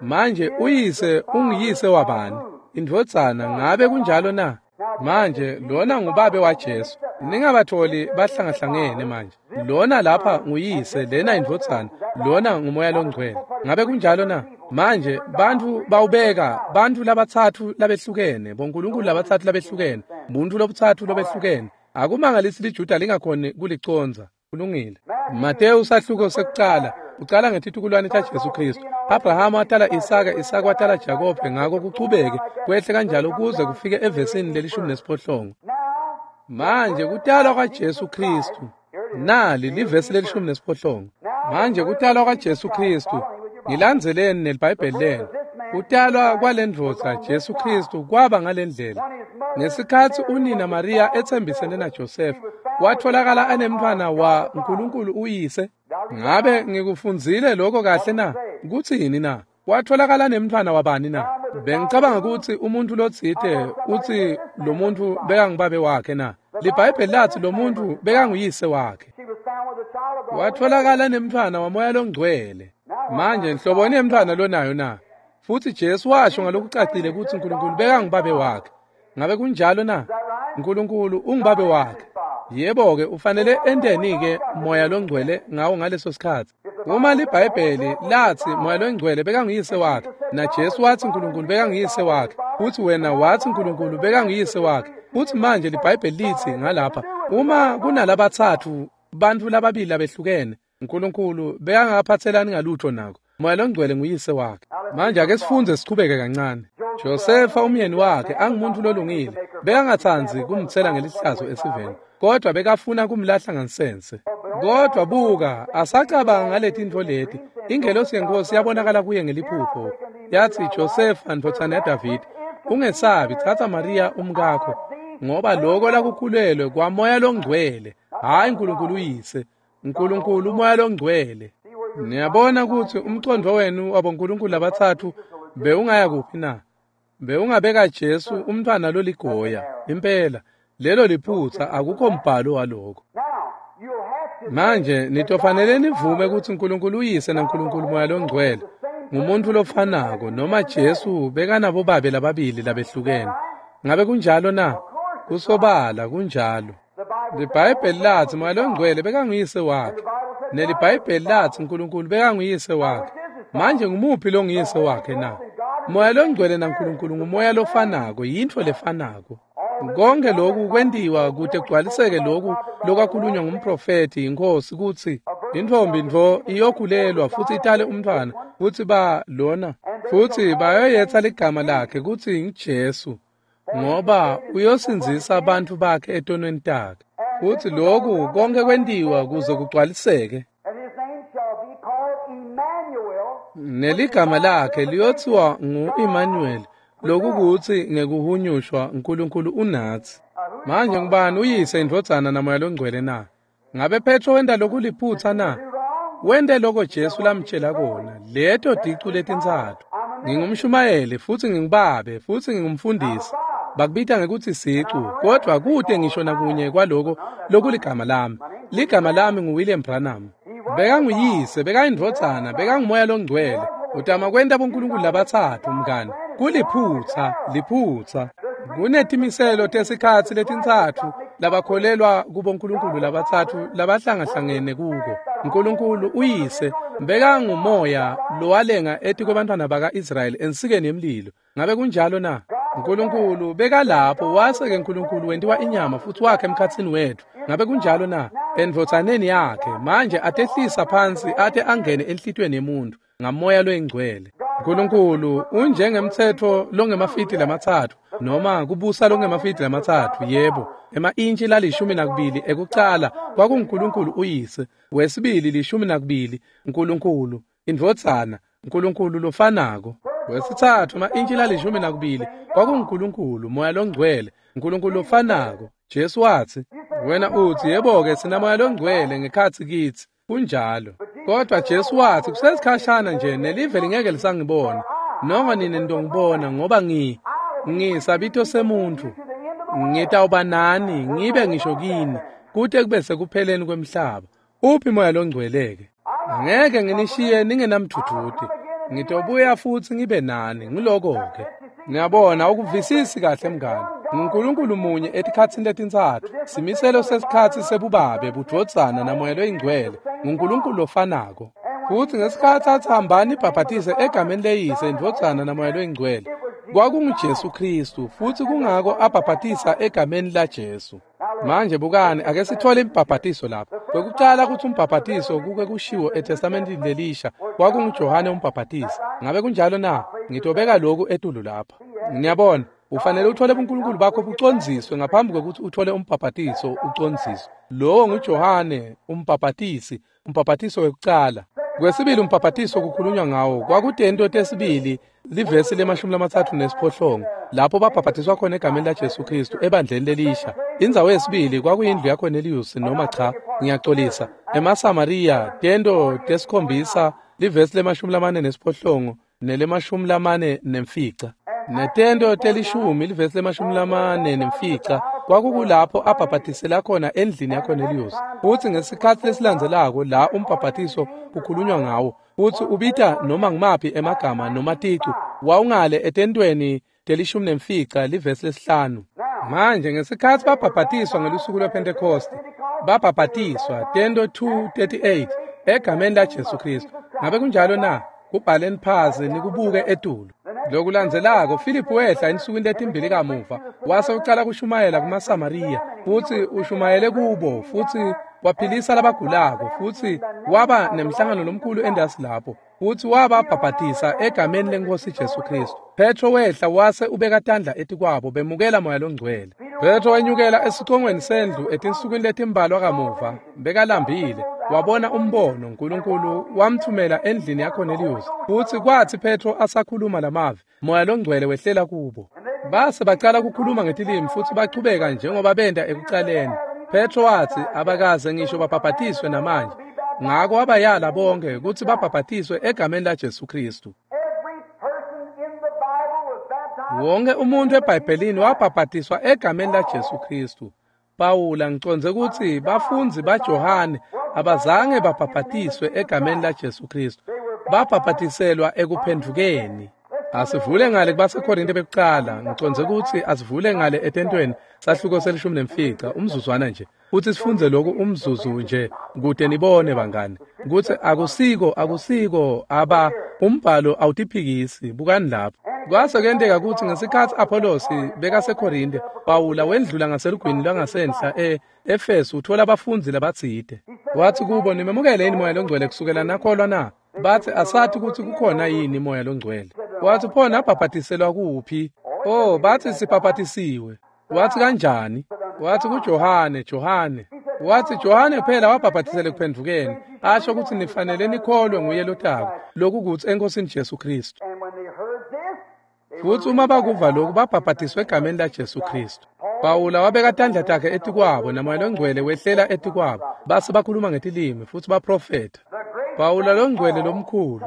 Manje uyise unguyise wabani? Indvodzana. Ngabe kunjalo na? Manje lona ngubabe waJesu. Ningabatholi bahlangahlangene manje. Lona lapha nguyise, lena indvodzana, lona nguMoya loNgcwele. Ngabe kunjalo na? Manje bantfu bawubeka bantfu labatsatfu labehlukene, bonkulunkulu labatsatfu labehlukene, buntfu lobutsatfu lobehlukene. Akumangalisi liJuda lingakhoni kulicondza. Kulungile. Mateyu sahluko sekucala ucala ngetitukulwane taJesu Kristu. Abrahama watala Isaka, Isaka watala Jakobe, ngako kuchubeke kwehle kanjalo kuze kufike evesini leli-18. Manje kutalwa kwaJesu Kristu. Nali livesi leli-18. Manje kutalwa kwaJesu Kristu. Ngilandzeleni neliBhayibheli lenu. Kutalwa kwalendvodza Jesu Kristu kwaba ngalendlela. Ngesikhatsi unina Maria etsembisene naJosefa, watfolakala anemntfwana wa Nkulunkulu uyise. Ngabe ngikufundzile lokho kahle na? Kutsini na? Watfolakala nemntfwana wabani na? Bengicabanga kutsi umuntfu lotsite utsi lo muntfu bekangubabe wakhe na? LiBhayibheli latsi lo muntfu bekanguyise wakhe. Watfolakala nemntfwana waMoya loNgcwele. Manje nhloboni yemntfwana lonayo na? Futsi Jesu washo ngalokucacile kutsi Nkulunkulu bekangubabe wakhe. Ngabe kunjalo na? Nkulunkulu ungubabe wakhe. Yebo-ke, ufanele enteni-ke Moya loNgcwele ngawo ngaleso sikhatsi? Uma liBhayibheli latsi Moya loNgcwele bekanguyise wakhe, naJesu watsi Nkulunkulu bekanguyise wakhe, futsi wena watsi Nkulunkulu bekanguyise wakhe, futsi manje liBhayibheli litsi ngalapha, uma kunalabatsatfu bantfu lababili labehlukene, Nkulunkulu bekangaphatselani ngalutho nako. Moya loNgcwele nguyise wakhe. Manje ake sifunze sichubeke kancane. Josefa umyeni wakhe angumuntu lolungile, bekangatsandzi kumtsela ngelihlazo esiveni, kodwa bekafuna kumlahla ngansense. Kodwa buka, asacabanga ngaletintfo leti, ingelosi yeNkosi yabonakala kuye ngeliphupho. Yathi, Josefa ndvodzana yaDavide, ungesabi, tsatsa Mariya umkakho, ngoba lokho lakukhulelwe kwaMoya loNgcwele, hhayi Nkulunkulu uyise, Nkulunkulu uMoya loNgcwele. Niyabona kutsi umcondvo wenu wabonkulunkulu labatsatfu bewungaya kuphi na? Bewungabeka Jesu umntfwana loligoya. Impela, lelo liphutsa, akukho mbhalo waloko. Manje nitofanele nivume kutsi Nkulunkulu uyise naNkulunkulu Moya loNgcwele ngumuntu lofanako, noma Jesu bekanabo babe lababili labehlukene. Ngabe kunjalo na? Kusobala kunjalo. LiBhayibheli latsi Moya loNgcwele bekanguyise wakhe, neliBhayibheli latsi Nkulunkulu bekanguyise wakhe. Manje ngumuphi longuyise wakhe na? Moya loNgcwele naNkulunkulu ngumoya lofanako, yintfo lefanako. Konke lokhu kwentiwa kute kugcwaliseke lokhu lokwakhulunywa ngumprofethi inkosi kutsi intfombi ntfo iyokhulelwa futsi itale umntfwana, futsi ba lona futsi bayoyetsa ligama lakhe kutsi nguJesu, ngoba uyosindzisa bantfu bakhe etonweni takhe. Futsi lokhu konke kwentiwa kuze kugcwaliseke. Neligama lakhe liyothiwa ngu-Emmanuel, lokukutsi ngekuhunyushwa Nkulunkulu unatsi. Manje ngubani uyise, indvodzana naMoya loNgcwele na? Ngabe Petro wenta lokuliphutsa na? Wente loko Jesu lamtjela kona, leto ticu letintsatfu. Ngingumshumayeli futsi ngingubabe futsi ngingumfundisi. Bakubita ngekutsi sicu, kodwa kute ngisho nakunye kwaloko lokuligama lami. Ligama lami nguWilliam Branham. Bekanguyise, bekayindvodzana, bekanguMoya loNgcwele. Utama kwenta bonkulunkulu labatsatfu, mngani. Kuliphutsa, liphutsa. Kunetimiselo tesikhatsi letintsatfu labakholelwa kubonkulunkulu labatsatfu labahlangahlangene kuko. Nkulunkulu uyise bekangumoya lowalenga etikwebantfwana baka-Israyeli ensikeni yemlilo. Ngabe kunjalo na? Nkulunkulu bekalapho, wase-ke Nkulunkulu wentiwa inyama futsi wakhe emkhatsini wetfu. Ngabe kunjalo na? Endvodzaneni yakhe manje atehlisa phansi ate angene enhlitiyweni yemuntu ngaMoya loyiNgcwele. Nkulunkulu unjengemtsetfo longemafidi lamatsatfu, noma kubusa longemafidi lamatsatfu, yebo, ema-intshi la-12 ekucala kwakunguNkulunkulu uyise, wesibili 12 Nkulunkulu indvodzana, Nkulunkulu lofanako. Wesitsatfu ema-intshi la-12 kwakunguNkulunkulu Moya loNgcwele, Nkulunkulu lofanako. Jesu watsi, wena utsi, yebo-ke sinaMoya loNgcwele ngekhatsi kitsi. Kunjalo. Kodwa Jesu watsi kusesikhashana nje nelive lingeke lisangibona, noma nine nitongibona, ngoba ngisabito semuntfu. Ngitawuba nani, ngibe ngisho kini, kute kube sekupheleni kwemhlaba. Uphi Moya loNgcwele-ke? Angeke nginishiye ningenamdvudvuti. Ngitobuya futsi ngibe nani. Ngiloko-ke. Niyabona, ukuvisisi kahle mngani. NguNkulunkulu munye etikhatsini letintsatfu. Simiselo sesikhatsi sebubabe, budvodzana naMoya loyiNgcwele. NguNkulunkulu lofanako. Futsi ngesikhatsi atsi hambani ibhabhatise egameni leyise, indvodzana naMoya loyiNgcwele, kwakunguJesu Khristu, futsi kungako abhabhatisa egameni laJesu. Manje bukani, ake sithole imbhabhatiso lapha. Kwekucala kutsi umbhabhatiso kuke kushiwo eTestamentini lelisha kwakunguJohane umbhabhatisi. Ngabe kunjalo na? Ngitobeka lokhu etulu lapha. Niyabona, ufanele uthole buNkulunkulu bakho bucondziswe ngaphambi kwekutsi uthole umbhabhatiso ucondziswe. Lowo nguJohane umbhabhatisi, umbhabhatiso wekucala. Kwesibili umbhabhatiso kukhulunywa ngawo kwakutento tesibili, livesi le-38, lapho babhabhatiswa khona egameni laJesu Khristu ebandleni lelisha. Indzawo yesibili kwakuyindlu yaKorneliyusi, noma cha, ngiyacolisa, emaSamariya, tento tesikhombisa, livesi le-48 nele-45. Netento telishumi, livesi le-45, kwakukulapho abhabhatisela khona endlini yaKorneliyusi. Futsi ngesikhatsi lesilandzelako la umbhabhatiso kukhulunywa ngawo, futsi ubita noma ngumaphi emagama noma ticu, wawungale etentweni te-15, livesi le-5. Manje ngesikhatsi babhabhatiswa ngelusuku lwePhentekhosti, babhabhatiswa tento 2:38 egameni laJesu Khristu. Ngabe kunjalo na? Kubhaleni phasi nikubuke etulu. Lokulandzelako Filiphu wehla ensukwini letimbili kamuva wase ucala kushumayela kumaSamariya, futsi ushumayele kubo futsi waphilisa labagulako, futsi waba nemhlangano lomkhulu endasi lapho, futsi wababhabhatisa egameni leNkhosi Jesu Kristu. Petro wehla wase ubeka tandla etikwabo, bemukela Moya Longcwele. Petro wenyukela esicongweni sendlu etinsukwini letimbalwa kamuva, bekalambile, wabona umbono. Nkulunkulu wamthumela endlini yaKorneliyusi, futsi kwatsi Petro asakhuluma lamavi, Moya Longcwele wehlela kubo. Base bacala kukhuluma ngetilimi futsi bachubeka njengoba benta ekucaleni. Petro watsi abakaze ngisho babhabhatiswe namanje, ngako wabayala bonke kutsi babhabhatiswe egameni laJesu Kristu. Wonke umuntu eBhayibhelini wabhabhatiswa egameni laJesu Kristu. Pawula ngicondze kutsi bafundzi baJohane abazange babhabhatiswe egameni laJesu Kristu, babhabhatiselwa ekuphendvukeni. Asivule ngale kubaseKorinte bekucala, ngicondze kutsi asivule ngale etentweni sahluko se-15 umzuzwana nje, futsi sifunze lokhu umzuzu nje kute nibone bangani kutsi akusiko aba umbhalo awutiphikisi. Bukani lapho. Kwase kuyenteka kutsi ngesikhatsi Apollosi bekaseKorinte, Pawula wendlula ngaselugwini lwangasenhla e-Efesu uthola abafundzi labatsite. Watsi kubo, nimemukele yini Moya Longcwele kusukela nakholwa na? Batsi asati kutsi kukhona yini Moya Longcwele. Watsi pho nabhabhatiselwa kuphi? Oh, batsi sibhabhatisiwe. Watsi kanjani? Watsi kuJohane, Johane. Watsi Johane phela wabhabhatisela ekuphendvukeni, asho kutsi nifanele nikholwe nguye lotako, lokhu kutsi eNkosini Jesu Kristu. Futsi uma bakuva lokhu babhabhatiswe egameni laJesu Kristu. Pawula wabeka tandla takhe etikwabo, naMoya Longcwele wehlela etikwabo, base bakhuluma ngetilimi futsi baprofetha. Pawula longcwele lomkhulu,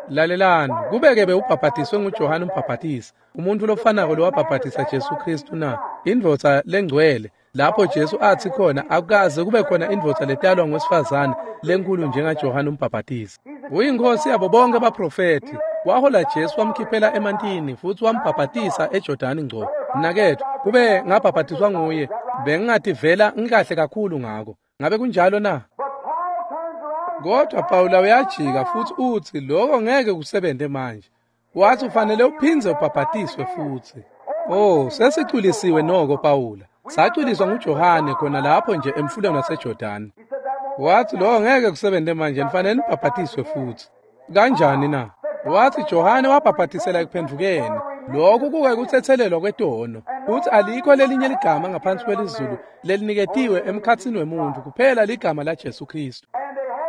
lalelani, kubeke bewubhabhatiswe nguJohane umbhabhatisi, umuntu lofanako lowabhabhatisa Jesu Kristu na, indvodza lengcwele, lapho Jesu athi khona akukaze kube khona indvodza letalwa ngowesifazane lenkulu njengaJohane umbhabhatisi. Uyinkosi yabo bonke abaprofethi. Wahola Jesu wamkhiphela emantini futsi wambhabhatisa eJordani ngco. Mnaketfu, kube ngabhabhatiswa nguye, bengingativela ngikahle kakhulu ngako. Ngabe kunjalo na? Kodwa Pawula uyajika futsi utsi lokho ngeke kusebenze manje. Wathi ufanele uphindze ubhabhatiswe futsi. Oh, sesicwilisiwe noko Pawula. Sacwiliswa nguJohane khona lapho nje emfuleni waseJordani. Wathi lokho ngeke kusebenze manje, nifanele nibhabhatiswe futsi. Kanjani na? Wathi Johane wabhabhatisela ekuphendvukeni. Lokhu kuke kuthethelelwa kwetono. Uthi alikho lelinye ligama ngaphansi kwelizulu leliniketiwe emkhatsini wemuntu kuphela ligama laJesu Kristu.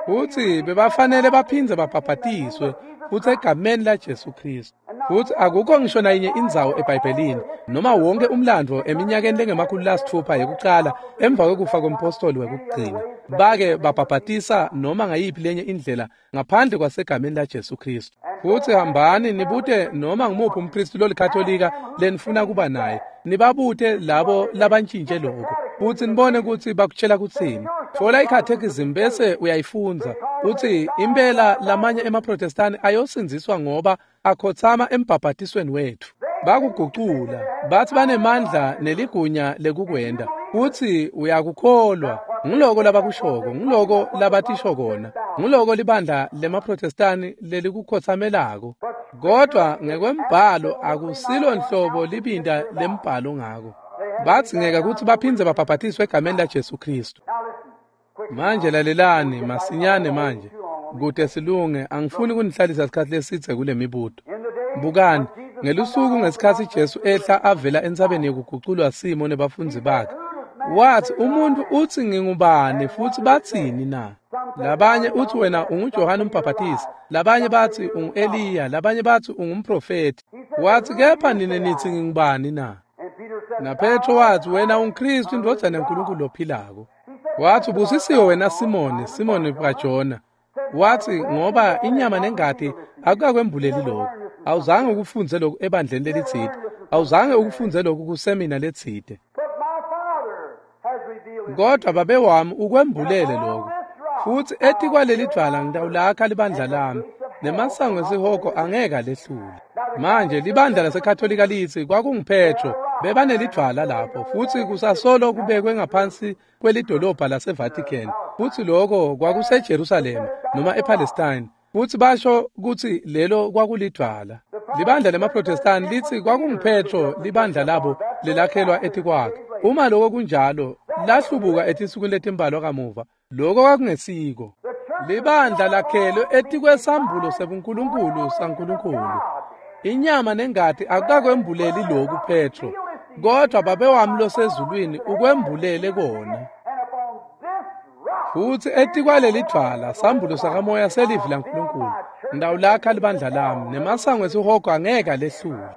Uthi bebafanele baphindze babhabhatiswe futsi egameni laJesu Kristu. Futsi akukho ngisho nayinye indzawo eBhayibhelini noma wonke umlandvo eminyakeni lengama-600 yekucala emva kwekufa kompostoli wekugcina bake babhabhatisa noma ngayiphi lenye indlela ngaphandle kwasegameni laJesu Kristu. Futsi hambani nibute noma ngumuphi umKristu lolikatolika lenifuna kuba naye, nibabute labo labantshintshe lokho, futsi nibone kutsi bakutshela kutsini. Tfola i-catechism bese uyayifundza. Utsi impela lamanye emaProtestani ayosindziswa ngoba akhotsama embhabhatisweni wetfu. Bakugucula, bathi banemandla neligunya lekukwenta. Utsi uyakukholwa, nguloko labakushoko, nguloko labatisho kona, nguloko libandla lemaProtestani lelikukhotsamelako. Kodwa ngekwembhalo akusilo nhlobo libinta lembhalo ngako. Badzingeka kutsi baphindze babhabhatiswe egameni laJesu Kristu. Manje lalelani masinyane manje, kute silunge, angifuni kunihlalisa isikhathi lesidze kule mibuto. Bukani, ngelusuku ngesikhatsi Jesu ehla avela entsabeni yekuguculwa simo nebafundzi bakhe, wathi umuntu utsi ngingubani futsi batsini na? Labanye utsi wena unguJohane umbhabhatisi, labanye batsi ungu-Eliya, labanye batsi ungumprofethi. Wathi kepha nine nitsi ngingubani na? NaPetro wathi wena unguKristu indvodzana yaNkulunkulu lophilako. Wathi ubusisiwe wena Simoni, Simoni kaJona. Wathi ngoba inyama nengati akukakwembuleli lokhu. Awuzange ukufunze lokhu ebandleni lelitsite. Awuzange ukufunze lokhu kusemina letsite. Kodwa babe wami ukwembulele lokhu. Futsi etikwaleli dvwala ngitawulakha libandla lami, nemasango esihogo angeke alehlule. Manje libandla laseKatolika litsi kwakunguPetro, bebanelidvwala lapho, futsi kusasolo kubekwe ngaphansi kwelidolobha laseVatican, futsi lokho kwakuseJerusalema noma ePalestine, futsi basho kutsi lelo kwakulidvwala. Libandla lemaProtestani litsi kwakunguPetro libandla labo lelakhelwa etikwakhe. Uma lokho kunjalo, lahlubuka etinsukwini letimbalwa kamuva. Lokho kwakungesiko. Libandla lakhelwe etikwesambulo sebuNkulunkulu saNkulunkulu. Inyama nengati akukakwembuleli lokhu Petro, kodwa Babe wami losezulwini ukwembulele kona. Futsi etikwaleli dvwala sambulo sakamoya selivi laNkulunkulu, ngitawulakha libandla lami, nemasango esihogo angeke alehlule.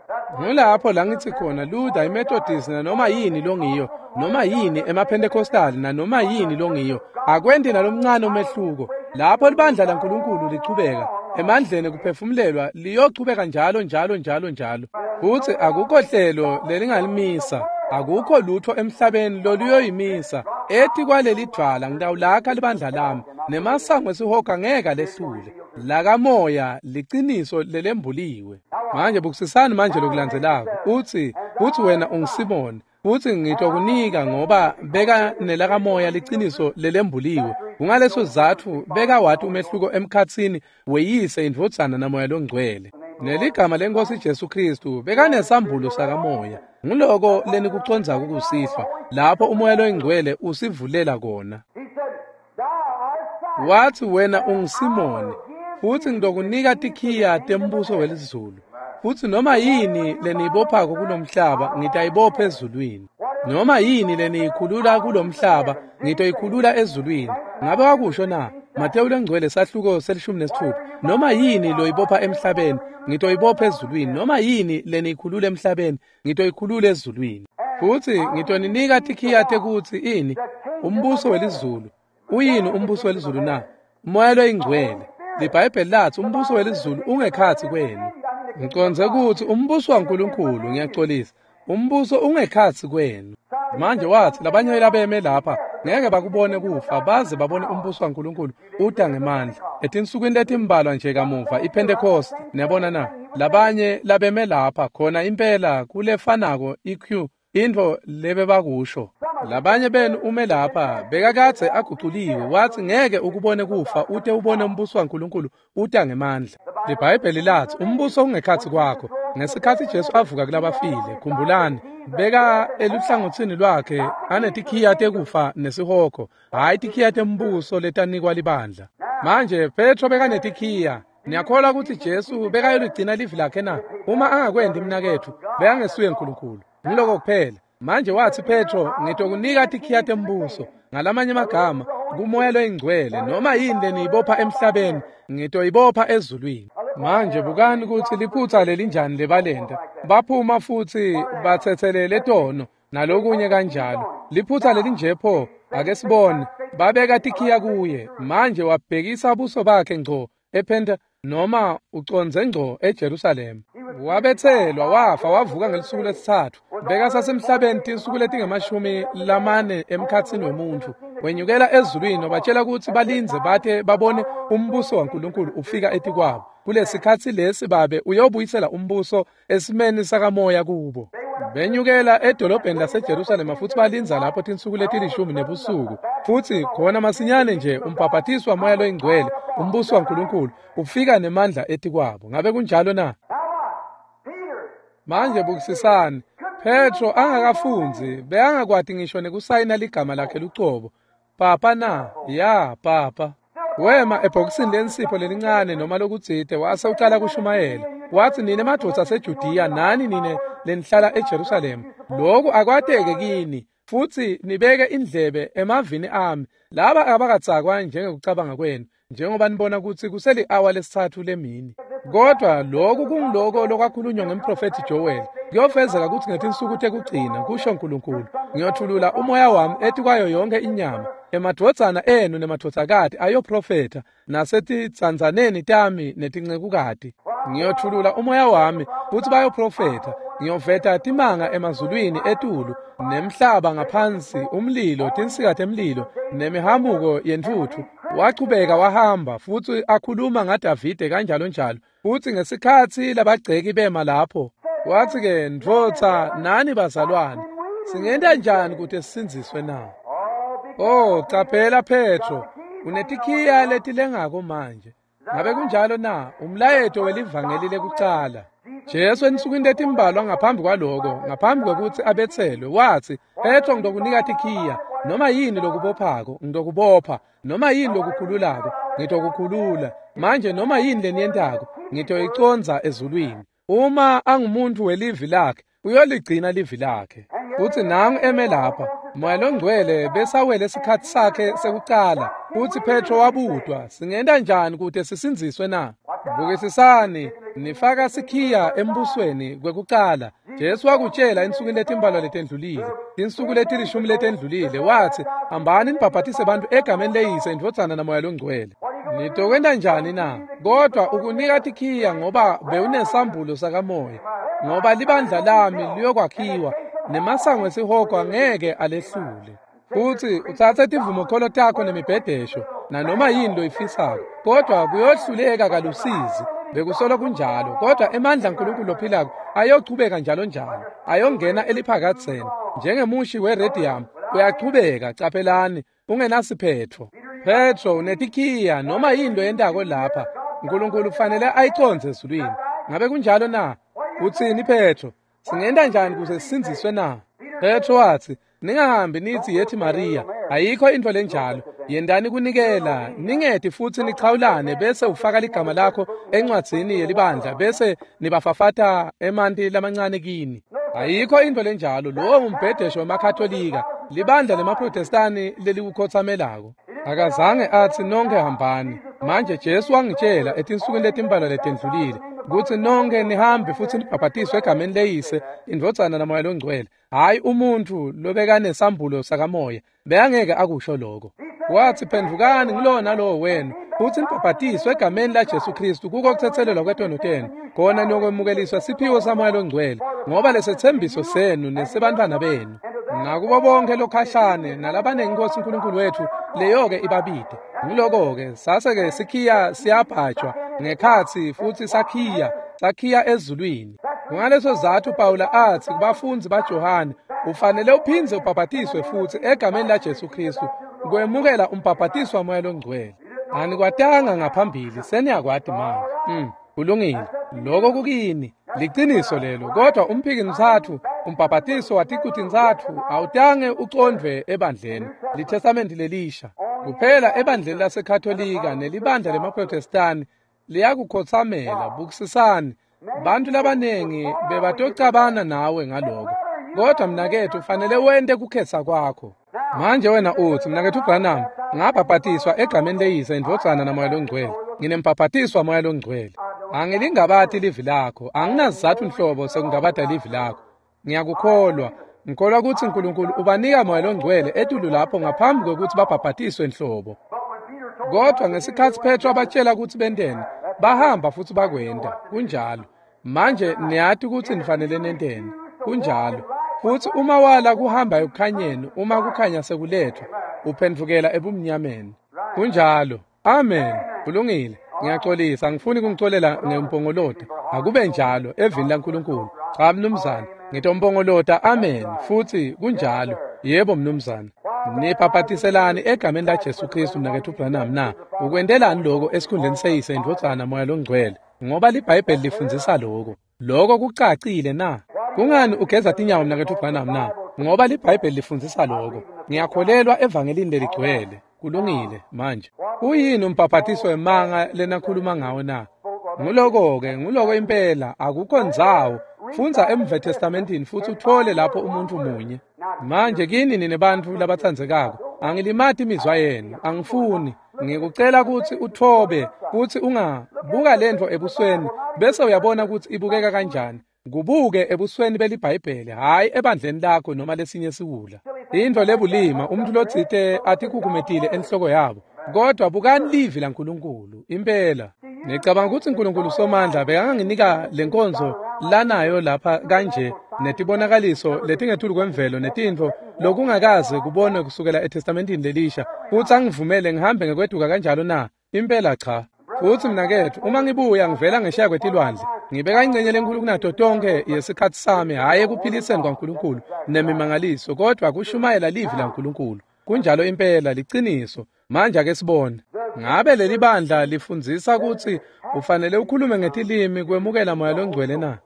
Ngulapho la ngitsi khona Luther, iMethodist, nanoma yini longiyo, noma yini emaPentecostal, nanoma yini longiyo, akwenti nalomncane umehluko. Lapho libandla laNkulunkulu lichubeka emandleni kuphefumulelwa, liyochubeka njalo njalo njalo njalo. Futsi akukho hlelo lelingalimisa, akukho lutho emhlabeni loluyoyimisa. Etikwaleli dvwala ngitawulakha libandla lami, nemasango esihogo angeke alehlule. Lakamoya liciniso lelembuliwe. Manje bukisisani manje lokulandzelako. Utsi, futsi wena unguSimoni, futsi ngitokunika ngoba beka nelakamoya liciniso lelembuliwe. Kungaleso sizatfu beka wati umehluko emkhatsini weyise, indvodzana naMoya loNgcwele. Neligama leNkosi Jesu Kristu bekanesambulo sakamoya. Nguloko lenikucondzako kusihlwa, lapho uMoya loNgcwele usivulela kona. Watsi wena unguSimoni, futsi ngitokunika tikhiya tembuso welizulu. Futsi noma yini leniyibophako kulomhlaba ngitayibopha ezulwini. Noma yini leniyikhulula kulomhlaba ngitoyikhulula ezulwini. Ngabe wakusho na? Matewu lengcwele sahluko 16. Noma yini loyibopha emhlabeni ngitoyibopha ezulwini. Noma yini leniyikhulula emhlabeni ngitoyikhulula ezulwini. Futsi ngitoninika tikhiya tekutsi ini? Umbuso welizulu. Uyini umbuso welizulu na? Umoya loyingcwele. LiBhayibheli lathi umbuso welizulu ungekhatsi kwenu. Ngicondze kutsi umbuso waNkulunkulu, ngiyacolisa, umbuso ungekhatsi kwenu. Manje watsi labanye labeme lapha ngeke bakubone kufa baze babone umbuso waNkulunkulu uta ngemandla. Etinsukwini letimbalwa nje kamuva iPentecost, niyabona na? Labanye labeme lapha khona impela kulefanako iQ intfo lebebakusho. Labanye benu ume lapha bekakadze aguculiwe, watsi ngeke ukubone kufa ute ubone umbuso waNkulunkulu uta ngemandla. LiBhayibheli lathi umbuso ungekhatsi kwakho. Ngesikhatsi Jesu avuka kulabafile, khumbulani, beka eluhlangotsini lwakhe anetikhiya tekufa nesihogo, hhayi tikhiya tembuso letanikwa libandla. Manje Petro bekanetikhiya. Niyakholwa kutsi Jesu bekayoligcina livi lakhe na? Uma angakwenti mnaketfu, bekangesuye Nkulunkulu. Ngiloko kuphela. Manje watsi Petro, ngitokunika tikhiya tembuso. Ngalamanye amagama, kuMoya loyingcwele, noma yini leniyibopha emhlabeni, ngitoyibopha ezulwini. Manje bukani kutsi liphutsa lelinjani lebalenta. Baphuma futsi batsetselele tono nalokunye kanjalo. Liphutsa lelinje pho, ake sibone. Babeka tikhiya kuye. Manje wabhekisa buso bakhe ngco ePenta noma ucondze ngco eJerusalema. Wabetselwa, wafa, wavuka ngelisuku lesitsatfu. Bekasasemhlabeni tinsuku letingama-40 emkhatsini wemuntfu. Wenyukela ezulwini wabatshela kutsi balindze bate babone umbuso waNkulunkulu ufika etikwabo. Kulesikhatsi lesi Babe uyobuyisela umbuso esimeni sakamoya kubo. Benyukela edolobheni laseJerusalema futsi balindza lapho tinsuku leti-10 nebusuku. Futsi khona masinyane nje umbhabhatiswa Moya loyingcwele, umbuso waNkulunkulu ufika nemandla etikwabo. Ngabe kunjalo na? Manje bukisisani, Petro angakafundzi, bekangakwati ngisho nekusayina ligama lakhe lucobo. Papa na? Ya, papa. Wema ebhokisini lensipho lelincane noma lokutsite wase ucala kushumayela. Watsi nine madvodza aseJudiya nani nine lenihlala eJerusalema, lokhu akwateke kini futsi nibeke indlebe emavini ami. Laba abakatsakwa njengekucabanga kwenu, njengoba nibona kutsi kuseli-awa lesitsatfu lemini. Kodwa lokhu kungiloko lokwakhulunywa ngemprofethi Joel. Kuyofezeka kutsi ngetinsuku tekugcina, kusho Nkulunkulu, ngiyothulula umoya wami etikwayo yonke inyama. Emadvodzana enu nemadvodzakati ayoprofetha, nasetitsandzaneni tami netincekukati. Ngiyothulula umoya wami futsi bayoprofetha. Ngiyoveta timanga emazulwini etulu nemhlaba ngaphansi, umlilo, tinsika temlilo nemihamuko yentfutfu. Wachubeka wahamba futsi akhuluma ngaDavide kanjalo njalo. Futsi ngesikhatsi labagceki bema lapho, watsi ke, ndvodza nani bazalwane, singenta njani kute sisindziswe na? Oh, caphela Petro, unetikhiya letilengako manje. Ngabe kunjalo na? Umlayeto welivangeli lekucala. Jesu ensukwini letimbalwa ngaphambi kwaloko, ngaphambi kwekutsi abetselwe, watsi, Petro, ngitokunika tikhiya, noma yini lokubophako, ngitokubopha, noma yini lokukhululako, ngitokukhulula. Manje noma yini leniyentako, ngitoyicondza ezulwini. Uma angumuntu welivi lakhe, uyoligcina livi lakhe. Futsi nangu eme lapha, Moya Longcwele besawele isikhatsi sakhe sekucala. Futsi Petro wabutwa, singenta njani kute sisindziswe na? Bukisisani, nifaka sikhiya embusweni kwekucala. Jesu wakutshela ensukwini letimbalwa letendlulile, tinsuku letilishumi letendlulile, watsi, hambani nibhabhatise bantfu egameni leYise, iNdvodzana naMoya Longcwele. Nitokwenta njani na? Kodwa ukunika tikhiya ngoba bewunesambulo sakamoya, ngoba libandla lami liyokwakhiwa, nemasango esihogo angeke alehlule. Futsi utsatse tivumokholo takho nemibhedesho nanoma yini loyifisako, kodwa kuyohluleka kalusizi. Bekusolo kunjalo, kodwa emandla aNkulunkulu lophilako ayochubeka njalo njalo, ayongena eliphakadzeni njengemushi weredium, uyachubeka. Caphelani, ungenasiphetfo. Petro unetikhiya, noma yini loyentako lapha, Nkulunkulu kufanele ayicondze ezulwini. Ngabe kunjalo na? Utsini Petro? Singenta njani kuze sisindziswe na? Petro watsi, ningahambi nithi yethi Maria, ayikho intfo lenjalo. Yentani kunikela, ningeti futsi nichawulane, bese ufaka ligama lakho encwadzini yelibandla, bese nibafafata emanti lamancane kini. Ayikho intfo lenjalo. Lowo ngumbhedesho wemaKatolika, libandla lemaProtestani lelikukhotsamelako. Akazange atsi nonkhe hambani. Manje Jesu wangitshela etinsukwini letimbalwa letendlulile kutsi nonkhe nihambe futsi nibhabhatiswe egameni leYise, iNdvodzana naMoya Longcwele. Hhayi umuntfu lobekanesambulo sakamoya, bekangeke akusho lokho. Watsi, phendvukani ngulowo nalowo wenu futsi nibhabhatiswe egameni laJesu Khristu kuko kutsetselelwa kwetono tenu, khona niyokwemukeliswa siphiwo saMoya Longcwele, ngoba lesetsembiso senu nesebantfwana benu nakubo bonke lokhashane nalabanengi Nkosi uNkulunkulu wethu leyo-ke ibabide. Ngiloko-ke sase-ke sikhiya siyabhajwa ngekhatsi futsi sakhiya ezulwini. Kungaleso zatfu Pawula atsi kubafundzi baJohane, ufanele uphindze ubhabhatiswe futsi egameni laJesu Khristu kwemukela umbhabhatiso waMoya Longcwele. Anikwatanga ngaphambili, seniyakwati manje. Kulungile. Lokho kukini liciniso lelo, kodwa umphiki mtsatfu, umbhabhatiso waticu tintsatfu awutange ucondvwe ebandleni liTestamenti lelisha. Kuphela ebandleni laseKatolika nelibandla lemaProtestani liyakukhotsamela. Bukisisani, bantu labanengi bebatocabana nawe ngaloko, kodwa mnaketfu ufanele wente kukhetsa kwakho. Manje wena utsi, mnaketfu Branham, ngabhabhatiswa egameni leYise, iNdvodzana naMoya Longcwele. Nginembhabhatiso waMoya Longcwele. Angilingabati livi lakho, anginasizatfu nhlobo sekungabata livi lakho. Ngiyakukholwa. Ngikholwa kutsi Nkulunkulu ubanika Moya Longcwele etulu lapho ngaphambi kwekutsi babhabhatiswe nhlobo. Kodwa ngesikhatsi Petro abatshela kutsi benteni, bahamba futsi bakwenta. Kunjalo. Manje niyati kutsi nifanele nenteni. Kunjalo. Futsi uma wala kuhamba ekukhanyeni, uma kukhanya sekuletfwa, uphendvukela ebumnyameni. Kunjalo. Amen. Kulungile. Ngiyaxolisa, angifuni kungicolela ngempongolota. Akube njalo evini laNkulunkulu. Cha mnumzane, ngitompongolota amen. Futsi kunjalo. Yebo mnumzane. Nibhabhatiselani egameni laJesu Khristu mnaketfu Branham na? Ukwentelani lokho esikhundleni seYise, iNdvodzana, Moya Longcwele? Ngoba liBhayibheli lifundzisa lokho. Lokho kucacile na? Kungani ugeza tinyawo mnaketfu Branham na? Ngoba liBhayibheli lifundzisa lokho. Ngiyakholelwa evangelini leligcwele. Kulungile manje. Uyini umbhabhatiso wemanga lenakhuluma ngawo na? Nguloko-ke, nguloko impela, akukho ndzawo. Fundza eMve Testamentini futsi uthole lapho umuntu munye. Manje kini nine bantfu labatsandzekako, angilimati imizwa yenu, angifuni. Ngikucela kutsi uthobe futsi ungabuka lentfo ebusweni bese uyabona kutsi ibukeka kanjani. Kubuke ebusweni beliBhayibheli, hhayi ebandleni lakho noma lesinye siwula. Intfo lebulima umuntu lotsite atikhukhumetile enhloko yabo. Kodwa bukani livi laNkulunkulu impela. Ngicabanga kutsi Nkulunkulu Somandla bekanganginika lenkonzo lanayo lapha kanje netibonakaliso letingetulu kwemvelo netintfo lokungakaze kubonwe kusukela eTestamentini lelisha, futsi angivumele ngihambe ngekweduka kanjalo na? Impela cha. Futsi mnaketfu, uma ngibuya ngivela ngesheya kwetilwandle, ngibeka ingcenye lenkulu kunato tonke yesikhatsi sami, hhayi ekuphiliseni kwaNkulunkulu nemimangaliso, kodwa kushumayela livi laNkulunkulu. Kunjalo impela, liciniso. Manje ake sibone. Ngabe leli bandla lifundzisa kutsi ufanele ukhulume ngetilimi kwemukela Moya Longcwele na?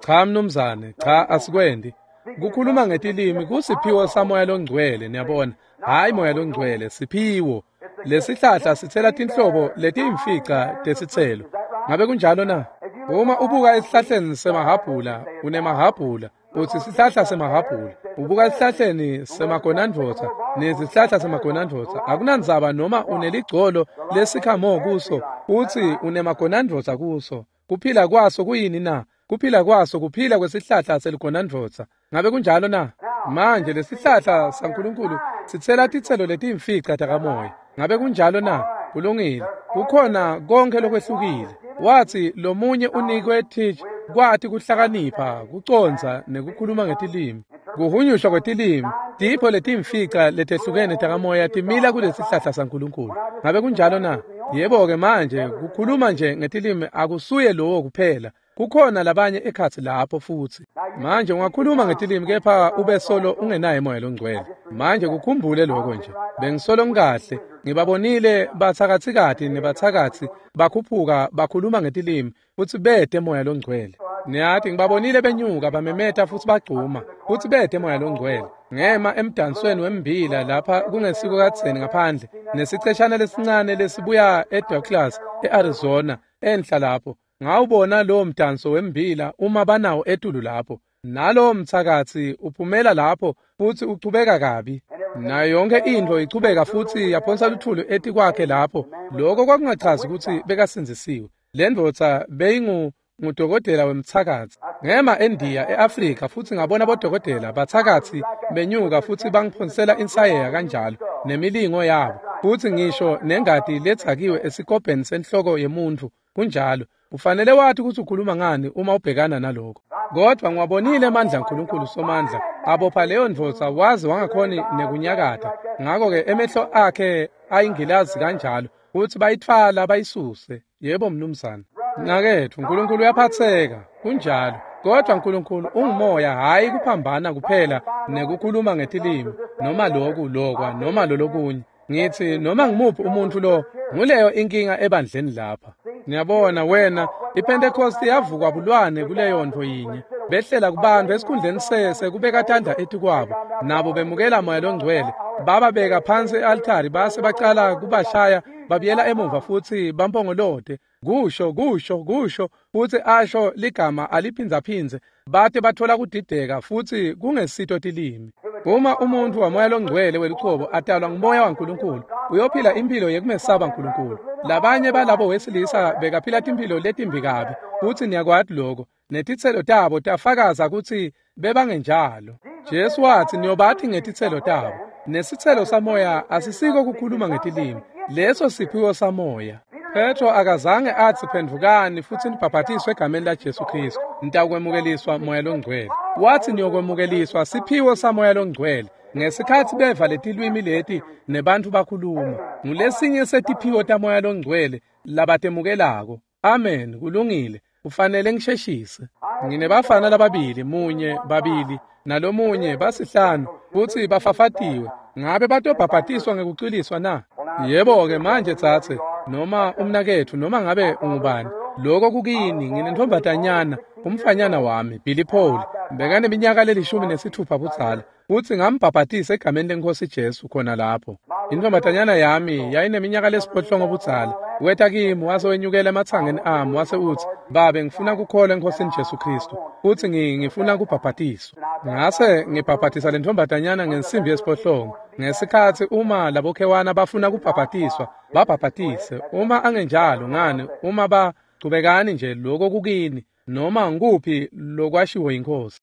Cha mnumzane, cha asikwendi. Kukhuluma ngetilimi kusiphiwo saMoya loNgcwele, niyabona. Hhayi Moya loNgcwele, siphiwo. Lesihlahla sitsela tinhlobo letiyimfica tesitselo. Ngabe kunjalo na? Uma ubuka esihlahleni semahhabhula, unemahhabhula, utsi sihlahla semahhabhula. Ubuka esihlahleni semagonandvodza, nesihlahla semagonandvodza. Akunandzaba noma uneligcolo lesikhamo kuso, utsi unemagonandvodza kuso. Kuphila kwaso kuyini na? Kuphila kwaso kuphila kwesihlahla seligonandvodza. Ngabe kunjalo na? Manje lesihlahla saNkulunkulu sitsela titselo letiyimfica takamoya. Ngabe kunjalo na? Kulungile. Kukhona konke lokwehlukile. Wathi lomunye unikwe teach kwati kuhlakanipha, kucondza nekukhuluma ngetilimi. Kuhunyushwa kwetilimi, tipho letiyimfica letehlukene takamoya timila kulesihlahla saNkulunkulu. Ngabe kunjalo na? Yebo-ke manje kukhuluma nje ngetilimi akusuye lowo kuphela. Kukhona labanye ekhatsi lapho futsi. Manje ungakhuluma ngetilimi kepha ube solo ungenaye Moya loNgcwele. Manje kukhumbule lokho nje. Bengisolo ngikahle, ngibabonile bathakatsikati nebathakatsi bakhuphuka bakhuluma ngetilimi futsi bete Moya loNgcwele. Niyati ngibabonile benyuka bamemeta futsi bagcuma futsi bete Moya loNgcwele. Ngema emdansweni wembila lapha kungesiko kadzeni ngaphandle nesiceshana lesincane lesibuya eDouglas eArizona enhla lapho. Ngawubona lowo mdanso wembila uma banawo etulu lapho. Nalowo mthakathi uphumela lapho futsi uchubeka kabi. Nayo yonke intfo ichubeka futsi yaphonsa luthulu etikwakhe lapho. Lokho kwakungachazi kutsi bekasindzisiwe. Le ndvodza beyingudokotela wemthakathi. Ngema eNdiya eAfrika futsi ngabona bodokotela bathakathi benyuka futsi bangiphonsela insayeya kanjalo nemilingo yabo. Futsi ngisho nengati letsakiwe esikobheni senhloko yemuntfu kunjalo. Ufanele wathi ukuthi ukhuluma ngani uma ubhekana nalokho. Kodwa ngiwabonile amandla aNkulunkulu Somandla abopha leyo ndvodza waze wangakhoni nekunyakatha. Ngakho-ke emehlo akhe ayingilazi kanjalo futsi bayitfwala bayisuse. Yebo mnumzane. Mnaketfu, uNkulunkulu uyaphatseka kunjalo. Kodwa uNkulunkulu ungumoya, hhayi kuphambana kuphela nekukhuluma ngetilimi noma loku lokwa noma lolokunye. Ngithi noma ngimuphi umuntu lo, nguleyo inkinga ebandleni lapha. Niyabona wena, iPentecost yavukwa bulwane kuleyo nto yinye. Behlela kubantu esikhundleni sese kubeka tandla etikwabo, nabo bemukela Moya loNgcwele. Bababeka phansi e-altari base bacala kubashaya, babuyela emuva futsi bampongolote. Kusho, kusho, kusho, futsi asho ligama aliphindzaphindze, bate bathola kudideka futsi kungesito tilimi. Uma umuntfu waMoya loNgcwele weluchobo atalwa nguMoya waNkulunkulu, uyophila impilo yekumesaba Nkulunkulu. Labanye balabo wesilisa bekaphila timphilo letimbi kabi, futsi niyakwati lokho. Netitselo tabo tafakaza kutsi bebangenjalo. Jesu watsi niyobathi ngetitselo tabo. Nesitselo samoya asisiko kukhuluma ngetilimi, leso siphiwo samoya. Petro akazange atsi phendvukani futsi nibhabhatiswe egameni laJesu Kristu, nitawukwemukeliswa Moya loNgcwele. Watsi niyokwemukeliswa siphiwo saMoya loNgcwele. Ngesikhatsi beva letilwimi leti nebantfu bakhuluma, ngulesinye setiphiwo taMoya loNgcwele labatemukelako. Amen, kulungile. Kufanele ngisheshise. Nginebafana lababili, munye, babili, nalomunye basihlanu, futsi bafafatiwe. Ngabe batobhabhatiswa ngekucwiliswa na? Yebo-ke manje tsatse, noma umnaketfu, noma ngabe ungubani. Lokho kukini, nginentombatanyana, umfanyana wami, Billy Paul, bekaneminyaka le16 budzala, futsi ngambhabhatisa egameni leNkhosi Jesu khona lapho. Intombatanyana yami yayineminyaka le8 budzala. Weta kimi wase wenyukela ematsangeni ami wase utsi, "Babe, ngifuna kukholwa eNkhosini Jesu Kristu, futsi ngifuna kubhabhatiswa." Ngase ngibhabhatisa lentombatanyana ngensimbi ye8. Ngesikhatsi uma labokhewana bafuna kubhabhatiswa, babhabhatise. Uma angenjalo ngani, uma bachubekani nje lokho kukini, noma ngukuphi lokwashiwo yiNkhosi.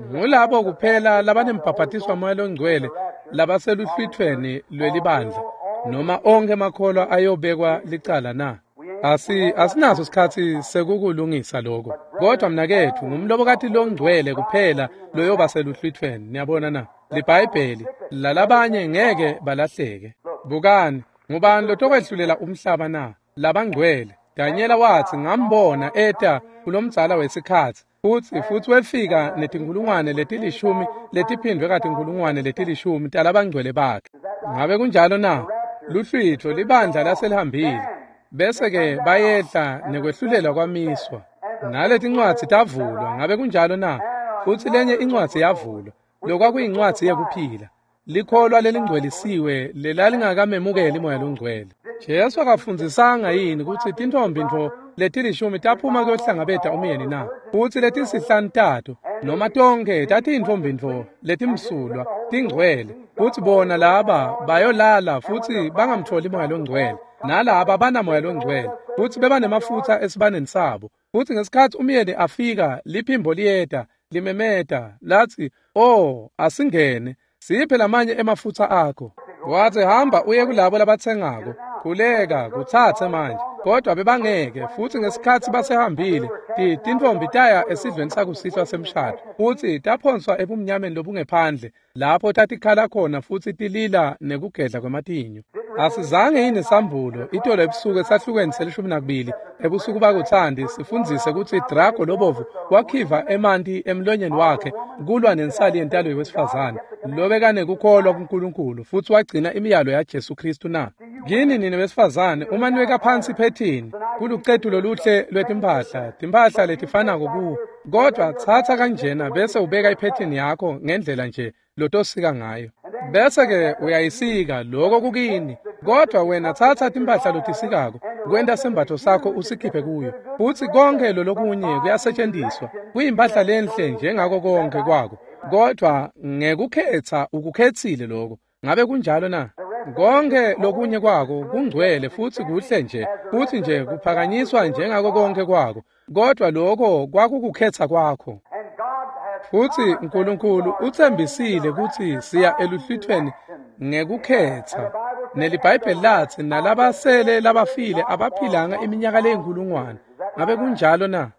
Ngulabo kuphela labanembhabhatiswa Moya loNgcwele labaseluhlwithweni lwelibandla, noma onke emakholwa ayobekwa licala na? Asinaso sikhatsi sekukulungisa lokho. Kodwa mnaketfu, ngumlobokati longcwele kuphela loyoba seluhlwithweni. Niyabona na? LiBhayibheli lalabanye ngeke balahleke. Bukani, ngubani lotokwehlulela umhlaba na? Labangcwele. Danyela watsi ngambona eta kulomdzala wesikhatsi, futsi wefika netinkhulungwane leti10 letiphindwe katinkhulungwane leti10 talabangcwele bakhe. Ngabe kunjalo na? Luhlwitho libandla laselihambile. Bese-ke bayehla nekwehlulelwa kwamiswa. Naletincwadzi tavulwa, ngabe kunjalo na? Futsi lenye incwadzi yavulwa, lokwakuyincwadzi yekuphila. Likholwa lelingcwelisiwe lelalingakamemukeli Moya loNgcwele. Jesu akafundzisanga yini kutsi tintfombi ntfo letilishumi taphuma kuyohlangabeta umyeni na? Futsi letisihlanu tato noma tonkhe tatiyintfombi ntfo letimsulwa tingcwele, futsi bona laba bayolala futsi bangamtfoli Moya loNgcwele, nalaba banaMoya loNgcwele futsi bebanemafutsa esibaneni sabo. Futsi ngesikhatsi umyeni afika, liphimbo liyeta limemeta latsi, "Oh, asingene, siphe lamanye emafutsa akho." Watsi, "Hamba uye kulabo labatsengako, khuleka kutsatse manje." Kodwa bebangeke. Futsi ngesikhatsi basehambile, tintfombi taya esidlweni sakusihlwa semshado, futsi taphonswa ebumnyameni lobungephandle lapho tatikhala khona futsi tilila nekugedla kwematinyo. Asizange yini sambulo itolo ebusuku esahlukweni se-12 ebusuku bakuthandi sifundzise kutsi Drago lobovu wakhiva emanti emlonyeni wakhe kulwa nensali yentalo yewesifazane lobekanekukholwa kuNkulunkulu futsi wagcina imiyalo yaJesu Kristu na? Kini nine besifazane, uma niweka phansi iphethini kulucetu loluhle lwetimphahla, timphahla letifanako kuwo, kodwa tsatsa kanjena bese ubeka iphethini yakho ngendlela nje lotosika ngayo, bese-ke uyayisika loko kukini. Kodwa wena tsatsa timphahla lotisikako kwenta sembatfo sakho usikhiphe kuyo, futsi konke lolokunye kuyasetjentiswa kuyimpahla lenhle njengako konke kwako, kodwa ngekukhetsa ukukhetsile loko. Ngabe kunjalo na? Konke lokunye kwako kungcwele futsi kuhle nje, futsi nje kuphakanyiswa njengako konke kwako, kodwa loko kwakukukhetsa kwakho. Futsi uNkulunkulu utsembisile kutsi siya eluhlwithweni ngekukhetsa. NeliBhayibheli latsi nalabasele labafile abaphilanga iminyaka leyinkulungwane. Ngabe kunjalo na?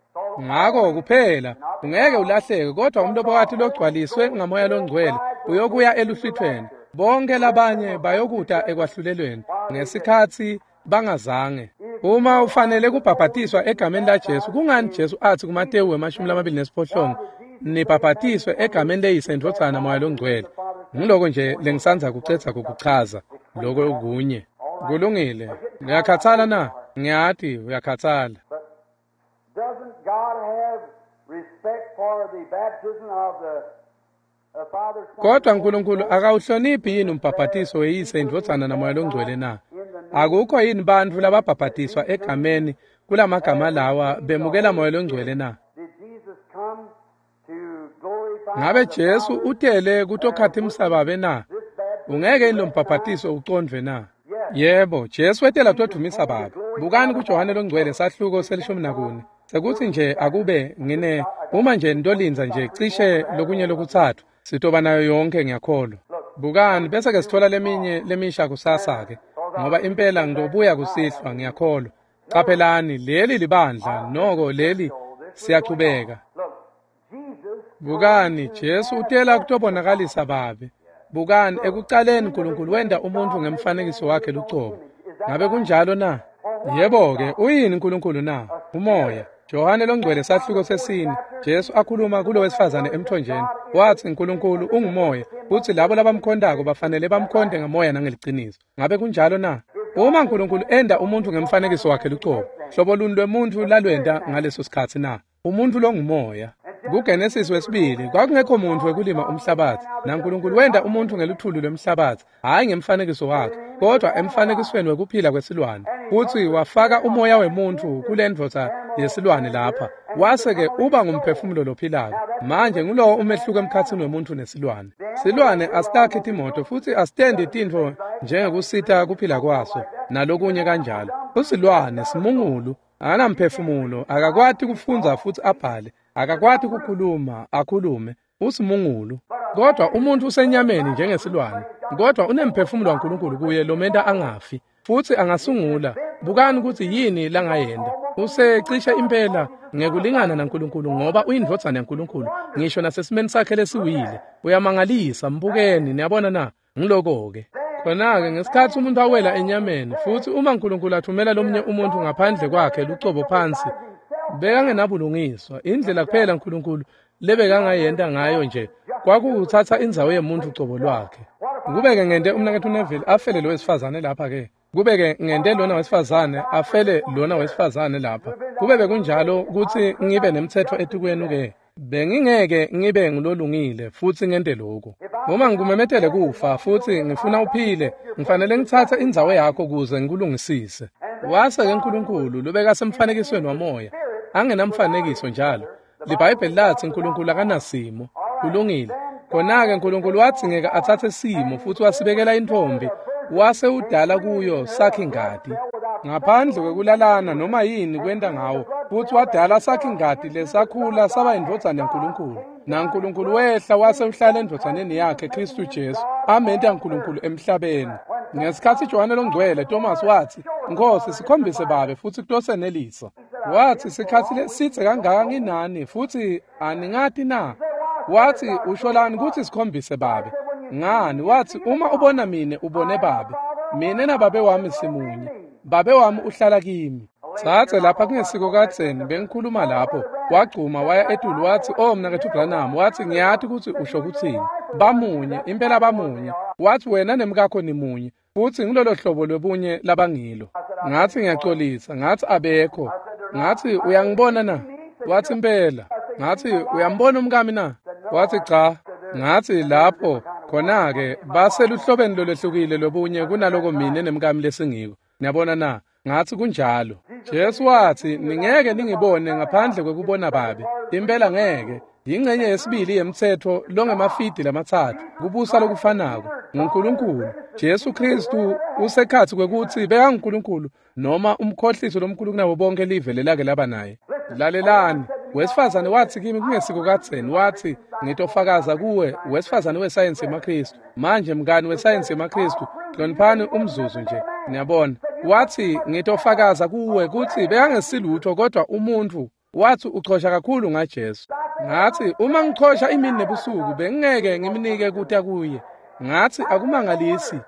Ngako kuphela ungeke ulahleke, kodwa umlobokati logcwaliswe ngaMoya loNgcwele uyokuya eluhlwithweni. Bonke labanye bayokuta ekwahlulelweni ngesikhatsi bangazange. Uma ufanele kubhabhatiswa egameni laJesu, kungani Jesu athi kuMatewu 28, nibhabhatiswe egameni leYise, Ndvodzana, Moya loNgcwele? Ngiloko nje lengisandza kucedza kukuchaza, loko kunye. Kulungile. Ngiyakhathala na? Ngiyati uyakhathala. Doesn't God have respect for the baptism of the Father, Son, Kodwa uNkulunkulu akawuhloniphi yini umbhabhatiso weYise, Indvodzana naMoya loNgcwele na? Akukho yini bantfu lababhabhatiswa egameni kulamagama lawa bemukela Moya loNgcwele na? Did Jesus come to glorify Ngabe the Jesu Father? utele kutokhathi babe na? This baptism Ungeke yini lo mbhabhatiso ucondvwe na? Yebo, Jesu wetela kutodvumisa Babe. Bukani kuJohane loNgcwele sahluko se-14. Sekuthi nje akube ngine uma nje nitolindza nje cishe lokunye lokutsatfu, sitoba nayo yonke ngiyakholwa. Bukani bese ke sithola leminye lemisha kusasa ke, ngoba impela ngitobuya kusihlwa ngiyakholwa. Qaphelani, leli libandla, noko leli siyachubeka. Look, Jesus Bukani, Jesu utela kutobonakalisa Babe. Bukani, ekucaleni uNkulunkulu wenta umuntfu ngemfanekiso wakhe lucobo. Ngabe kunjalo na? Yebo-ke, uyini uNkulunkulu na? Umoya. Johane loNgcwele sahluko 4, Jesu akhuluma kulo wesifazane emthonjeni. Watsi uNkulunkulu ungumoya, futsi labo labamkhontako bafanele bamkhonte ngamoya nangeliciniso. Ngabe kunjalo na? Uma uNkulunkulu enda umuntfu ngemfanekiso wakhe lucobo, hlobo luni lwemuntfu lalwenta ngaleso sikhatsi na? Umuntfu longumoya. KuGenesis wesibili kwakungekho muntfu wekulima umhlabatsi, naNkulunkulu wenta umuntfu ngeluthuli lwemhlabatsi, hhayi ngemfanekiso wakhe, kodwa emfanekisweni wekuphila kwesilwane. Futsi wafaka umoya wemuntfu kule ndvodza yesilwane lapha, wase-ke uba ngumphefumulo lophilako. Manje ngulowo umehluko emkhatsini wemuntfu nesilwane. Silwane asitakhi timoto futsi asitendi tintfo njengekusita kuphila kwaso nalokunye kanjalo. Usilwane simungulu, akanamphefumulo, akakwati kufundza futsi abhale, akakwati kukhuluma akhulume, usimungulu. Kodwa umuntfu usenyameni njengesilwane, kodwa unemphefumulo waNkulunkulu kuye lomenta angafi futsi angasungula. Bukani kutsi yini langayenta. Usecishe impela ngekulingana naNkulunkulu, ngoba uyindvodzana yaNkulunkulu ngisho nasesimeni sakhe lesiwile. Uyamangalisa, mbukeni. Niyabona na? Ngiloko-ke. Khona-ke ngesikhatsi umuntu awela enyameni, futsi uma uNkulunkulu athumela lomunye umuntfu ngaphandle kwakhe lucobo phansi, bekangenabulungiswa. Indlela kuphela uNkulunkulu lebekangayenta ngayo nje kwakuwutsatsa indzawo yemuntfu cobo lwakhe. Kube-ke ngente umnaketfu Neville afele lo wesifazane lapha-ke. Kube-ke ngente lona wesifazane afele lona wesifazane lapha. Kube bekunjalo kutsi ngibe nemtsetfo etikwenu-ke, bengingeke ngibe ngulolungile futsi ngente lokhu. Uma ngikumemetele kufa futsi ngifuna uphile, ngifanele ngitsatse indzawo yakho kuze ngikulungisise. Wase-ke Nkulunkulu lobekasemfanekisweni wamoya, angenamfanekiso njalo. LiBhayibheli latsi Nkulunkulu akanasimo. Kulungile. Khona-ke Nkulunkulu wadzingeka atsatse simo futsi wasibekela intfombi, wase udala kuyo sakhi-ngati. Ngaphandle kwekulalana noma yini kwenta ngawo, futsi wadala sakhi-ngati lesakhula saba indvodzana yaNkulunkulu. NaNkulunkulu wehla wase uhlala endvodzaneni yakhe Khristu Jesu, amenta Nkulunkulu emhlabeni. Ngesikhatsi Johane Longcwele Thomas watsi, "Nkhosi, sikhombise Babe futsi kutosenelisa." Watsi, "Sikhatsi lesidze kangaka nginani futsi aningati na?" Watsi, "Usholani kutsi sikhombise Babe?" Ngani, watsi, "Uma ubona mine ubone Babe. Mine naBabe wami simunye. Babe wami uhlala kimi." Tsatse lapha kungesiko kadzeni bengikhuluma lapho, wagcuma waya etulu watsi, "Oh mnaketfu Branham," watsi, "ngiyati kutsi usho kutsini. Bamunye, impela bamunye." Watsi, "Wena nemkakho nimunye, futsi ngilolo hlobo lwebunye labangilo." Ngatsi, "Ngiyacolisa." Ngatsi, "Abekho." Ngatsi, "Uyangibona na?" Watsi, "Impela." Ngatsi, "Uyambona umkami na?" Watsi, "Cha." Ngatsi, "Lapho khona-ke baseluhlobeni lolwehlukile lobunye kunaloko mine nemkami lesingiko. Niyabona na?" Ngatsi, "Kunjalo." Jesu watsi, "Ningeke ningibone ngaphandle kwekubona Babe." Impela ngeke. Yingcenye yesibili yemtsetfo longemafidi lamatsatfu, kubusa lokufanako nguNkulunkulu. Jesu Khristu usekhatsi kwekutsi bekanguNkulunkulu noma umkhohliso lomkhulu kunabo bonke live lelake laba naye. Lalelani, wesifazane watsi kimi kungesiko kadzeni, watsi, "Ngitofakaza kuwe, wesifazane wesayensi yemaKhristu." Manje mngani wesayensi yemaKhristu, hloniphani umzuzu nje, niyabona. Watsi, "Ngitofakaza kuwe kutsi bekangesilutho kodwa umuntfu." Watsi, "Uchosha kakhulu ngaJesu." Ngatsi, "Uma ngichosha imini nebusuku bengingeke ngimnike kuta kuye." Ngatsi, "Akumangalisi."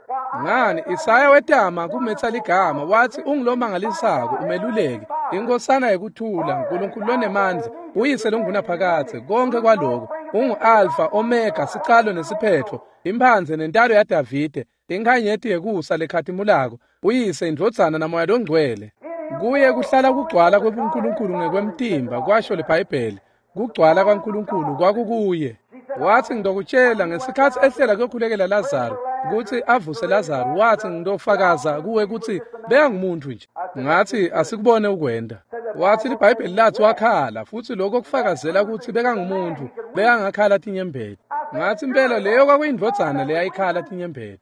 Ngani, Isaya wetama kumetsa ligama, watsi, "Ungulomangalisako, umeluleki, inkosana yekuthula, Nkulunkulu lonemandla, uyise longunaphakadze, konke kwaloko. Ungu-Alfa, Omega, sicalo nesiphetfo, imphandze nentalo yaDavide, inkhanyeti yekusa lekhatimulako, uyise, indvodzana naMoya Longcwele. Kuye kuhlala kugcwala kwebuNkulunkulu ngekwemtimba," kwasho liBhayibheli. Kugcwala kwaNkulunkulu kwakukuye. Watsi, "Ngitokutshela, ngesikhatsi ehlela kuyokhulekela Lazaro, kutsi avuse Lazaro, watsi, ngitofakaza kuwe kutsi bekangumuntu nje." Ngatsi, "Asikubone ukwenda." Watsi, "LiBhayibheli latsi wakhala, futsi lokho kufakazela kutsi bekangumuntu, bekangakhala tinyembeti." Ngatsi, "Impela leyo kwakuyindvodzana leyayikhala tinyembeti.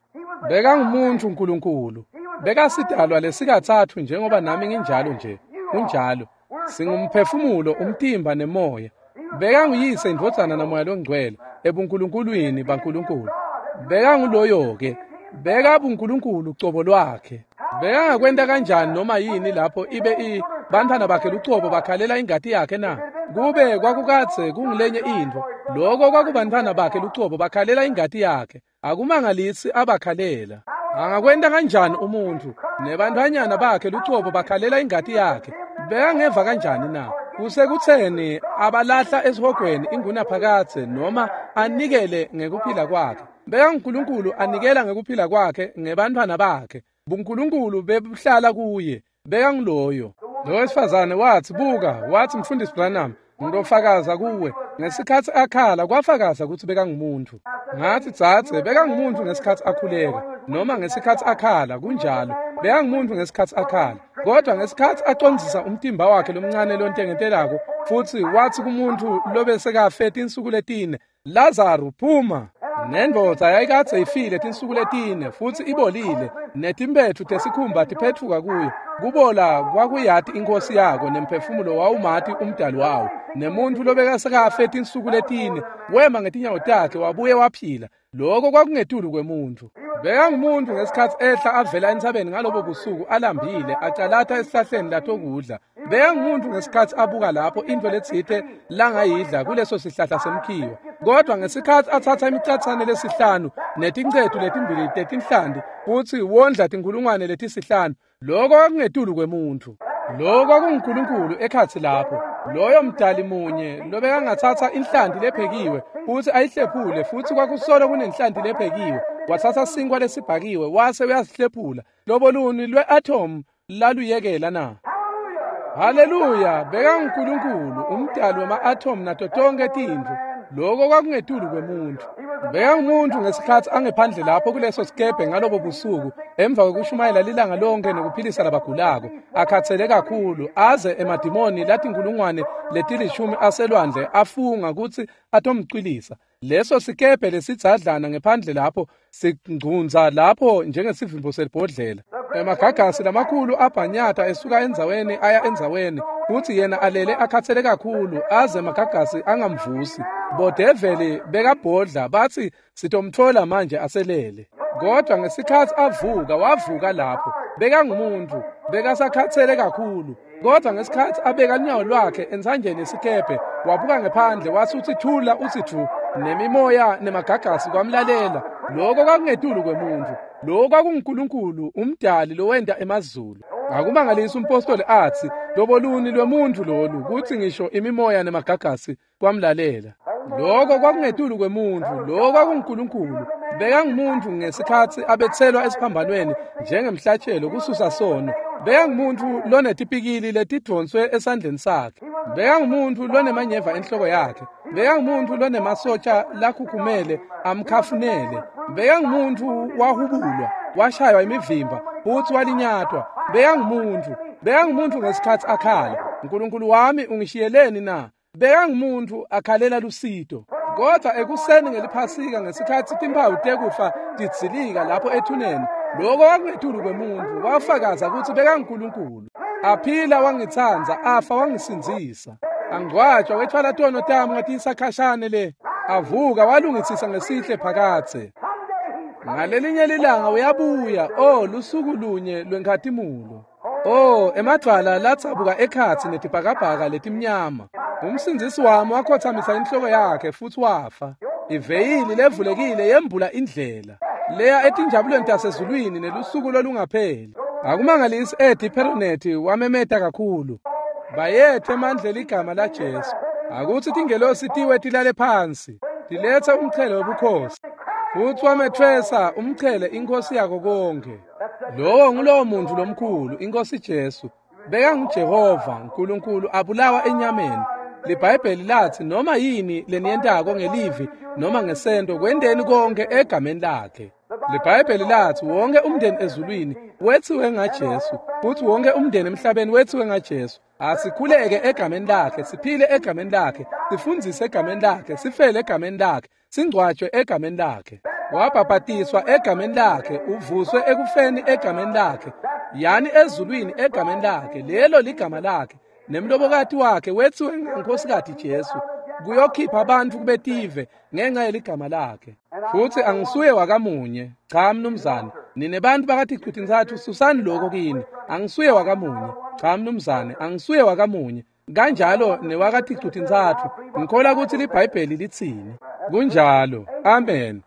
Bekangumuntu Nkulunkulu. Bekasidalwa lesikatsatfu njengoba nami nginjalo nje. Kunjalo. Singumphefumulo, umtimba nemoya. Bekanguyise, indvodzana naMoya Longcwele ebunkulunkulwini baNkulunkulu. Bekanguloyo-ke. BekabuNkulunkulu cobo lwakhe. Bekangakwenta kanjani noma yini lapho ibe bantfwana bakhe lucobo bakhalela ingati yakhe na? Kube kwakukadze kungulenye intfo, loko kwakubantfwana bakhe lucobo bakhalela ingati yakhe. Akumangalisi abakhalela. Angakwenta kanjani umuntfu nebantfwanyana bakhe lucobo bakhalela ingati yakhe? Bekangeva kanjani na? Kusekutseni abalahla esihogweni ingunaphakadze noma anikele ngekuphila kwakhe. BekanguNkulunkulu anikela ngekuphila kwakhe ngebantfwana bakhe. BuNkulunkulu bebuhlala kuye. Bekanguloyo. Lo wesifazane watsi, "Buka," watsi, "Mfundisi Branham, ngitofakaza kuwe." Ngesikhatsi akhala kwafakaza kutsi bekangumuntu. Ngatsi, "Dzadze, bekangumuntu ngesikhatsi akhuleka noma ngesikhatsi akhala, kunjalo. Bekangumuntu ngesikhatsi akhala. Kodwa ngesikhatsi acondzisa umtimba wakhe lomncane lontengetelako futsi watsi kumuntu lobesekafe tinsuku letine, 'Lazaro, phuma.' Nendvodza yayikadze ifile tinsuku letine futsi ibolile, netimpethu tesikhumba tiphetfuka kuyo. Kubola kwakuyati inkosi yako, nemphefumulo wawumati umdali wawo. Nemuntu lobekasekafe tinsuku letine wema ngetinyawo takhe wabuye waphila. Lokho kwakungetulu kwemuntu. Bekangumuntu ngesikhatsi ehla avela entsabeni ngalobo busuku alambile, acalata esihlahleni latokudla. Bekangumuntu ngesikhatsi abuka lapho intfo letsite langayidla kuleso sihlahla semkhiwa. Kodwa ngesikhatsi atsatsa imicatsane lesihlanu netincetu letimbili tetinhlanti futsi wondla tinkhulungwane letisihlanu, lokho kwakungetulu kwemuntu. Lokho kwakunguNkulunkulu ekhatsi lapho. Loyo mdali munye lobekangatsatsa inhlanti lephekiwe futsi ayihlephule, futsi kwakusolo kunenhlanti lephekiwe. Watsatsa sinkwa lesibhakiwe wase uyasihlephula. Lobo luni lwe-atom laluyekela na? Haleluya, bekanguNkulunkulu, umdali wema-athomu nato tonke tintfo. Lokho kwakungetulu kwemuntfu. Bekangumuntu ngesikhatsi angephandle lapho kuleso sikebhe ngalobo busuku, emva kwekushumayela lilanga lonke nekuphilisa labagulako, akhatsele kakhulu, aze emadimoni latinkulungwane letilishumi aselwandle afunga kutsi atomcwilisa. Leso sikebhe lesidzadlana ngephandle lapho singcunza lapho njengesivimbo selibhodlela. Emagagasi lamakhulu abhanyata esuka endzaweni aya endzaweni, futsi yena alele akhatsele kakhulu aze emagagasi angamvusi. Bodeveli bekabhodla batsi sitomtfola manje aselele. Kodwa ngesikhatsi avuka, wavuka lapho. Bekangumuntu, bekasakhatsele kakhulu. Kodwa ngesikhatsi abeka lunyawo lwakhe entsanjeni yesikebhe, wabuka ngephandle watsi utsi thula utsi thu, nemimoya nemagagasi kwamlalela. Lokho kwakungetulu kwemuntfu. Lokho kwakunguNkulunkulu, umdali lowenta emazulu. Akumangalisi umpostoli atsi, loboluni lwemuntfu lolu, kutsi ngisho imimoya nemagagasi kwamlalela. Lokho kwakungetulu kwemuntfu, lokho kwakunguNkulunkulu. Bekangumuntu ngesikhatsi abetselwa esiphambanweni njengemhlatshelo kususa sono. Bekangumuntu lonetipikili letidvonswe esandleni sakhe. Bekangumuntu lonemanyeva enhloko yakhe. Bekangumuntu lonemasotsha lakhukhumele amkhafunele. Bekangumuntu wahubulwa, washaywa imivimba, futsi walinyatwa. Bekangumuntu, bekangumuntu ngesikhatsi akhala. Nkulunkulu wami ungishiyeleni na? Bekangumuntu akhalela lusito. Kodwa ekuseni ngeliphasika ngesikhatsi timphawu tekufa tidzilika lapho ethuneni, lokho kwakungetulu kwemuntfu, wafakaza kutsi bekanguNkulunkulu. Aphila wangitsandza, afa wangisindzisa. Angcwatshwa wethwala tono tami ngatiyisa khashane le. Avuka walungisisa ngesihle phakatse. Ngalelinye lilanga uyabuya, oh lusuku lunye lwenkhatimulo. Oh, emadvwala latsabuka ekhatsi netibhakabhaka letimnyama. Umsindzisi wami wakhothamisa inhloko yakhe futsi wafa. Iveyili levulekile yembula indlela leya etinjabulweni tasezulwini nelusuku lolungapheli. Akumangalisi Eddie Perronet wamemeta kakhulu. Bayethe emandla ligama laJesu. Akutsi tingelosi tiwe tilale phansi, tilethe umchele wobukhosi. Futsi wametfwesa umchele inkosi yako konke. Lowo ngulowo muntu lomkhulu, inkosi Jesu. BekanguJehova, uNkulunkulu abulawa enyameni. LiBhayibheli lathi noma yini leniyentako ngelivi noma ngesento kwenteni konke egameni lakhe. LiBhayibheli lathi wonke umndeni ezulwini wethiwe ngaJesu, futhi wonke umndeni emhlabeni wethiwe ngaJesu. Asikhuleke egameni lakhe, siphile egameni lakhe, sifundzise egameni lakhe, sifele egameni lakhe, singcwatshwe egameni lakhe. Wabhabhatiswa egameni lakhe, uvuswe ekufeni egameni lakhe, yani ezulwini egameni lakhe. Lelo ligama lakhe. Nemlobokati wakhe wethiwe ngenkhosikati Jesu, kuyokhipha abantu kubetive ngenxa yeligama lakhe. Futsi angisuye wakamunye. Cha mnumzane, nine bantu bakaticu-tintsatfu susani lokho kini. Angisuye wakamunye. Cha mnumzane, angisuye wakamunye. Kanjalo newakaticu-tintsatfu. Ngikholwa kutsi liBhayibheli litsini. Kunjalo. Amen.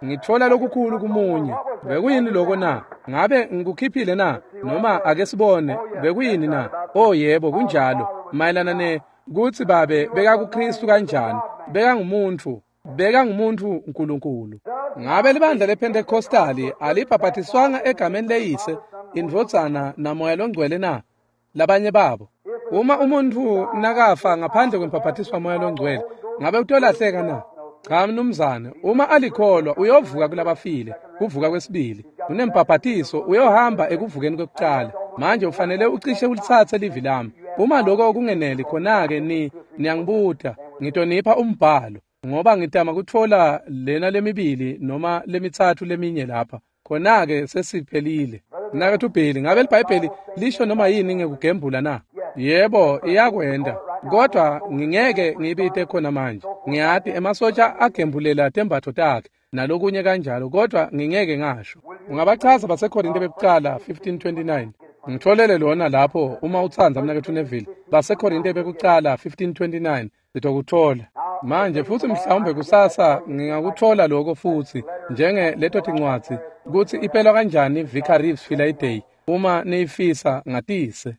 Ngitfola lokukhulu kumunye. Bekuyini lokho na? Ngabe ngikukhiphile na? Noma ake sibone, bekuyini na? Oh yebo, kunjalo. Mayelana ne kutsi babe bekakuKristu kanjani? Bekangumuntu, bekangumuntu uNkulunkulu. Ngabe libandla lePentecostali alibhabhatiswanga egameni leyise, indvodzana namoya longcwele na? Labanye babo. Uma umuntu nakafa ngaphandle kwembhabhatiswa moya longcwele, ngabe utolahleka na? Cha mnumzane, uma alikholwa uyovuka kulabafile, kuvuka kwesibili. Unembhabhatiso uyohamba ekuvukeni kwekucala. Manje ufanele ucishe ulitsatse livi lami. Uma lokho kungeneli khona-ke niyangibuta, ngitonipha umbhalo, ngoba ngitama kutfola lena lemibili noma lemitsatfu leminye lapha. Khona-ke sesiphelile. Mnaketfu Billy, ngabe liBhayibheli lisho noma yini ngekugembula na? Yebo, iyakwenta. Kodwa ngingeke ngibite khona manje. Ngiyati emasotsha agembulela tembatfo takhe nalokunye kanjalo, kodwa ngingeke ngasho. Ungabachaza baseKorinte bekucala 15:29. Ngitfolele lona lapho uma utsandza mnaketfu Neville. BaseKorinte bekucala 15:29 sitokutfola. Manje futsi mhlawumbe kusasa ngingakutfola lokho futsi njenge leto tincwadzi kutsi ipelwa kanjani Vicar Reeves Friday uma niyifisa ngatise.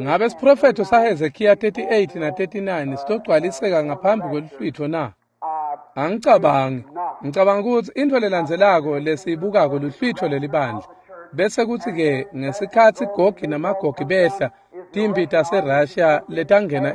Ngabe siprofetho saHezekiya 38 na 39 sitogcwaliseka ngaphambi kweluhlwitho na? Angicabangi. Ngicabanga ukuthi intfo lelandzelako lesiyibukako luhlwitho lelibandla. Bese kuthi-ke ngesikhatsi Gogi naMagogi behla, timphi taseRussia letangena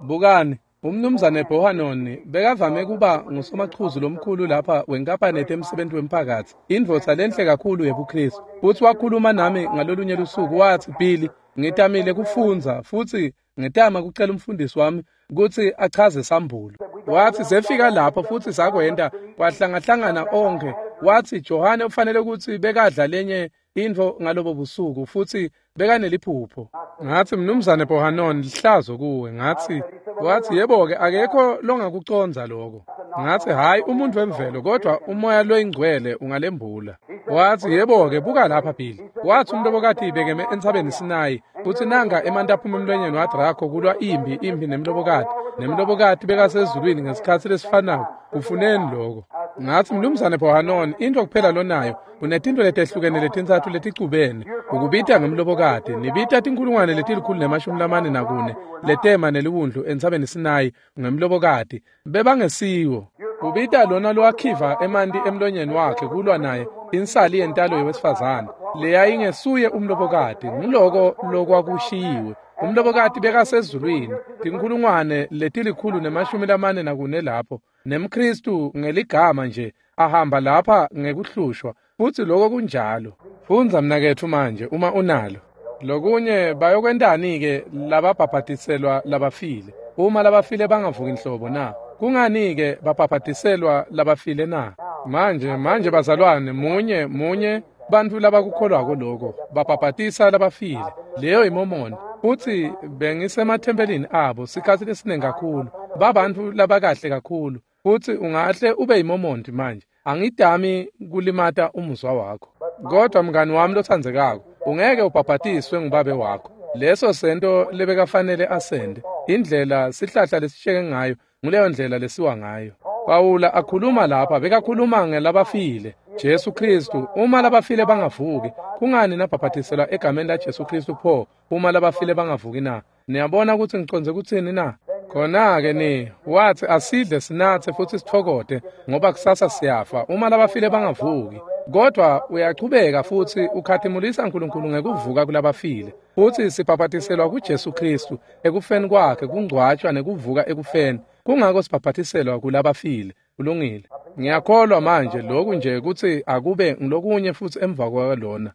bukani, umnumzane Bohanoni bekavame kuba ngusomachuzu lomkhulu lapha wenkampani yetemsebenti wemphakatsi, indvodza lenhle kakhulu yebuKhristu. Futsi wakhuluma nami ngalolunye lusuku, watsi, Billy, ngitamile kufundza futsi ngitama kucela umfundisi wami kutsi achaze sambulo. Watsi sefika lapho futsi sakwenta kwahlangahlangana onkhe. Watsi Johane ufanele kutsi bekadla lenye intfo ngalobo busuku futsi bekaneliphupho. Ngatsi, mnumzane Bohanon, lihlazo kuwe. Ngatsi, watsi, yebo-ke, akekho longakucondza lokho. Ngatsi, hhayi umuntu wemvelo, kodwa umoya loyingcwele ungalembula. Watsi, yebo-ke, buka lapha Billy. Watsi umlobokati bekeme entsabeni Sinayi, futsi nanga emanti aphuma emlonyeni waDraco kulwa imphi nemlobokati. Nemlobokati bekasezulwini ngesikhatsi lesifanako. Kufuneni lokho? Ngatsi, mnumzane Bohanon, intfo kuphela lonayo unetintfo letehlukene letintsatfu leticubene. Ukubita ngemlobokati, nibita 144,000 letema neliwundlu entsabeni Sinayi ngemlobokati. Bebangesiwo. Ubita lona lowakhiva emanti emlonyeni wakhe kulwa naye insali yentalo yewesifazane leyayingesuye umlobokati. Nguloko lokwakushiyiwe. Umlobokati bekasezulwini 144,000 lapho, nemKhristu ngeligama nje ahamba lapha ngekuhlushwa. Futsi lokho kunjalo. Fundza mnaketfu manje uma unalo. Lokunye bayokwentani-ke lababhabhatiselwa labafile? Uma labafile bangavuki nhlobo na? Kungani-ke babhabhatiselwa labafile na? Manje bazalwane, munye bantfu labakukholwako lokho babhabhatisa labafile. Leyo iMormon. Futsi bengisemathempelini abo sikhatsi lesiningi kakhulu. Babantfu labakahle kakhulu. Futsi ungahle ube yiMormon manje. Angidami kulimata umuzwa wakho. Kodwa mngani wami lotsandzekako, ungeke ubhabhatiswe ngubabe wakho. Leso sento lebekafanele asende. Indlela sihlahla lesisheke ngayo, nguleyo ndlela lesiwa ngayo. Pawula akhuluma lapha, bekakhuluma ngelabafile. Jesu Khristu, uma labafile bangavuki, kungani nabhabhatiselwa egameni laJesu Khristu pho uma labafile bangavuki na? Niyabona kutsi ngicondze kutsini na? Khona-ke ni watsi asidle sinatse futsi sitfokote ngoba kusasa siyafa uma labafile bangavuki. Kodwa uyachubeka futsi ukhatimulisa uNkulunkulu ngekuvuka kulabafile. Futsi sibhabhatiselwa kuJesu Khristu ekufeni kwakhe, kungcwatshwa nekuvuka ekufeni. Kungako sibhabhatiselwa kulabafile. Kulungile. Ngiyakholwa manje lokhu nje kutsi akube ngilokunye futsi emva kwalona.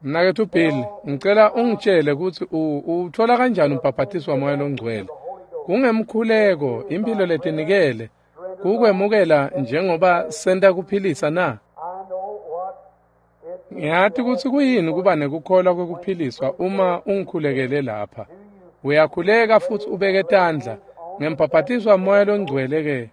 Mnaketfu Bill, ngicela ungitshele kutsi uthola kanjani umbhabhatiso waMoya loNgcwele. Kungemkhuleko, impilo letinikele, kukwemukela njengoba senta kuphilisa na? Ngiyati kutsi kuyini kuba nekukholwa kwekuphiliswa uma ungikhulekele lapha. Uyakhuleka futsi ubeke tandla. Ngembhabhatiso waMoya loNgcwele ke.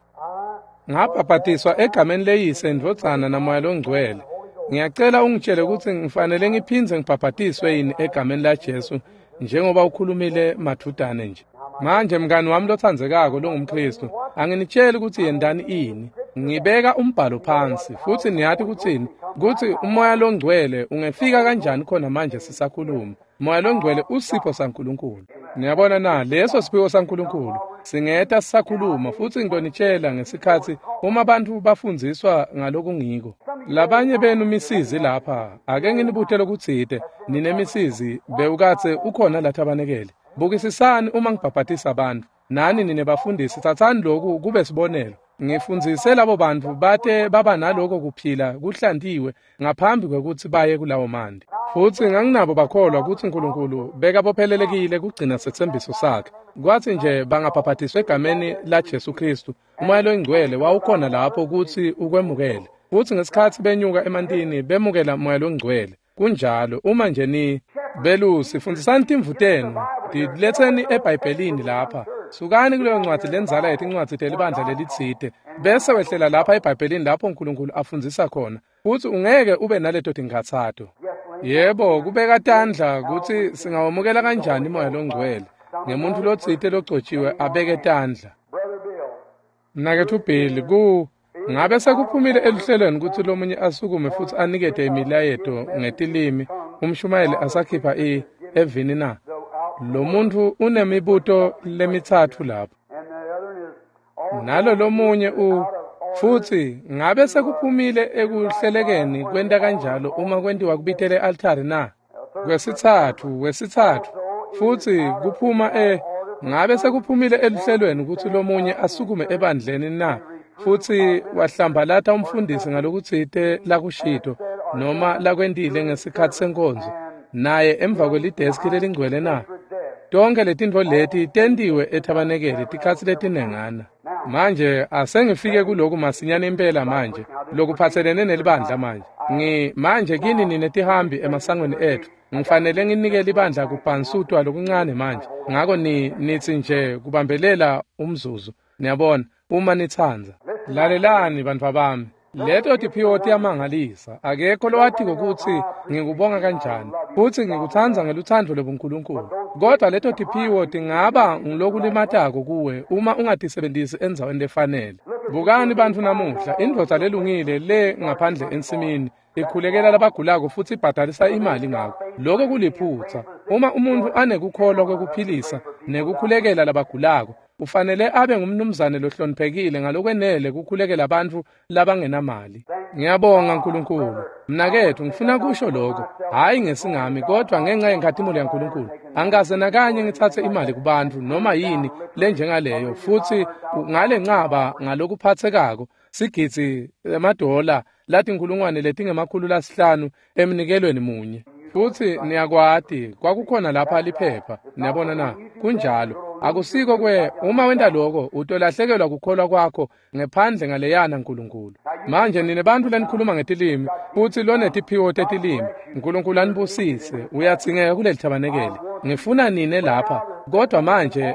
Ngabhabhatiswa egameni leYise, Ndvodzana naMoya loNgcwele. Ngiyacela ungitshele kutsi ngifanele ngiphindze ngibhabhatiswe yini egameni laJesu njengoba ukhulumile madvutane nje. Manje mngani wami lotsandzekako longumKhristu, anginitsheli kutsi yentani ini. Ngibeka umbhalo phansi futsi niyati kutsini, kutsi uMoya loNgcwele ungefika kanjani khona manje sisakhuluma. Moya loNgcwele usipho saNkulunkulu. Niyabona na, leso siphiwo saNkulunkulu singeta sisakhuluma futsi ngitonitshela ngesikhatsi uma bantfu bafundziswa ngalokungiko. Labanye benu misizi lapha, ake nginibute lokutsite, ninemisizi bewukatse ukhona lathabanekele. Bukisisani uma ngibhabhatisa bantfu. Nani nine bafundisi, tsatsani lokhu kube sibonelo. Ngifundzise labo bantfu bate baba naloko kuphila kuhlantiwe ngaphambi kwekutsi baye kulawo manti. Futsi nganginabo bakholwa kutsi uNkulunkulu bekabophelelekile kugcina setsembiso sakhe. Kwatsi nje bangabhabhatiswa egameni laJesu Khristu, uMoya loNgcwele wawukhona lapho kutsi ukwemukele. Futsi ngesikhatsi benyuka emantini bemukela Moya loNgcwele. Kunjalo, uma nje ni belusi, fundzisani timvu tenu, tiletseni eBhayibhelini lapha. Sukani kuleyo ncwadzi lendzala yetincwadzi telibandla lelitsite, bese wehlela lapha eBhayibhelini lapho uNkulunkulu afundzisa khona. Futsi ungeke ube naleto tinkhatsato. Yebo, kubeka tandla kutsi singawamukela kanjani Moya loNgcwele ngemuntfu lotsite logcotshiwe abeke tandla. Mnaketfu Bill, ngabe sekuphumile eluhlelweni kutsi lomunye asukume futsi anikete imilayeto ngetilimi umshumayeli asakhipha evini na? Lo muntfu unemibuto lemitsatfu lapho. Nalo lomunye Futsi ngabe sekuphumile ekuhlelekeni kwenta kanjalo uma kwentiwa kubitela e-altari na? Kwesitsatfu, futsi kuphuma ngabe sekuphumile eluhlelweni kutsi lomunye asukume ebandleni na? Futsi wahlambalata umfundisi ngalokutsite lakushito noma lakwentile ngesikhatsi senkonzo naye emva kwelideski lelingcwele na? Tonke letintfo leti tentiwe ethabanekeli tikhatsi letinengana. Manje asengifike kuloku masinyane impela manje lokuphatselene nelibandla manje. Manje kini ninetihambi emasangweni etfu. Ngifanele nginike libandla kubhansutwa lokuncane manje. Ngako nitsi nje kubambelela umzuzu. Niyabona, uma nitsandza. Lalelani bantfwa bami. Leto tiphiwo tiyamangalisa. Akekho lowatiko kutsi ngikubonga kanjani futsi ngikutsandza ngelutsandvo lobuNkulunkulu. Kodwa leto tiphiwo tingaba ngulokulimatako kuwe uma ungatisebentisi endzaweni lefanele. Bukani bantfu namuhla, indvodza lelungile le ngaphandle ensimini ikhulekela labagulako futsi ibhadalisa imali ngako. Lokho kuliphutsa. Uma umuntfu anekukholwa kwekuphilisa nekukhulekela labagulako, ufanele abe ngumnumzane lohloniphekile ngalokwenele kukhulekela bantfu labangenamali. Ngiyabonga Nkulunkulu. Mnaketfu, ngifuna kusho lokho, hhayi ngesingami kodwa ngenxa yenkhatimulo yaNkulunkulu. Angikaze nakanye ngitsatse imali kubantfu noma yini lenjengaleyo, futsi ngale ncaba ngalokuphatsekako sigidzi emadola latinkhulungwane letingama-500 emnikelweni munye. Futsi niyakwati kwakukhona lapha liphepha. Niyabona na? Kunjalo. Akusiko kwe uma wenta lokho utolahlekelwa kukholwa kwakho ngephandle ngaleyana Nkulunkulu. Manje nine bantfu lenikhuluma ngetilimi futsi lonetiphiwo tetilimi, Nkulunkulu anibusise, uyadzingeka kuleli thabanekeli. Ngifuna nine lapha, kodwa manje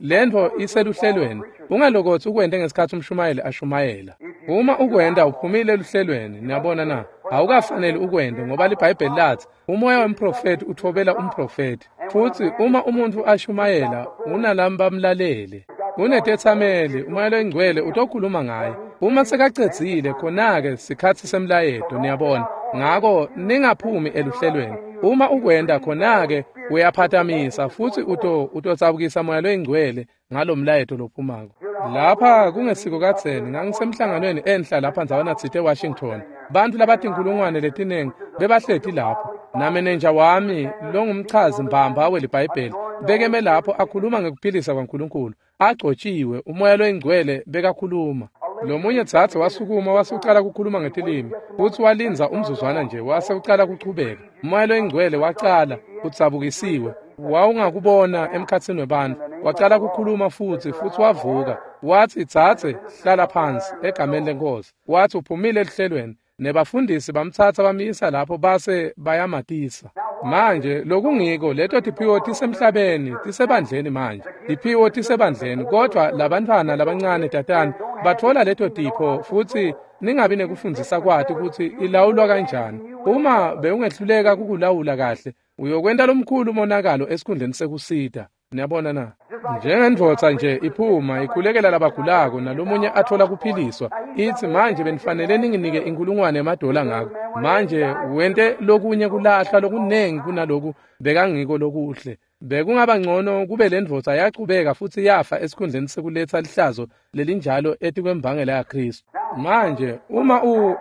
lentfo iseluhlelweni. Ungalokotsi ukwente ngesikhatsi umshumayeli ashumayela. Uma ukwenta uphumile eluhlelweni. Niyabona na? Awukafaneli ukwente ngoba liBhayibheli lathi umoya wemprofeti utfobela umprofeti. Futsi uma umuntfu ashumayela unalabo bamlalele. Unetetsameli, umoya loyingcwele utokhuluma ngaye. Uma sekacedzile khona-ke sikhatsi semlayeto, niyabona. Ngako ningaphumi eluhlelweni. Uma ukwenta khona-ke uyaphatamisa futsi utotsabukisa moya loyingcwele ngalomlayeto lophumako. Lapha kungesiko kadzeni ngangisemhlanganweni enhla lapha ndzawana tsite eWashington. Bantfu labatinkhulungwane letinengi bebahleti lapho. Namenenja wami longumchazi mbamba weliBhayibheli bekeme lapho akhuluma ngekuphilisa kwaNkulunkulu. Agcotshiwe, umoya loyingcwele bekakhuluma. Lomunye dzadze wasukuma wase ucala kukhuluma ngetilimi futsi walindza umzuzwana nje wase ucala kuchubeka. Umoya loyingcwele wacala udzabukisiwe. Wawungakubona emkhatsini webantfu. Wacala kukhuluma futsi wavuka. Watsi, dzadze, hlala phansi egameni leNkhosi. Watsi uphumile eluhlelweni. Nebafundisi bamtsatsa bamyisa lapho base bayamatisa. Manje lokungiko leto tiphiwo tisemhlabeni, tisebandleni manje. Tiphiwo tisebandleni, kodwa labantfwana labancane tatani batfola leto tipho futsi ningabi nekufundzisa kwati kutsi ilawulwa kanjani. Uma bewungehluleka kukulawula kahle, uyokwenta lomkhulu umonakalo esikhundleni sekusita. Niyabona na? Njengendvodza nje iphuma ikhulekela labagulako nalomunye atfola kuphiliswa, itsi manje benifanele ninginike $1,000 ngako. Manje wente lokunye kulahlwa lokunengi kunaloku bekangiko lokuhle. Bekungaba ngcono kube lendvodza yachubeka futsi yafa esikhundleni sekuletsa lihlazo lelinjalo etikwembangela yaKhristu. Manje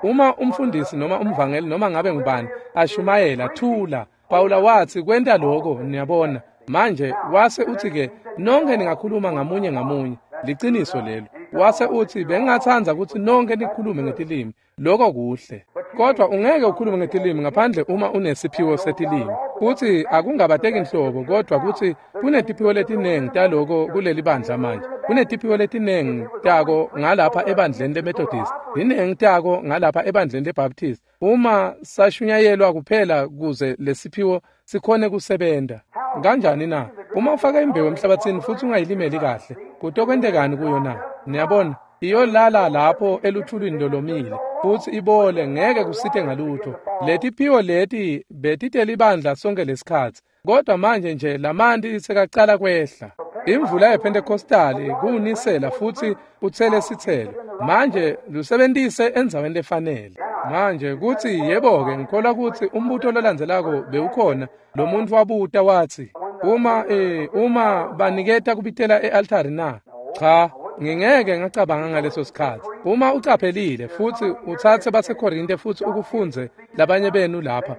uma umfundisi noma umvangeli noma ngabe ngubani ashumayela, thula. Pawula watsi kwenta lokho, niyabona. Manje wase utsi-ke nonke ningakhuluma ngamunye ngamunye. Liciniso lelo. Wase utsi bengingatsandza kutsi nonke nikhulume ngetilimi. Lokho kuhle. Kodwa ungeke ukhulume ngetilimi ngaphandle uma unesiphiwo setilimi. Futsi akungabateki nhlobo kodwa kutsi kunetiphiwo letinengi taloko kuleli bandla manje. Kunetiphiwo letinengi tako ngalapha ebandleni leMethodist. Tinengi tako ngalapha ebandleni leBaptist. Uma sashunyayelwa kuphela kuze lesiphiwo sikhone kusebenta. Kanjani na? Uma ufaka imbewu emhlabathini futsi ungayilimeli kahle, kutokwentekani kuyo na? Niyabona, iyolala lapho eluthulwini lolomile futsi ibole, ngeke kusite ngalutho. Letiphiwo leti betitelibandla sonke lesikhatsi, kodwa manje nje lamanti sekacala kwehla. Imvula yePentecostali kuwunisela futsi utsele sitselo. Manje lusebentise endzaweni lefanele. Manje kutsi yebo-ke ngikholwa kutsi umbuto lolandzelako bewukhona. Lo muntu wabuta watsi, uma baniketa kubitela e-altari na? Cha, ngingeke ngacabanga ngaleso sikhatsi. Uma ucaphelile futsi utsatse baseKorinte futsi ukufundze labanye benu lapha,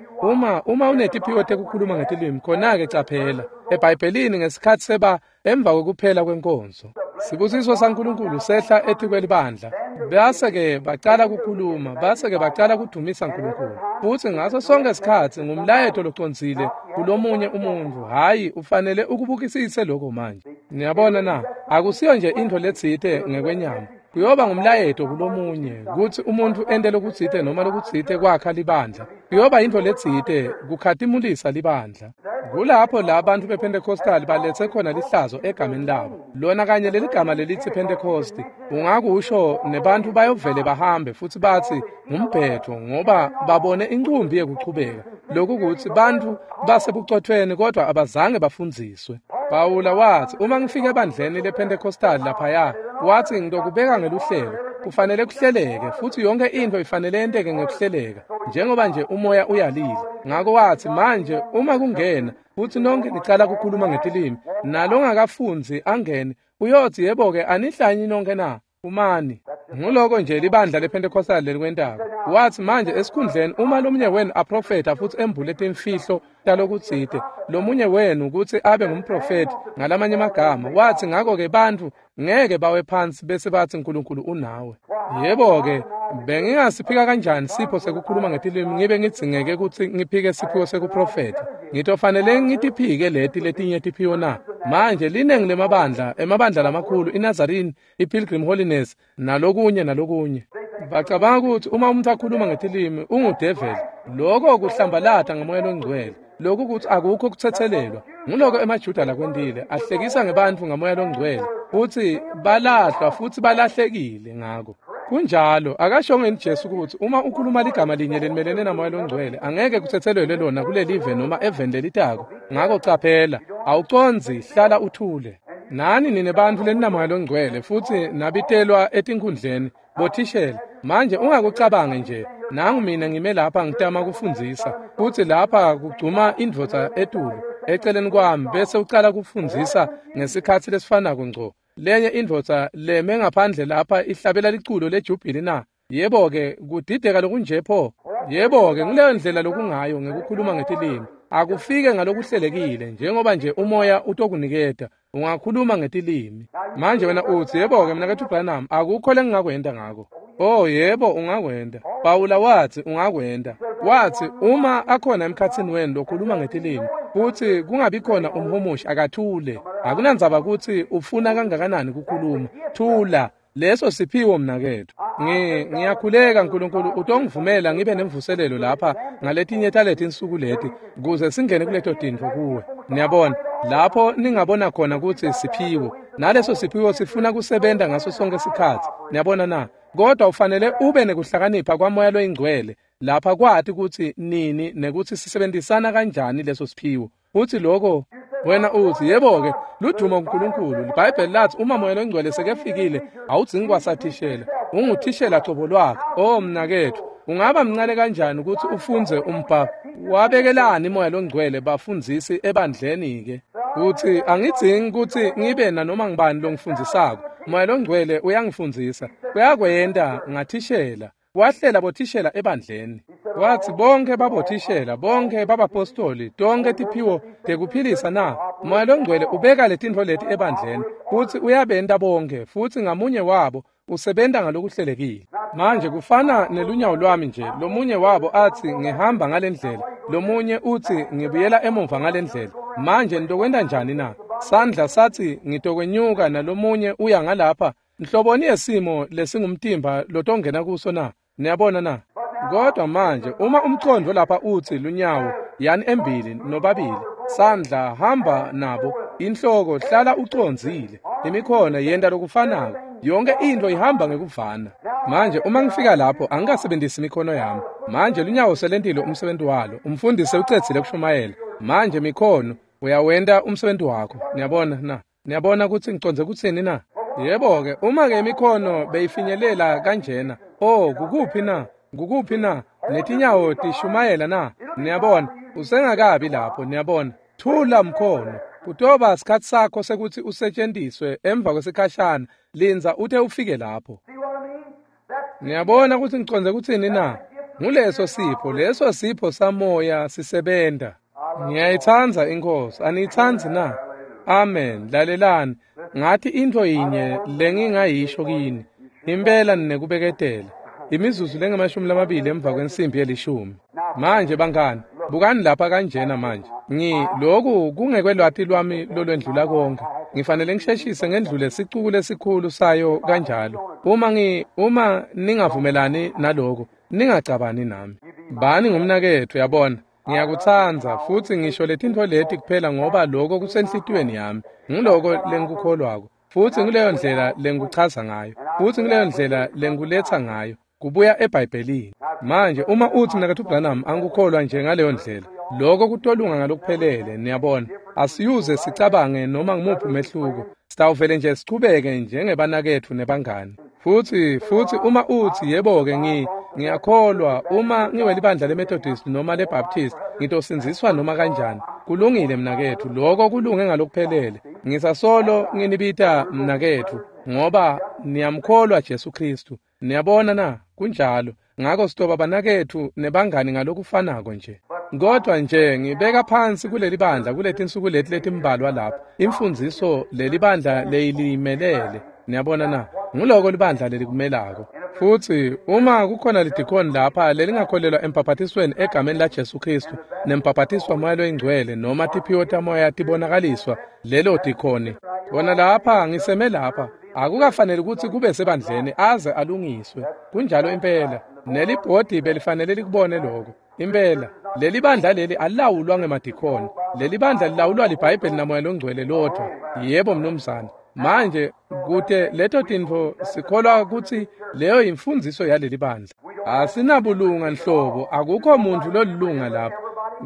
uma unetiphiwo tekukhuluma ngetilimi, khona-ke caphela eBhayibhelini ngesikhatsi seba emva kwekuphela kwenkonzo. Sibusiso saNkulunkulu sehla etikwelibandla. Base-ke bacala kukhuluma, base-ke bacala kudumisa Nkulunkulu. Futsi ngaso sonke sikhatsi ngumlayeto locondzile kulomunye umuntfu. Hhayi, ufanele ukubukisise lokho manje. Niyabona na? Akusiyo nje intfo letsite ngekwenyama. Kuyoba ngumlayeto kulomunye kutsi umuntfu ente lokutsite noma lokutsite kwakha libandla. Kuyoba intfo letsite kukhatimulisa libandla. Kulapho la bantu bePentecostal baletse khona lihlazo egameni labo. Lona kanye leligama lelitsi Pentecost, ungakusho nebantu bayovele bahambe futsi batsi ngumbhetho ngoba babone incumbi yekuchubeka. Lokhu kutsi bantu basebucotfweni kodwa abazange bafundziswe. Pawula watsi uma ngifika ebandleni lePentecostal laphaya, watsi ngitokubeka ngeluhlelo. Kufanele kuhleleke futsi yonke intfo ifanele yenteke ngekuhleleka njengoba nje umoya uyalile. Ngako watsi manje uma kungena futsi nonke nicala kukhuluma ngetilimi nalongakafundzi angene uyotsi yebo-ke anihlanyi nonke na umani. Nguloko nje libandla lePentecostal lelikwentako. Watsi manje esikhundleni uma lomunye wenu aprofetha futsi embule timfihlo talokutsite, lomunye wenu kutsi abe ngumprofethi ngalamanye amagama, watsi ngako-ke bantfu ngeke bawe phansi bese batsi Nkulunkulu unawe. Yebo-ke, bengingasiphika kanjani sipho sekukhuluma ngetilimi ngibe ngidzingeke kutsi ngiphike siphiwo sekuprofetha? Ngitofanele ngitiphike leti letinye tiphiwo na? Manje linengi lemabandla, emabandla lamakhulu, iNazarene, iPilgrim Holiness, nalokunye nalokunye. Bacabanga ukuthi uma umuntu akhuluma ngetilimi ungudeveli. Lokho kuhlambalata ngomoya longcwele. Lokhu kuthi akukho kuthethelelwa. Nguloko emaJuda lakwentile, ahlekisa ngebantfu ngamoya longcwele futsi balahlwa futsi balahlekile ngako. Kunjalo, akashongo yini Jesu ukuthi uma ukhuluma ligama linye lelimelene namoya longcwele angeke kuthethelelwe lona kulelive noma eveni lelitako. Ngako caphela, awucondzi, hlala uthule. Nani nine bantfu leninamoya longcwele futsi nabitelwa etinkhundleni bothishela. Manje ungakucabangi nje, nangu mina ngime lapha ngitama kufundzisa futsi lapha kugcuma indvodza etulu eceleni kwami bese ucala kufundzisa ngesikhatsi lesifanako ngco. Lenye indvodza leme ngaphandle lapha ihlabela liculo lejubhili na? Yebo-ke, kudideka lokunje pho. Yebo-ke, nguleyo ndlela lokungayo ngekukhuluma ngetilimi. Akufike ngalokuhlelekile njengoba nje umoya utokuniketa. Ungakhuluma ngetilimi. Manje wena utsi yebo-ke mnaketfu Branham, akukho lengingakwenta ngako. Oh yebo, ungakwenta. Pawula watsi ungakwenta. Watsi uma akhona emkhatsini wenu lokhuluma ngetilimi futsi kungabi khona umhumushi, akathule. Akunandzaba kutsi ufuna kangakanani kukhuluma. Thula. Leso siphiwo mnaketfu. Ngiyakhuleka Nkulunkulu utongivumela ngibe nemvuselelo lapha ngaletinye taletinsuku leti kuze singene kuleto tintfo kuwe. Niyabona, lapho ningabona khona kutsi siphiwo. Naleso siphiwo sifuna kusebenta ngaso sonke sikhatsi. Niyabona na? Kodwa ufanele ube nekuhlakanipha kwamoya loyingcwele lapha kwati kutsi nini nekutsi sisebenzisana kanjani leso siphiwo. Futsi lokho wena utsi yebo-ke, ludumo kuNkulunkulu. LiBhayibheli lathi uma moya longcwele sekefikile awudzingi kwasathishela, unguthishela cobo lwakhe. Oh mnaketfu, ungaba mncane kanjani ukuthi ufundze umbhalo? Wabekelani moya longcwele bafundzisi ebandleni-ke? Utsi angidzingi kutsi ngibe nanoma ngibani longifundzisako. Moya longcwele uyangifundzisa. Uyakwenta ngathishela. Wahlela bothishela ebandleni. Watsi bonke babothishela, bonke babapostoli, tonke tiphiwo tekuphilisa na? Moya longcwele ubeka letintfo leti ebandleni futsi uyabenta bonke futsi ngamunye wabo usebenta ngalokuhlelekile. Manje kufana nelunyawo lwami nje, lomunye wabo atsi ngihamba ngalendlela, lomunye utsi ngibuyela emuva ngalendlela. Manje nitokwenta njani na? Sandla satsi ngitokwenyuka nalomunye uya ngalapha. Nhloboni yesimo lesingumtimba lotongena kuso na? Niyabona na? Kodwa manje uma umcondvo lapha utsi lunyawo yani embili nobabili, sandla hamba nabo, inhloko hlala ucondzile, imikhono yenta lokufanako, yonke intfo ihamba ngekuvana. Manje uma ngifika lapho angikasebenzisi imikhono yami. Manje lunyawo selentile umsebenzi walo, umfundisi ucedzile kushumayela. Manje mikhono uyawenta umsebenzi wakho. Niyabona na? Niyabona kutsi ngicondze kutsini na? Yebo-ke, uma-ke imikhono beyifinyelela kanjena, oh, kukuphi na? Kukuphi na? Netinyawo tishumayela na? Niyabona, usengakabi lapho, niyabona. Thula mkhono. Kutoba sikhatsi sakho sekutsi usetjentiswe emva kwesikhashana. Lindza ute ufike lapho. See what I mean? Niyabona kutsi ngicondze kutsini na? Nguleso sipho, leso sipho samoya sisebenta. Ngiyayitsandza iNkhosi, aniyitsandzi na? Amen. Lalelani, ngathi intfo yinye lengingayisho kini. Impela ninekubeketela. Imizuzu lengamashumi emva kwensimbi yelishumi. Manje bangani, bukani lapha kanjena manje. Lokhu kungekwelwati lwami lolwendlula konke. Ngifanele ngisheshise ngendlule sicuku lesikhulu sayo kanjalo. Uma ningavumelani naloko, ningacabani nami. Bani ngumnaketfu, yabona. Ngiyakutsandza futsi ngisho letintfo leti kuphela ngoba lokho kusenhlitiyweni yami. Ngiloko lengikukholwako. Futsi nguleyo ndlela lengikuchaza ngayo. Futsi nguleyo ndlela lenguletsa ngayo. Kubuya eBhayibhelini. Manje uma utsi mnaketfu Branham angikukholwa nje ngaleyo ndlela, lokho kutolunga ngalokuphelele, niyabona. Asiyuze sicabange noma ngumuphi umehluko. Sitawuvele nje sichubeke njengebanaketfu nebangani. Futsi uma utsi yebo-ke ngiyakholwa uma ngiwelibandla leMethodist noma leBaptist ngitosindziswa noma kanjani. Kulungile mnaketfu, lokho kulunge ngalokuphelele. Ngisasolo nginibita mnaketfu ngoba niyamkholwa Jesu Kristu. Niyabona na? Kunjalo. Ngako sitoba banaketfu nebangani ngalokufanako nje. Kodwa nje ngibeka phansi kuleli bandla kuletinsuku leti letimbalwa lapha. Imfundziso leli bandla leyilimelele. Niyabona na? Nguloko libandla lelikumelako. Futsi uma kukhona lidikoni lapha lelingakholelwa embhaphatisweni egameni la Jesu Kristu nembhaphatiswa moya loyingcwele noma tiphiwo tamoya tibonakaliswa lelo dikoni. Bona lapha ngiseme lapha. Akukafanele kutsi kube sebandleni aze alungiswe. Kunjalo impela. Nelibhodi belifanele likubone lokho. Impela leli bandla leli alilawulwa ngemadikoni. Leli bandla lilawulwa liBhayibheli namoya longcwele lodvwa. Yebo mnumzane. Manje kute leto tintfo sikholwa kutsi leyo imfundziso yaleli bandla. Asinabulunga nhlobo, akukho muntu lolilunga lapha.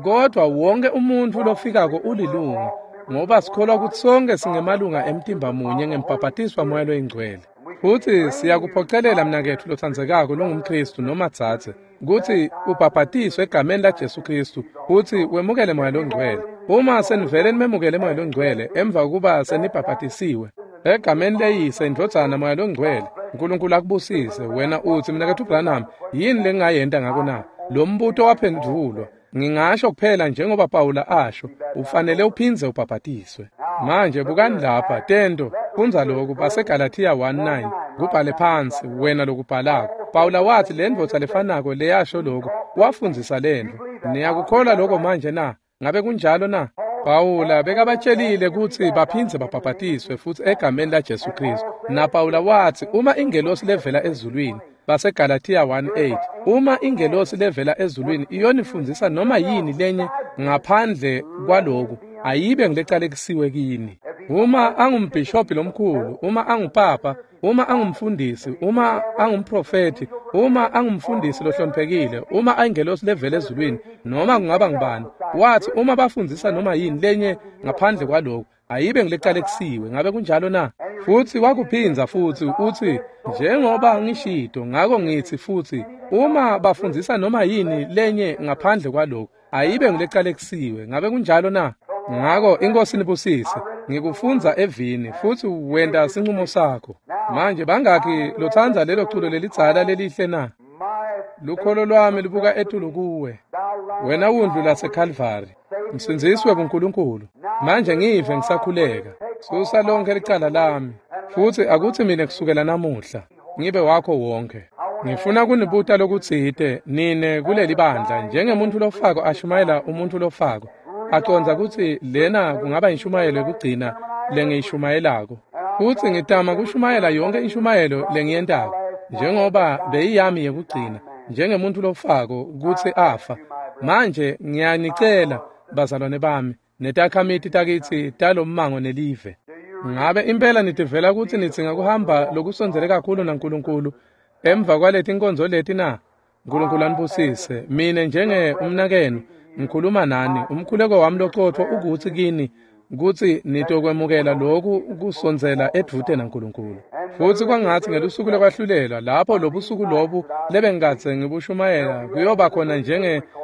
Kodwa wonke umuntu lofikako ulilunga, ngoba sikholwa kutsi sonke singemalunga emtimba munye ngembhaphatiswa moya loyingcwele. Futsi siyakuphocelela mnaketfu lotsandzekako longumKristu noma dzadze kutsi ubhaphatiswe egameni la Jesu Kristu futsi wemukele moya longcwele. Uma senivele nimemukele moya longcwele emva kokuba senibhaphatisiwe egameni leyise indvodzana moya longcwele, uNkulunkulu akubusise. Wena utsi mnaketfu Branham, yini lengingayenta ngako na? Lo mbuto waphendvulwa. Ngingasho kuphela njengoba Pawula asho, ufanele uphindze ubhaphatiswe. Manje bukani lapha tento, fundza lokhu baseGalathiya 1:9, kubhale phansi wena lokubhalako. Pawula wathi le ndvodza lefanako leyasho lokhu wafundzisa lentfo. Niyakukholwa lokho manje na? Ngabe kunjalo na? Pawula bekabatshelile kutsi baphindze babhaphatiswe futsi egameni la Jesu Kristu. Na Pawula wathi uma ingelosi levela ezulwini, baseGalathiya 1:8, uma ingelosi levela ezulwini iyonifundzisa noma yini lenye ngaphandle kwaloku, ayibe ngilecalekisiwe kini. Uma angumbhishobhi lomkhulu, uma angupapa, uma angumfundisi, uma angumprofeti, uma angumfundisi lohloniphekile, uma ayingelosi levela ezulwini, noma kungaba ngubani, wathi uma bafundzisa noma yini lenye ngaphandle kwaloku, ayibe ngilecalekisiwe. Ngabe kunjalo na? Futsi wakuphindza futsi utsi njengoba ngishito, ngako ngitsi futsi uma bafundzisa noma yini lenye ngaphandle kwaloku, ayibe ngilecalekisiwe. Ngabe kunjalo na? Ngako iNkhosi nibusise. Ngikufundza evini futsi wenta sinqumo sakho. Manje bangakhi lotsandza lelo culo lelidzala lelihle na? Lukholo lwami lubuka etulu kuwe, wena wundlu laseKalvari, msindzisi webuNkulunkulu. Manje ngive ngisakhuleka. Susa lonke licala lami, futsi akutsi mine kusukela namuhla ngibe wakho wonke. Ngifuna kunibuta lokutsite nine kuleli bandla, njengemuntu lofako ashumayela umuntu lofako, acondza kutsi lena kungaba inshumayelo yekugcina lengiyishumayelako. Futsi ngitama kushumayela yonke inshumayelo lengiyentako njengoba beyiyami yekugcina, njengemuntu lofako kutsi afa. Manje ngiyanicela bazalwane bami netakhamiti takitsi talommango nelive, ngabe impela nitivela kutsi nidzinga kuhamba lokusondzele kakhulu naNkulunkulu emva kwaleti nkonzo leti na? Nkulunkulu anibusise. Mine njenge umnakenu ngikhuluma nani. Umkhuleko wami locotfo ukutsi kini kutsi nitokwemukela lokhu kusondzela edvute naNkulunkulu. Futsi kwangatsi ngelusuku lokwahlulelwa, lapho lobusuku lobu lebengikadze ngibushumayela kuyoba khona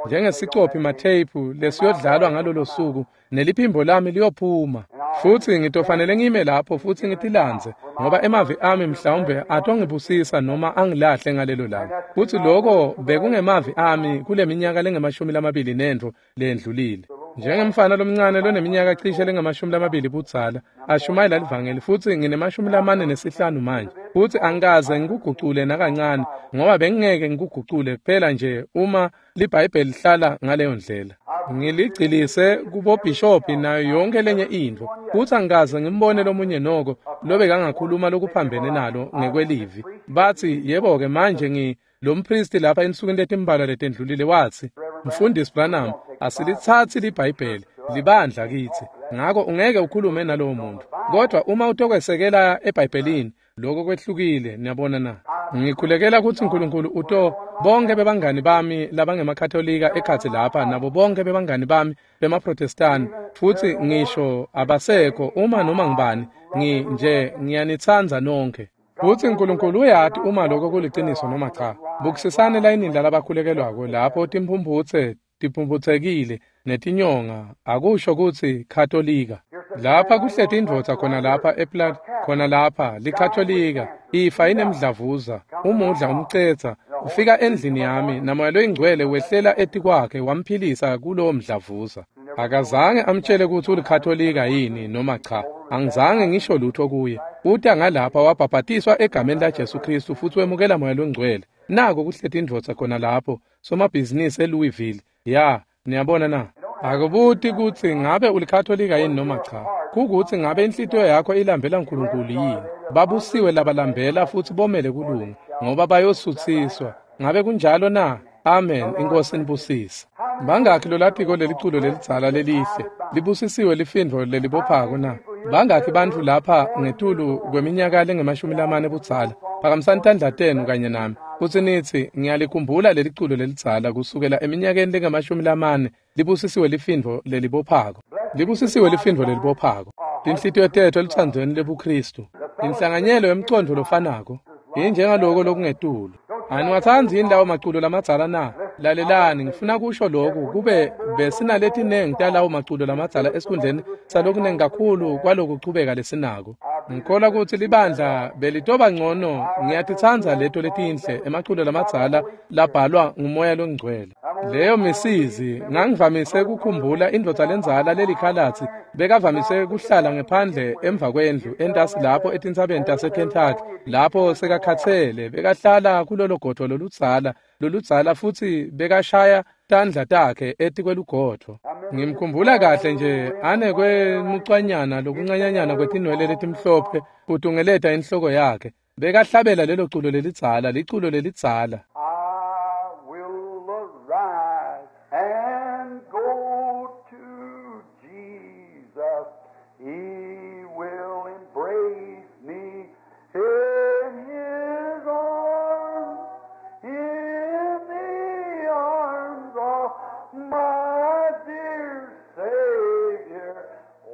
njengesicophi matheyiphu lesiyodlalwa ngalolo suku, neliphimbo lami liyophuma. Futsi ngitofanele ngime lapho futsi ngitilandze, ngoba emavi ami mhlawumbe atongibusisa noma angilahle ngalelo langa. Futsi loko bekungemavi ami kule minyaka lengamashumi nentfo lendlulile. Njengemfana lomncane loneminyaka cishe lengamashumi budzala ashumayela livangeli, futsi ngine-45 manje, futsi angikaze ngikugucule nakancane, ngoba bengingeke ngikugucule kuphela nje uma liBhayibheli lihlala ngaleyo ndlela. Ngiligcilise kubobhishobhi nayo yonke lenye intfo, futsi angikaze ngimbone lomunye noko lobekangakhuluma lokuphambene nalo ngekwelivi. Batsi, yebo-ke manje lo mpristi lapha ensukwini letimbalwa letendlulile watsi, Mfundisi Branham, asilitsatsi liBhayibheli, libandla kitsi, ngako ungeke ukhulume nalowo muntu. Kodwa uma utokwesekela eBhayibhelini, lokho kwehlukile, niyabona na. Ngikhulekela kutsi uNkulunkulu uto bonke bebangani bami labangemakatolika ekhatsi lapha, nabo bonke bebangani bami bemaprotestani, futsi ngisho abasekho uma noma ngibani, nje ngiyanitsandza nonke. Futsi uNkulunkulu uyati uma lokho kuliciniso noma cha. Bukisisani layinini lalabakhulekelwako lapho timphumphutse tiphumphutsekile netinyonga, akusho kutsi Katolika. Lapha kuhleti indvodza khona lapha eplat, khona lapha liKatolika, ifa inemdlavuza, umudla umcetsa, ufika endlini yami naMoya loyiNgcwele wehlela etikwakhe wamphilisa kulowo mdlavuza. Akazange amtshele kutsi uliKatolika yini noma cha. Angizange ngisho lutho kuye. Uta ngalapha wabhabhatiswa egameni laJesu Kristu futsi wemukela Moya loNgcwele. Nako kuhleti indvodza khona lapho, somabhizinisi eLouisville. Ya, niyabona na? Akubuti kutsi ngabe uliKatolika yini noma cha. Kukutsi ngabe inhlitiyo yakho ilambela uNkulunkulu yini. Babusiwe labalambela futsi bomele kulunga, ngoba bayosutsiswa. Ngabe kunjalo na? Amen. Inkosi nibusise. Bangakhi lolatiko leliculo lelidzala lelihle, libusisiwe lifindvo lelibophako na? Bangakhi bantfu lapha ngetulu kweminyaka lengamashumi budzala? Phakamisani tandla tenu kanye nami, futsi nitsi, ngiyalikhumbula leliculo lelidzala kusukela eminyakeni lengamashumi libusisiwe lifindvo lelibophako. Libusisiwe lifindvo lelibophako. Tinhlitiyo tethu elutsandzweni lebuKristu. Inhlanganyelo yemcondvo lofanako. Injengaloko lokungetulu. Aniwatsandzi yini lawo maculo lamadzala na? Lalelani, ngifuna kusho lokhu kube besinaletinengi talawo maculo lamadzala esikhundleni salokunengi kakhulu kwalokuchubeka lesinako. Ngikholwa kutsi libandla belitoba ngcono. Ngiyatitsandza leto letinhle emaculo lamadzala labhalwa nguMoya loNgcwele. Leyo misizi ngangivamise kukhumbula indvodza lendzala lelikhalatsi bekavamise kuhlala ngephandle emva kwendlu entasi lapho etintsabeni taseKentucky, lapho sekakhatsele bekahlala kulolo godvo loludzala futsi bekashaya tandla takhe etikwelugodvo. Ngimkhumbula kahle nje anekwemucwanyana lokuncanyanyana kwetinwele letimhlophe kutungeleta inhloko yakhe. Bekahlabela lelo culo lelidzala, liculo lelidzala. I will arise and go to Jesus. He will embrace me in his arms, in the arms of my dear Savior.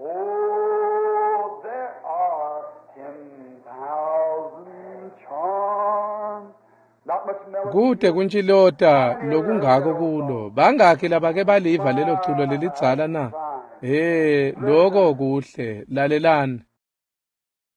Oh, there are 10,000 charms. Not much melody. Kute kuntshilota lokungako kulo. Bangakhi labake baliva lelo culo lelidzala na? Loko kuhle. Lalelani.